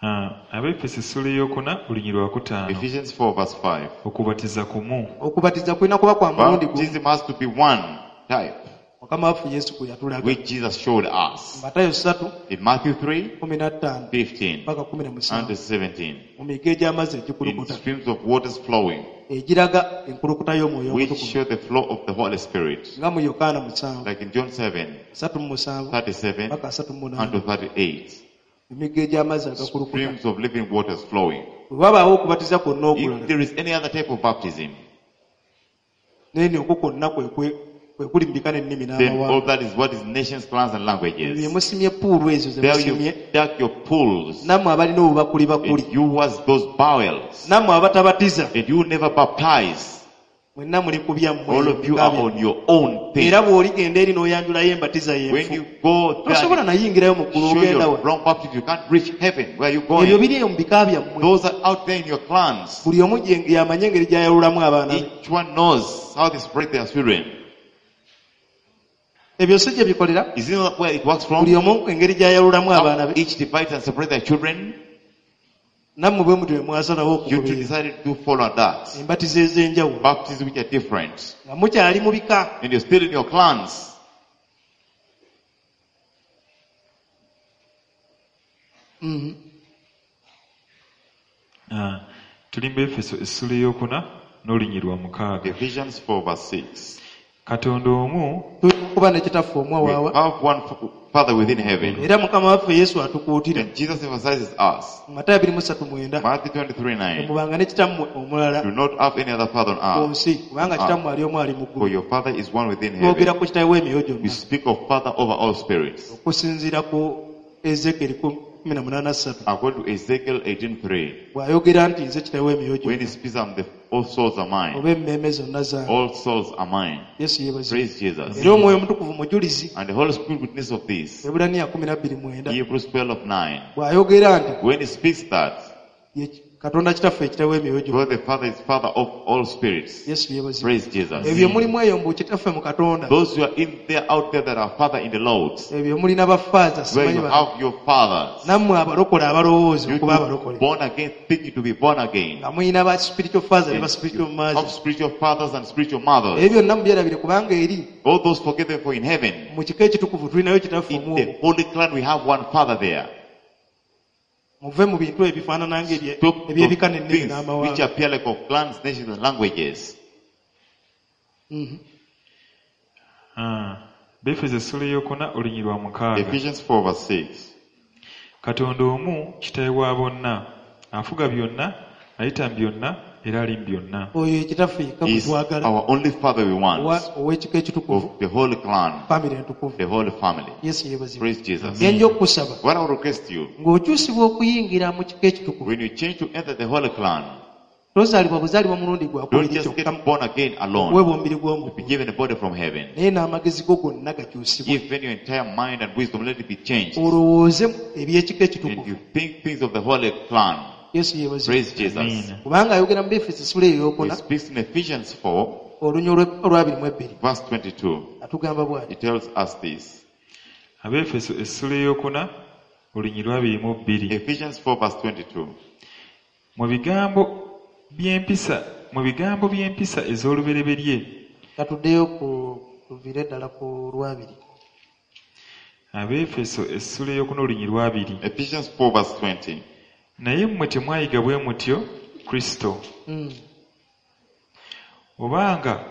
Ah, Abeefeso essuula ey'okuna olunyiriri lwakutaano. Ephesians 4 verse 5. Okubatiza kumu, Okubatiza kulina kuba kwa mulundi gumu Baptism has to be one type, Mukama waffe Yesu gwe yatulaga which Jesus showed us. Matayo 3 In Matthew 3, 15 15 paka and 17 17. mu migga egy'amazzi In egikulukuta streams of waters flowing, egiraga enkulukuta y'omwoyo which omutukuvu show the flow of the Holy Spirit. nga mu Yokaana 7 Like in John 7, 37 37 paka 38 and to 38. Emigga egy'amazzi agakulukuta Streams of living waters flowing. Bwe wabaawo okubatiza kwonna If okulala there is any other type of baptism, naye ni okwo kwonna kwe kwe kuli mu bika n'ennimi then all n'amawanga that is what is nations, clans, and bye languages. musimye puulu ezo ze There musimye you dug your pools, nammwe abalina obubakuli bakuli and you was those bowels, nammwe abatabatiza and you never baptize. mwenna muli ku byammwe All of you are on your own thing. Era bw'oligenda eri n'oyanjulayo embatiza When y'enfu you go there, tosobola nayingirayo mu ggulu show ogenda your wa wrong baptism, you can't reach heaven. Where are you ebyo going? biri eyo mu bika byammwe Those are out there in your clans. buli omu yamanye engeri gy'ayawulamu abaana be Each one knows how they spread their children. Ebyo si gye bikolera Is it not where it works from? buli omu engeri gy'ayawulamu abaana How be each divides and separates their children. Nammwe bwe mutyo bwe mwasalawo You two okugoberera decided to follow that. embatizo ez'enjawulo Baptism which are different. nga mukyali mu bika And you're still in your clans. Mhm. Ah, tuli mu Efeso essuula ey'okuna n'olunyiriri lwa mukaaga. Ephesians 4 verse 6. Katonda omu Tulina okuba ne kitaffe omu We awaawa have one Father within heaven. Era mukama waffe Yesu atukuutira And Jesus emphasizes us. Mu Matayo 23:9 Matthew 23 9. temubanga ne kitammwe omulala Do not have any other father on ku earth, nsi kubanga kitammwe ali omu ali mu for ggulu your Father is one within twogera heaven. ku kitawe w'emyoyo We gyonna speak of Father over all spirits. Okusinziira ku Ezekeri 18:3 According to Ezekiel 18:3, bw'ayogera nti nze kitawe w'emyoyo when he gyonna speaks, I'm the All souls are mine. Oba emmeeme zonna zange. All souls are mine. Yesu yeebazibwe. Praise Jesus. Era Omwoyo Omutukuvu mujulizi. And the Holy Spirit witness of this. Ebulaniya 12:9. Hebrews 12:9. Bw'ayogera nti When he speaks that, ye Katonda Kitaffe ekitabo emyoyo gyonna. God the Father is Father of all spirits. Yesu yeebazibwe. Praise Jesus. Ebyo mulimu eyo mbu Kitaffe mu Katonda. Those who are in there, out there that are Father in the Lord, Ebyo mulina bafaaza where simanyi you ba. have your fathers, Nammwe abalokole abalowooza you okuba too abalokole. born again, thinking to be born again. Nga mulina ba spiritual father ne ba And spiritual you mother. have spiritual fathers and spiritual Ebyo mothers. byonna mubyerabire kubanga eri All those forget them, for in heaven, mu kika ekitukuvu tulinayo Kitaffe in omu. the holy clan, we have one Father there. Muve mu bintu ebifaanana Stop ng'ebyebika those n'ennimi things which n'amawanga. appear like of clans, nations, and languages. Befeso essula ey'okuna olunyiriri lwa 6. Ephesians 4 verse 6. Katonda omu kitaawe wa bonna, afuga byonna, ayita mu byonna, era ali mu byonna. Oyo ye Kitaffe yekka gwe Is twagala our only Father we want ow'ekika ekitukuvu, of the holy clan, famire entukuvu. the holy family. Yesu yeebazibwe. Praise Jesus. Bye nja okukusaba What I would request you, ng'okyusibwa okuyingira mu kika ekitukuvu, when you change to enter the holy clan, tozaalibwa buzaalibwa mulundi don't gwakubiri just kyokka get born again alone, okuweebwa omubiri be gw'omuggulu, given a body from heaven. naye n'amagezi go gonna gakyusibwe. Give your entire mind and wisdom, let it be changed. Olowooze eby'ekika And ekitukuvu. you think things of the holy clan. Yesu yeebazibwe. Praise Jesus. Amiina. Kubanga ayogera mu Befeso essula eyo He ey'okuna speaks in Ephesians 4, olunya olw'22. verse 22. Atugamba bw'ati. He tells us this. Abeefeso essula ey'okuna olunyiriri lwa 22. Ephesians 4, verse 22. Mu bigambo by'empisa ez'olubereberye. Katuddeyo ku tuviire ddala ku lwabiri. Abeefeso essula ey'okuna olunyiriri lwa 20. Ephesians 4, verse 20. Naye mmwe temwayiga bwe mutyo Kristo. Obanga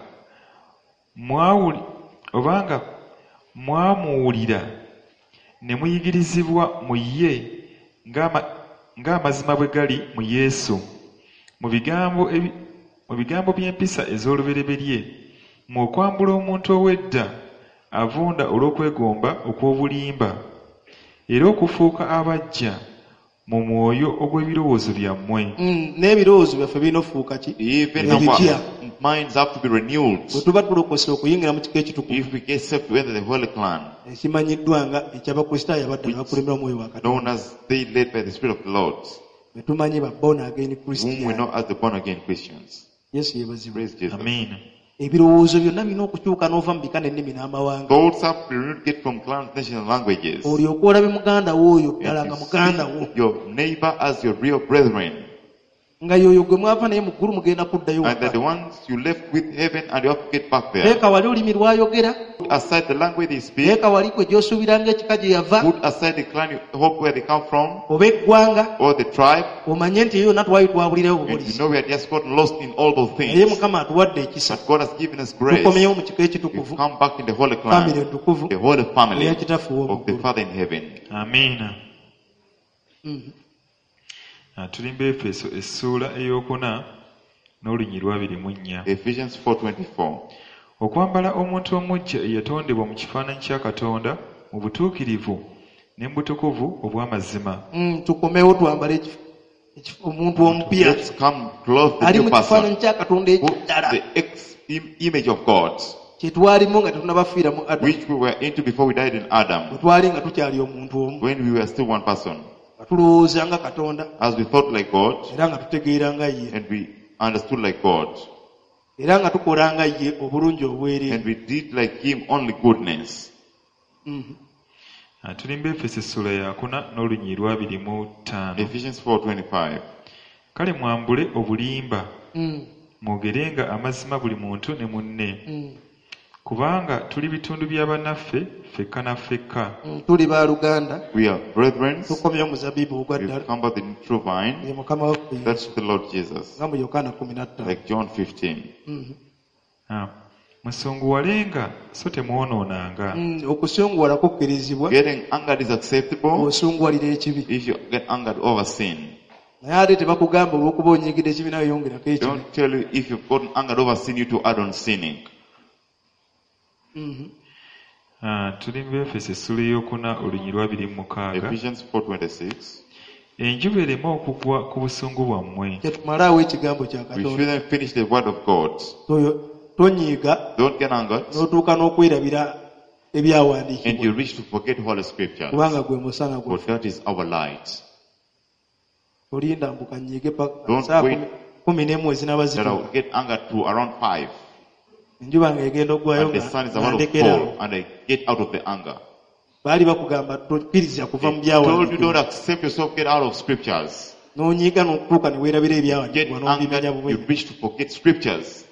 mwamuwulira ne muyigirizibwa mu ye ng'amazima bwe gali mu Yesu. Mu bigambo by'empisa ez'olubereberye, mu okwambula omuntu ow'edda avunda olw'okwegomba okw'obulimba, era okufuuka abaggya mu mwoyo ogw'ebirowoozo byammwe. N'ebirowoozo byaffe birina okufuuka ki? Even Ebipya. our minds have to be renewed. Bwe tuba tulokose okuyingira mu kika ekitukuvu If we get saved to enter the holy clan, ekimanyiddwa nga eky'Abakristaayo abaddala bakulemberwa Omwoyo wa Katonda. known as they led by the Spirit of the Lord, Be tumanyi ba born again whom we Christian. know as the born again Christians. Yesu yeebazibwe. Praise Jesus. Amiina. Ebirowoozo byonna birina okukyuka n'ova mu bika n'ennimi n'amawanga. Thoughts have to be renewed, get from clans, nations, and languages. Olyoke olabe muganda wo oyo ddala And nga you muganda wo. see your neighbor as your real brethren. Nga y'oyo gwe mwava naye mu ggulu mugenda kuddayo And that the waka. ones you left with heaven and you have to get back there. Teeka wali olulimi lw'ayogera, Put aside the language they speak. teeka wali gwe gy'osuubira ng'ekika gye yava Put aside the clan you hope where they come from oba eggwanga, or the tribe. omanye nti eyo yonna twali twabulirayo And you bubulizi. know we had just got lost in all those Naye things. Mukama atuwadde ekisa. But God has given us grace. Tukomyewo mu kika We've ekitukuvu, come back in the holy famire clan, entukuvu the holy family eya Kitaffe of the ow'omu ggulu. Father in heaven. Amiina. Tuli mu Befeso essuula ey'okuna n'olunyiriri lwa 24. Ephesians 4:24. Okwambala omuntu omuggya eyatondebwa mu kifaananyi kya Katonda mu butuukirivu ne mu butukuvu obw'amazima. Tukomewo twambale omuntu omupya Let's come clothe the ali new mu person, kifaananyi kya Katonda who ekiddala the image of God, kye twalimu nga tetunnabafiira mu Adamu, which we were into before we died in Adam, bwe twali nga tukyali omuntu omu, when we were still one person, nga tulowooza nga Katonda as we thought like God era nga tutegeera nga ye and we understood like God, era nga tukola nga ye obulungi obwereere. and we did like Him only goodness. Tuli mu Befeso essuula yakuna n'olunyiriri lwa 25. Ephesians 4:25. Kale mwambule obulimba, mwogerenga amazima buli muntu ne munne. Kubanga tuli bitundu bya bannaffe ffekka na ffekka. Tuli baluganda, We are brethren. tukomyewo omuzabibu ogwa We've ddala come by the true vine. ye Mukama waffe Yesu, That's the Lord Jesus. nga mu Yokaana 15. Like John 15. Musunguwalenga so temwonoonanga. Okusunguwala kukkirizibwa, Getting angered is acceptable osunguwalira ekibi. if you get angered over sin. Naye ate tebakugamba olw'okuba onyiigidde ekibi nawe yongerako ekibi. Don't tell you if you've gotten angered over sin, you to add on sinning. Tuli mu Befeso essula ey'okuna olunyiriri lwa 26. Ephesians 4:26. Enjuba ereme okugwa ku busungu bwammwe. Tetumalaawo ekigambo kya We Katonda. shouldn't finish the word of God. Tonyiiga Don't get angered n'otuuka n'okwerabira and ebyawandiikibwa you reach to forget Holy Scriptures. kubanga gwe musana For gwaffe. that is our light. Olinda mbu kanyiige paka Don't saa wait. 11 ezinaaba That I will zituuka. get angered to around 5. Enjuba ng'egenda okugwayo And the nga sun is nga about to ndekeraawo. fall and I get out of the anger. Baali bakugamba tokkiriza kuva mu They told you byawandiikibwa. don't accept yourself, get out of scriptures. N'onyiiga n'okutuuka ne weerabira Get ebyawandiikibwa n'obimenya angered, bubi. you reach to forget scriptures.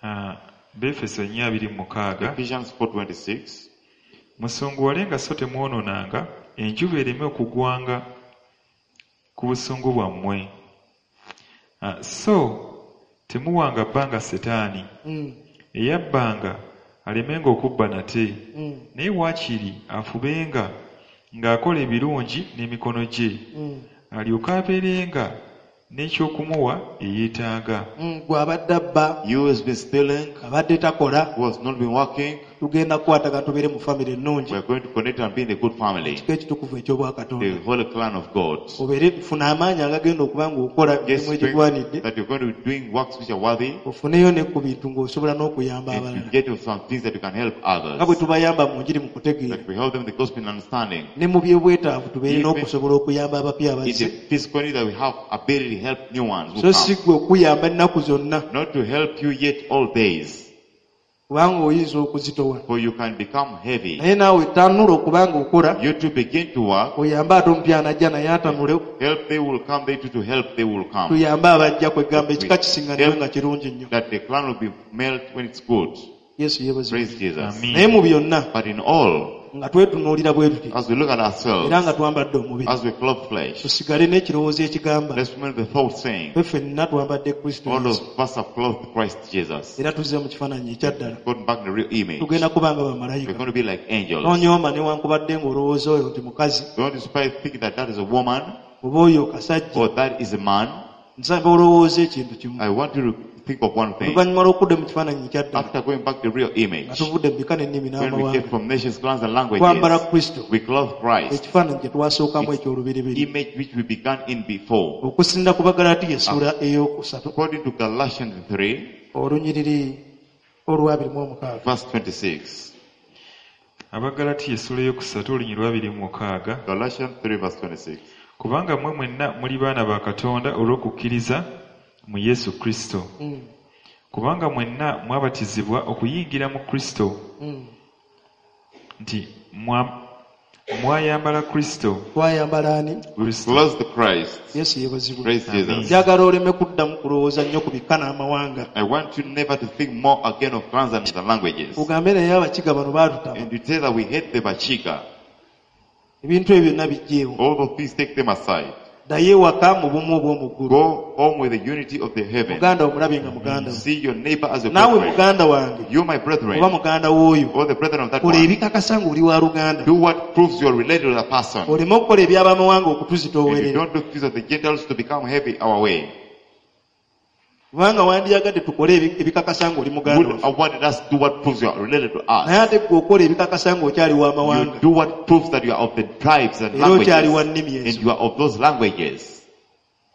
Ah, Befeso 4:26. Ephesians 4:26. Musunguwalenga so temwonoonanga, enjuba ereme okugwanga ku busungu bwammwe. Ah, so temuwanga bbanga Setaani, eyabbanga alemenga okubba nate, naye waakiri afubenga ng'akola ebirungi n'emikono gye, alyoke abeerenga n'ekyokumuwa eyeetaaga. Gwe abadde abba, You has been stealing, abadde takola, who has not been working. tugenda kukwatagana tubeere mu famire ennungi, We are going to connect and be in a good family. ekika ekitukuvu eky'obwakatonda. The holy clan of God. Obeere funa amaanyi agagenda okuba ng'okola Get emirimu strength egigwanidde, that you're going to be doing works which are worthy ofuneyo ne ku bintu ng'osobola n'okuyamba and you abalala. get to some things that you can help Nga bwe others. tubayamba mu njiri mu kutegeera, That we help them in the gospel in understanding. ne mu byobwetaavu tubeere Even n'okusobola okuyamba abapya In the abazze. physical need that we have ability to help new ones who So si come. ggwe okuyamba ennaku zonna, Not to help you yet all days, kubanga oyinza okuzitowa. for you can become heavy. Naye naawe tanula okuba ng'okola, You too begin to work. oyambe ate omupya anajja naye atanule, Help they will come, they too to help they will come. tuyambe abajja kwegamba ekika kisinganibwe nga kirungi nnyo. That the clan will be melt when it's good. Yesu yeebazibwe. Praise Jesus. Amen. Naye mu byonna But in all, nga twetunuulira bwe tuti as we look at era ourselves, nga twambadde omubiri, as we clothe flesh, tusigale n'ekirowoozo ekigamba let's remember the thought saying, ffe ffenna twambadde Kristo all Yesu of us have clothed Christ Jesus. era tuzze mu kifaananyi ekyaddala. Gotten back in the real image. Tugenda kuba nga We're bamalayika. going to be like angels. Tonyooma newankubadde ng'olowooza oyo nti mukazi Don't despise thinking that that is a woman oba oyo kasajja. or that is a man. Nsaba olowooza ekintu kimu. I want you to think of one thing. Oluvannyuma lw'okudda mu kifaananyi ekyaddala After going back to the real nga image, tuvudde mu bika n'ennimi when we n'amawanga, came from nations, clans, and twambala languages, Kristo, we clothe Christ, ekifaananyi kye twasookamu eky'olubereberye. image which we began in before. Okusinziira ku Bagalatiya essuula ey'okusatu According to Galatians 3, olunyiriri olwabiri mu omukaaga. verse 26. Abagalatiya essuula eyokusatu olunyiriri lwabiri mu mukaaga. Galatians 3, verse 26. Kubanga mmwe mwenna muli baana ba Katonda olw'okukkiriza mu Yesu Kristo. Kubanga mwenna mwabatizibwa okuyingira mu Kristo, nti mwayambala Kristo. Twayambala ani? We Kristo. clothed Christ. Yesu yeebazibwe. Praise Amen. Jesus. Njagala oleme kuddamu kulowooza nnyo ku bika n'amawanga. I want you never to think more again of clans and the languages. Ogambe naye Abakiga bano baatutama. And you say that we hate the Bachiga. Ebintu ebyo byonna biggyeewo. All those things, take them aside. Ddayo ewaka mu bumu obw'omu ggulu. Go home with the unity of the heaven. Muganda wo mulabe nga muganda wo. See your neighbor as your Naawe brethren. muganda wange You, my brethren, oba muganda w'oyo, or the brethren of that kola one. ebikakasa ng'oli wa luganda. Do what proves you are related to the person. Oleme okukola eby'abamawanga And you okutuzitoowerera. don't do things of the Gentiles to become heavy our way. Kubanga wandiyagadde tukole ebikakasa ng'oli muganda Would waffe. awarded us do what proves you are related to us. Naye ate ggwe okola ebikakasa ng'okyali You w'amawanga. do what proves that you are of the tribes and Era okyali wa languages. nnimi And ezo. you are of those languages.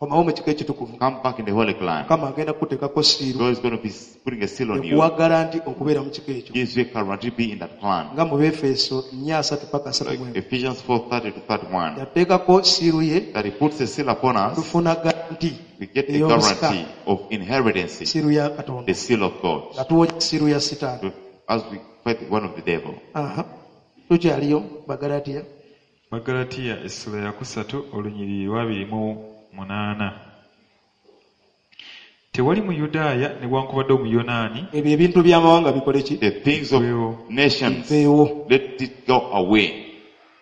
Komawo mu kika ekitukuvu. Come back in the Holy Clan. Mukama agenda kukuteekako siiru God is going to be putting a seal on you. ekuwa garanti okubeera mu kika ekyo. Gives you a guarantee to be in that clan. Nga mu Befeso 4:30 paka Like 31. Ephesians 4:30 to 31. Yateekako siiru ye That he puts a seal upon us, tufuna garanti we get the ey'obusika guarantee of inheritance, siiru ya Katonda the seal of God. nga tuwonya siiru ya Sitaani. As we fight one of the devil. Aha. Tukyaliyo Bagalatiya. Bagalatiya essula yakusatu olunyiriri lwabiri mu munaana. Tewali Muyudaaya newankubadde Omuyonaani Ebyo ebintu by'amawanga bikole ki? The things of Biveewo. nations, Biveewo. let it go away.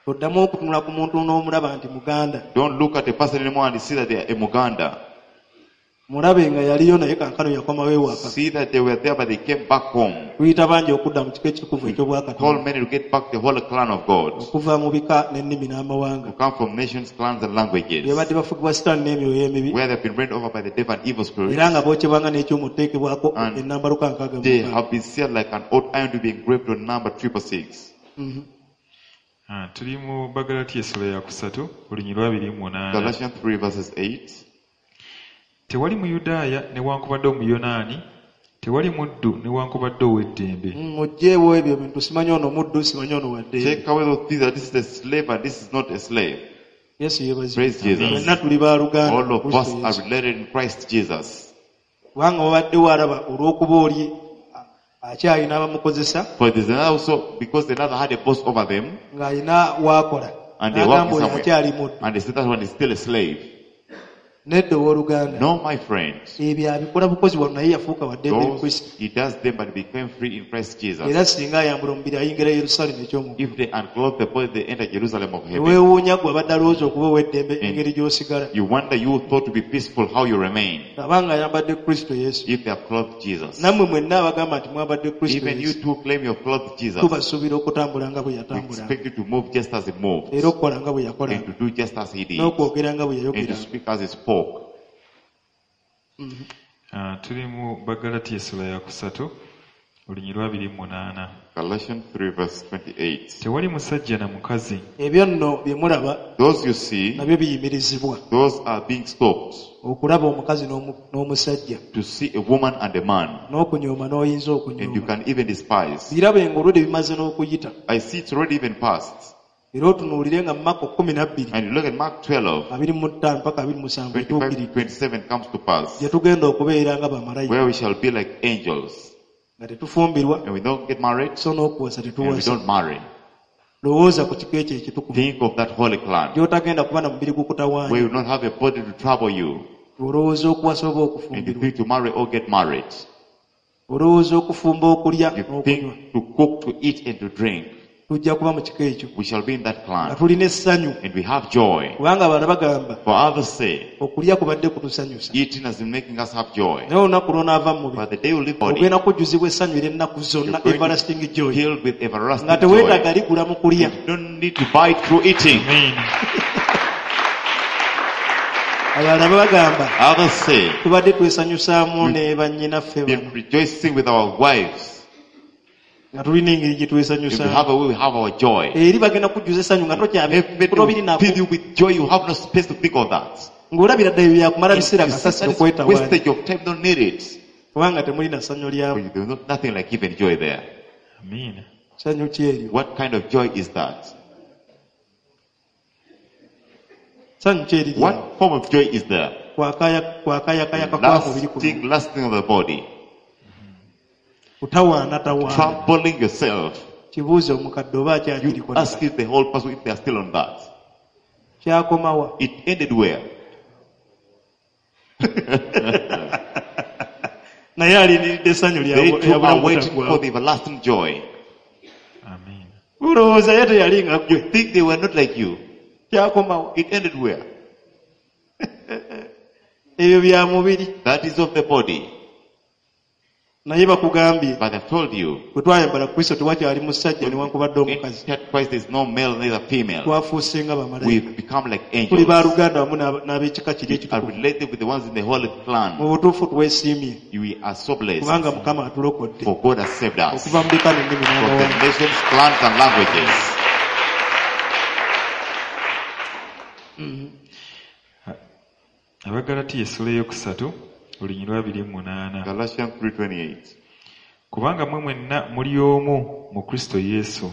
Toddamu okutunula ku muntu n'omulaba nti Muganda. Don't look at a person anymore and see that they are a Muganda. Mulabe nga yaliyo naye kankano yakomawo ewaka. See that they were there, but they came back home. Tuyita bangi okudda mu kika ekitukuvu Call eky'Obwakatonda many to get back the whole clan of God. okuva mu bika n'ennimi n'amawanga. Who come from nations, clans, and languages. Bye badde bafugibwa Sitaani n'emyoyo emibi Where they've been reigned over by the devil and evil spirits. era nga bookyebwanga n'ekyuma oteekebwako And ennamba 666. They have been sealed like an old iron to be engraved on number 666. Ah, tuli mu Bagalatiya essula ya kusatu olunyiriri lwa 28. Galatians 3 verses 8. Tewali Muyudaaya newankubadde Omuyonaani, tewali muddu newankubadde ow'eddembe. Muggyeewo ebyo bintu simanyi ono muddu simanyi ono waddembe. Take away those things that this is a slave and this is not a slave. Yesu yeebazibwe. Praise Jesus. Ffenna tuli baluganda All mu of Kristo us are Yesu. related in Christ Jesus. Kubanga wabaddewo alaba olw'okuba oli akyalina abamukozesa For there's another also, because another had a boss over them, ng'alina waakola and they n'agamba working oyo somewhere. akyali muddu. And they said that one is still a slave. Nedda owooluganda. No, my friend. Ebyo abikola bukozi wano naye yafuuka wa ddembe mu Those, Kristo. he does them but became free in Christ Jesus. Era singa ayambula omubiri ayingira Yerusaalemi eky'omu. If they unclothe the body, they enter Jerusalem of heaven. Weewuunya gwe abadde alowooza okuba ow'eddembe engeri gy'osigala. You wonder you thought to be peaceful how you remain Abanga ayambadde Kristo Yesu. if they have clothed Jesus. Nammwe mwenna abagamba nti mwambadde Kristo Even you Yesu. too claim you have clothed Jesus. Tubasuubira okutambula nga bwe We yatambulanga. expect you to move just as he moved Era okukola nga bwe and yakolanga. to do just as he did N'okwogera nga bwe and to yayogeranga. speak as he spoke. Ah, tuli mu Bagalatiya essula ya kusatu olunyiriri lwa 28. Galatians 3 verse 28. Tewali musajja na mukazi Ebyo nno bye mulaba Those you see, nabyo biyimirizibwa. those are being stopped Okulaba omukazi n'omusajja. to see a woman and a man, N'okunyooma n'oyinza and you okunyooma. can even despise. Birabe ng'olwedde bimaze n'okuyita. I see it's already even past. Era otunuulire nga mu Makko 12 And you look at Mark 12, 25 paka 27 25 etuukiridde. 27 comes to pass, Gye tugenda okubeera nga bamalayika where we shall be like angels. nga tetufumbirwa And we don't get married, so n'okuwasa and we tetuwasa. don't marry. Lowooza ku kika ekyo ekitukuvu Think of that holy clan, gy'otagenda kuba na mubiri where you gukutawaanya. will not have a body to trouble you, Olowooza okuwasa oba and you okufumbirwa. think to marry or get married. Olowooza okufumba okulya You n'okunywa. think to cook, to eat, and to drink. Tujja kuba mu kika ekyo We shall be in that nga clan, tulina essanyu and we have joy. kubanga abalala bagamba For others say, okulya kubadde kutusanyusa. eating has been making us have joy. Naye olunaku lw'onaava mu mubiri But the day you leave body, ogenda kujjuzibwa essanyu ery'ennaku zonna you're going everlasting to be joy filled with everlasting nga teweetaaga joy. ligula mu kulya. You don't need to buy through eating. Amen. Abalala bagamba Others say, tubadde twesanyusaamu ne bannyinaffe been bano rejoicing with our wives. nga tulina engeri gye If we twesanyusaamu. have a way, we have our joy. Eri bagenda kujjuza essanyu nga Heaven tobiri will fill you with joy. You have no space to think of that. ng'olabira ddala ebyo byakumala You biseera see, kasasiro that is kwetawaanya wastage of time. Don't need it. kubanga temulina ssanyu lyamu. But There's nothing like even joy there. Amen. Ssanyu ki eryo? What kind of joy is that? Ssanyu ki eriri awo? What form of joy is there? Kwakayakayaka kwa mubiri kuno. Lasting, lasting of the body. Kutawaanatawaana. Troubling yourself. Kibuuze omukadde oba You akyakiriko. ask if the whole person if they are still on that. Kyakomawa. It ended where? Naye alindiridde essanyu They lya too are bulamu waiting for butaggwaawo. the everlasting joy. Amen. Olowooza ye teyali nga ggwe. You think they were not like you. Kyakomawa. It ended where? Ebyo bya mubiri. That is of the body. Naye bakugambye But I've told you, bwe twayambala Kristo tewakyali musajja newankubadde in omukazi. Christ there is no male neither female. Twafuuse nga bamalayika. We've become like Tuli angels. baluganda wamu n'ab'ekika kiri We are ekitukuvu. related with the ones in the holy Mu clan. butuufu twesiimye We are so blessed. kubanga Mukama atulokodde For God has saved us okuva mu bika n'ennimi from the n'amawanga. nations, clans, and languages. Abagalatiya essula eyokusatu olunyiriri lwa 28. Galatians 3:28. Kubanga mmwe mwenna muli omu mu Kristo Yesu.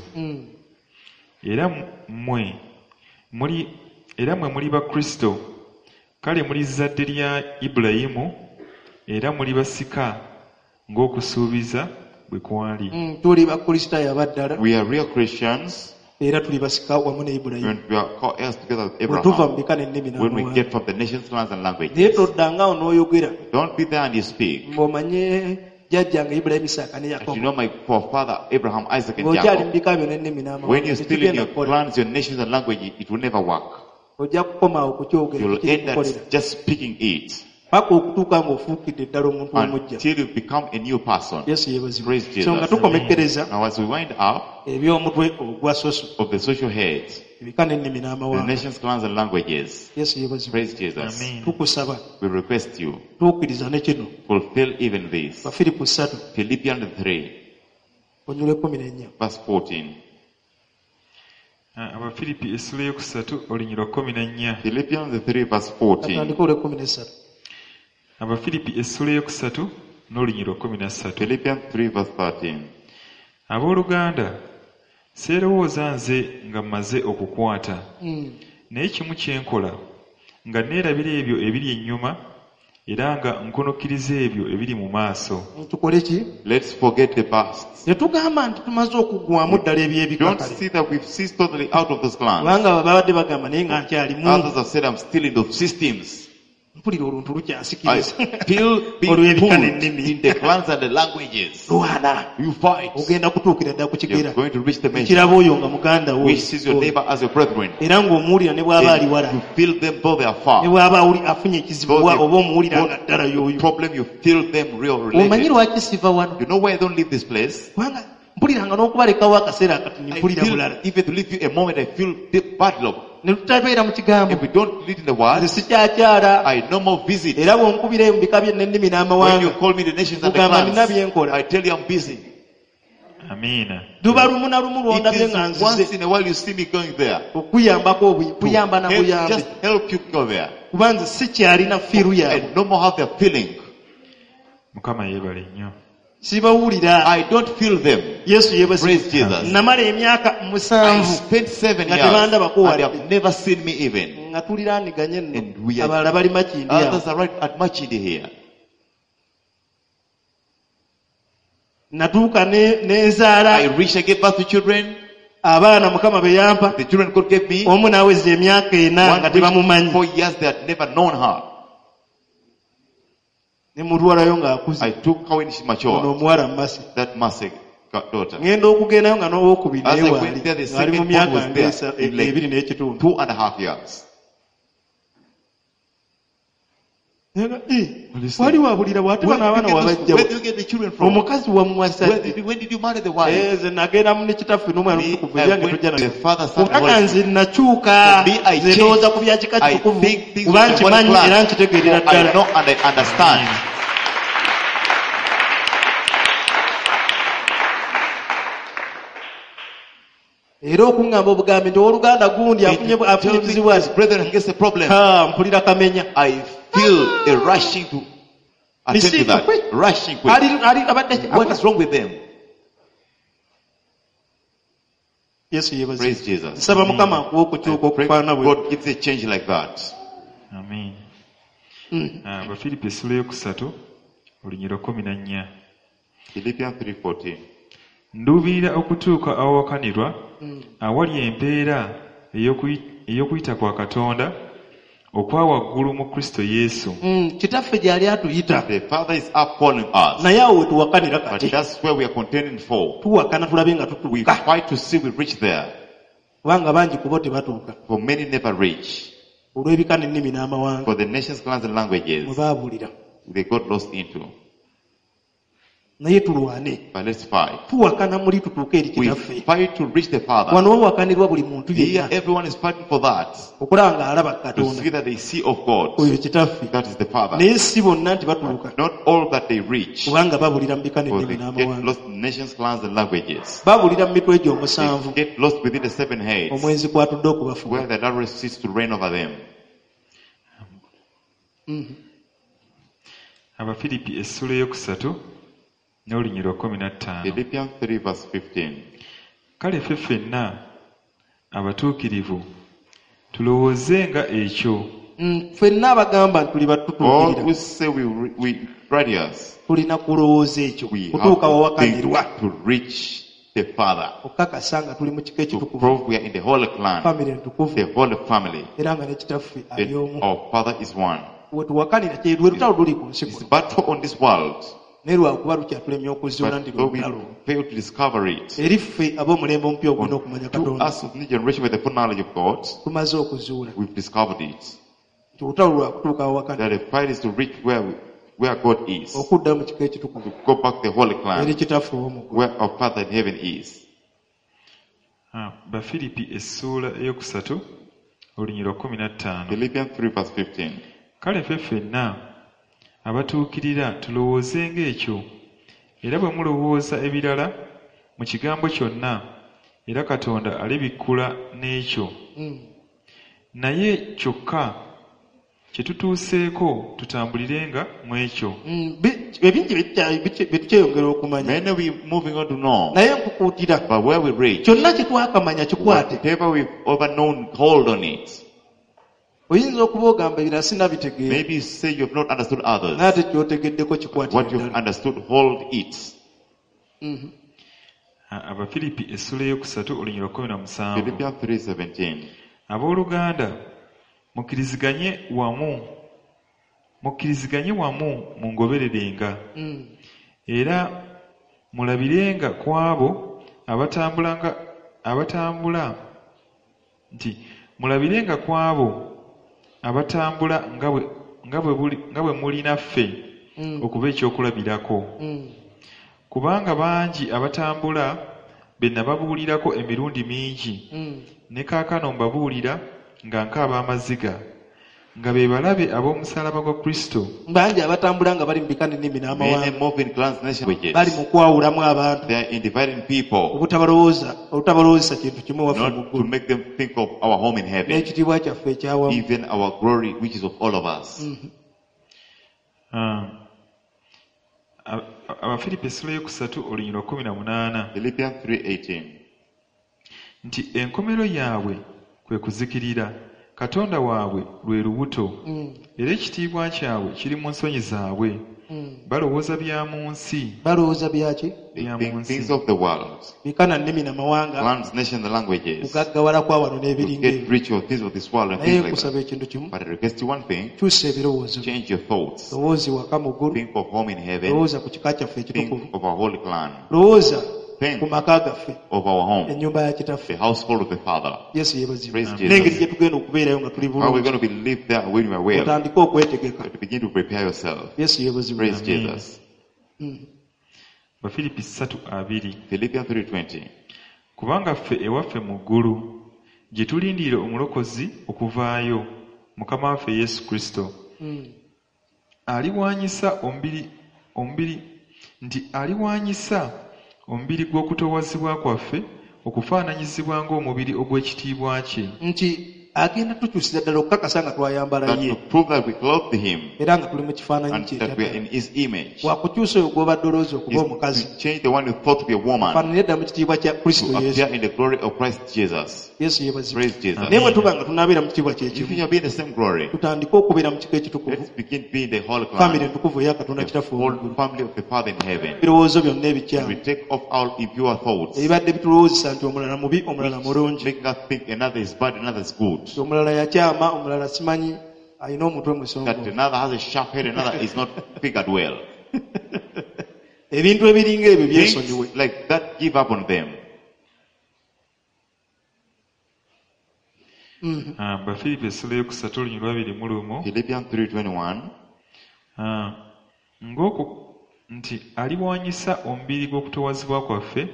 Era mmwe muli era mmwe muli ba Kristo. Kale muli zzadde lya Ibulayimu era muli basika ng'okusuubiza bwe kwali. Tuli bakristaayo abaddala We are real Christians era tuli basika wamu ne Ibulayimu. and we are called heirs together with Bwe tuva mu Abraham. bika n'ennimi When we n'amawanga. get from the nations, clans, and Naye languages. toddangaawo n'oyogera Don't be there and you speak. ng'omanye jjajjange Ibulayimu Isaaka ne That you Yakobo know my forefather Abraham, Isaac, and ng'okyali mu Jacob. bika byo n'ennimi When n'amawanga you're still in tekigenda your kukola. clans, your nations, and language, it will never work. Ojja kukoma awo kukyogera You'll tekiri end kukolera up just speaking it paka okutuuka ng'ofuukidde ddala omuntu omuggya. until you become a new person. Yesu yeebazibwe. Praise Jesus. So nga tukomekkereza Now, as we wind up eby'omutwe ogwa soso of the social heads, ebika n'ennimi the n'amawanga. nations, clans, and languages, Yesu yeebazibwe. praise Jesus. Amen. Tukusaba We request you tuukiriza ne kino fulfill even this. Bafiripo 3 Philippians 3, onyula 14. verse 14. Abafiripi essula eyokusatu olunyiriri lwa 14. Philippians 3 verse 14. Atandike olw'e13. Abafiripi essula eyokusatu n'olunyiriri lwa 13. Philippians 3 verse 13. Abooluganda, seerowooza nze nga mmaze okukwata, naye kimu kye nkola, nga neerabira ebyo ebiri ennyuma era nga nkunukkiriza ebyo ebiri mu maaso. Tukole ki? Let's forget the past. Tetugamba nti tumaze okuggwamu ddala eby'ebika Don't kale. see that we've ceased totally out of those clans. Kubanga babadde bagamba naye nga nkyalimu. Others have said I'm still in those systems. Mpulira oluntu I lukyansikiriza. feel being Olw'ebika pulled n'ennimi. in the clans and the languages. Lwana. You fight. Ogenda kutuukira ddala ku You're kigera. going to reach the measure Ekirabo oyo nga muganda wo. which sees your neighbor as your brethren. Era ng'omuwulira ne bw'aba ali wala. And you feel them though they are far. Ne bw'aba afunye ekizibu Though they oba omuwulira nga got ddala y'oyo. problem, you feel them real Omanyi related. lwaki siva wano? You know why I don't leave this place? Kubanga mpuliranga n'okubalekawo akaseera akatono I mpulira feel, bulala. even to leave you a moment, I feel deep bad love. Ne tutabeera mu kigambo. If we don't lead in the word, Nze sikyakyala. I no more visit. Era bw'onkubira mu bika by'ennimi When you n'amawanga. call me the nations and the Kugamba nina clans, bye nkola. I tell you I'm busy. Amiina. Luba lumu na lumu It lw'ondabye is nga once nzize in a while you see me going there. okuyambako To kuyamba na help, buyambi. just help you go there. Kuba nze sikyalina fiiru I yaabwe. no more have their feeling. Mukama yeebale nnyo. Sibawulira. I don't feel them. Yesu yeebazibwe. Praise Jesus. Namala emyaka I 7 spent 7 nga years tebandabako and they wadde. have never seen me even. Nga tuliraaniganye nno. And we are- Abalala bali Makindye awo. Others are right at Machidi here. Natuuka ne nzaala I reached, I gave birth to children. abaana Mukama be yampa. The children God gave me. Omu n'aweza emyaka 4 One nga reached tebamumanyi. 4 years, they had never known her. Ne mutwalayo ng'akuze. I took her when she Ono matured. omuwala Mmasi. That Mercy daughter. Ngenda okugendayo nga n'owokubiri As naye I waali. went there, the Ng'ali mu second myaka one was there. In like 2 n'ekitundu. 2.5 years. Naga, "Eh, wali wabulira bw'ate Where bano abaana did you get wabajja where did you get the children from? Omukazi wamuwasa Where ddi? when did you marry the wife? Eh, nze nagendamu ne kitaffe n'omwana Me, omutukuvu I ebyange went tojja to the nabyo. Father, Son, and Kubanga Holy nze nakyuka Me, I nze ndowooza ku bya changed. kika I kitukuvu think things kuba with the holy nkimanyi plan. era nkitegeerera I ddala. know and I understand. Era okuŋŋamba obugambi nti owooluganda gundi And afunye you afunye tell me ekizibu this brethren gets a problem. Ha, mpulira kamenya. I feel a rushing to attend to Receive that. quick. Rushing quick. Ali abadde What is wrong with them? Yesu yeebazibwe. Praise Jesus. Nsaba Mukama akuwe okukyuka I pray okufaanana bwe. God gives a change like that. Amiina. Abafiripi essula eyokusatu olunyiriri lwa 14. Philippians 3:14. Nduubirira okutuuka awawakanirwa awali empeera ey'okuyita kwa Katonda okwa waggulu mu Kristo Yesu. Kitaffe gy'ali atuyita. The Father is up calling us. Naye awo we tuwakanira But kati. that's where we are contending for. Tuwakana tulabe nga We tutuuka. fight to see we reach there. Kubanga bangi ku bo tebatuuka. For many never reach. Olw'ebika n'ennimi n'amawanga For the nations, clans, and mwe languages baabulira. they got lost into. Naye tulwane. But let's fight. Tuwakana muli tutuuke eri We kitaffe. fight to reach the Father. Wano wawakanirwa buli muntu Here, yenna everyone is fighting for that. okulaba ng'alaba To Katonda. see that they see of God. Oyo kitaffe. That is the Father. Naye si bonna nti batuuka. Not all that they reach. Kubanga babulira mu bika For n'ennimi they get n'amawanga. lost in nations, clans, and languages. Babulira mu mitwe egyo They omusanvu get lost within the seven heads, omwenzi kw'atudde okubafuga. where the adulterer sits to reign over them. Abafiripi essula eyokusatu n'olunyiriri lwa 15. Philippians 3 verse 15. Kale ffe ffenna abatuukirivu tulowoozenga ekyo Ffenna abagamba nti tuli All batutuukirira who say we righteous, tulina kulowooza ekyo we have kutuuka to think wawakanirwa to reach the Father, okukakasa nga tuli mu kika to ekitukuvu prove we are in the holy clan, famire entukuvu the holy family. era nga ne kitaffe ali That omu. our Father is one. We tuwakanira kye lwe lutalo luli ku nsi It's kuno. battle on this world, Naye lwakuba lukyatulemye okuzuula but nti though we lutalo. fail to discover it, Eri ffe ab'omulembe omupya ogulina okumanya to Katonda us of new generation with the full knowledge of God, tumaze okuzuula we've discovered it. nti olutalo lwakutuuka awawakanirwa That the fight is to reach where God is, to okudda mu kika ekitukuvu go back to the holy eri clan, kitaffe ow'omu ggulu. where our Father in heaven is. Bafiripi essuula eyokusatu olunyiriri lwa 15. Philippians 3 verse 15. Kale ffe ffenna abatuukirira tulowoozenga ekyo era bwe mulowooza ebirala mu kigambo kyonna Era Katonda alibikkula n'ekyo. Naye kyokka kye tutuuseeko tutambulirenga mu ekyo. Ebingi bye tukyeyongera okumanya. Many we moving on to know. Naye nkukuutira. But where we reach, Kyonna kye twakamanya kikwate. whatever we've ever known, hold on it. Oyinza okuba ogamba ebirala sinnabitegeera. Maybe you say you have not understood others. Naye ate ky'otegeddeko kikwatire What you've ddala. understood, hold it. Abafiripi essula eyokusatu olunyiriri lwa 17. Philippians 3:17. Abooluganda mukkiriziganye wamu mungobererenga. Era mulabirenga ku abo abatambula nga bwe muli naffe okuba ekyokulabirako. Kubanga bangi abatambula be nababuulirako emirundi mingi, ne kaakano mbabuulira nga nkaaba amaziga, nga be balabe ab'omusaalaba gwa Kristo. Bangi abatambula nga bali mu bika n'ennimi n'amawanga. Many move in clans, nations, languages. Bali mu kwawulamu abantu. They are in dividing people. Obutabalowooza kintu kimu waffe mu Not to ggulu. make them think of our home in heaven. N'ekitiibwa kyaffe ekyawamu. Even our glory, which is of all of us. Abafiripi essula eyokusatu olunyiriri lwa 18. Philippians 3:18. Nti enkomero yaabwe kwe kuzikirira, Katonda waabwe lwe lubuto, era ekitiibwa kyabwe kiri mu nsonyi zaabwe. Balowooza bya mu nsi. Balowooza byaki? They Bya think mu nsi. things of the world. Bika na nnimi na mawanga. Clans, nations, and languages. Kugaggawala kwa wano To n'ebiringa get ebyo. rich or things of this world and Naye things like nkusaba that. ekintu kimu. But I request you one thing. Kyusa ebirowoozo. Change your thoughts. Lowooza waka mu ggulu. Think of home in heaven. Lowooza ku kika kyaffe ekitukuvu. Think of our holy clan. Lowooza Think ku maka gaffe. of our home. Ennyumba ya kitaffe. The household of the Father. Yesu yeebazibwe. Praise Jesus. N'engeri gye tugenda okubeerayo nga tuli How we're bulungi. going to be live there when we are well. Otandike okwetegeka. But begin to prepare yourself. Yesu yeebazibwe. Praise Jesus. Abafiripi 3:20. Philippians 3:20. Kubanga ffe ewaffe mu ggulu gye tulindirira omulokozi okuvaayo, Mukama waffe Yesu Kristo. Aliwanyisa omubiri gw'okutoowazibwa kwaffe okufaananyizibwa ng'omubiri ogw'ekitiibwa kye. Nti agenda tukyusiza ddala okukakasa nga twayambala That ye. to prove that we clothed him Era nga tuli mu kifaananyi and kye that we are ekya in his image. Wakukyusa oyo gw'obadde olowooza okuba Is omukazi. to change the one you thought to be a woman Faananire ddala mu kitiibwa kya Kristo to Yesu. appear in the glory of Christ Jesus. Yesu yeebazibwe. Praise Jesus. Naye bwe tuba nga tunaabeera mu kitiibwa kye If kimu, you shall be in the same glory, tutandike okubeera mu kika ekitukuvu, let's begin being the whole famire clan, entukuvu eya Katonda the Kitaffe whole ow'omu ggulu. family of the Father in heaven. Ebirowoozo byonna ebikyamu We take off our impure thoughts, ebibadde bitulowoozesa nti omulala mubi, omulala mulungi, making us think another is bad, another is good. nti omulala yakyama, omulala simanyi alina omutwe That musongovu. another has a sharp head, another is not figured well. Ebintu ebiringa ebyo byesonyiwe. Things like that, give up on them. Abafiripi essula eyokusatu olunyiriri lwa 21. Philippians 3:21. Ng'oku nti aliwanyisa omubiri gw'okutoowazibwa kwaffe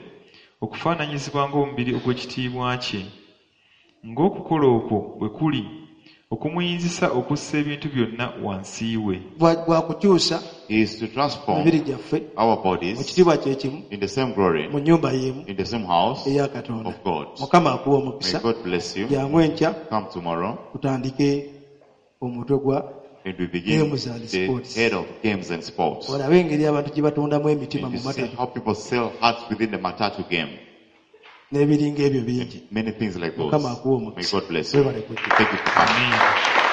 okufaananyizibwa ng'omubiri ogw'ekitiibwa kye. Ng'okukola okwo bwe kuli okumuyinzisa okussa ebintu byonna wansi we. Gwa kukyusa Is to transform emibiri gyaffe our mu bodies kitiibwa kye kimu, in the same glory, mu nnyumba y'emu in the same house eya Katonda. of God. Mukama akuwa May omukisa. God bless you. Jangu enkya Come tomorrow tutandike omutwe gwa and we begin Games and the sports. head of games and sports. Olabe engeri abantu gye batondamu emitima And mu you see matatu how people sell hearts within the matatu game. n'ebiringa ebyo bingi. Many things like those. Mukama akuwe May omukisa. God bless you. Webale kujja. Thank you for coming. Amiina.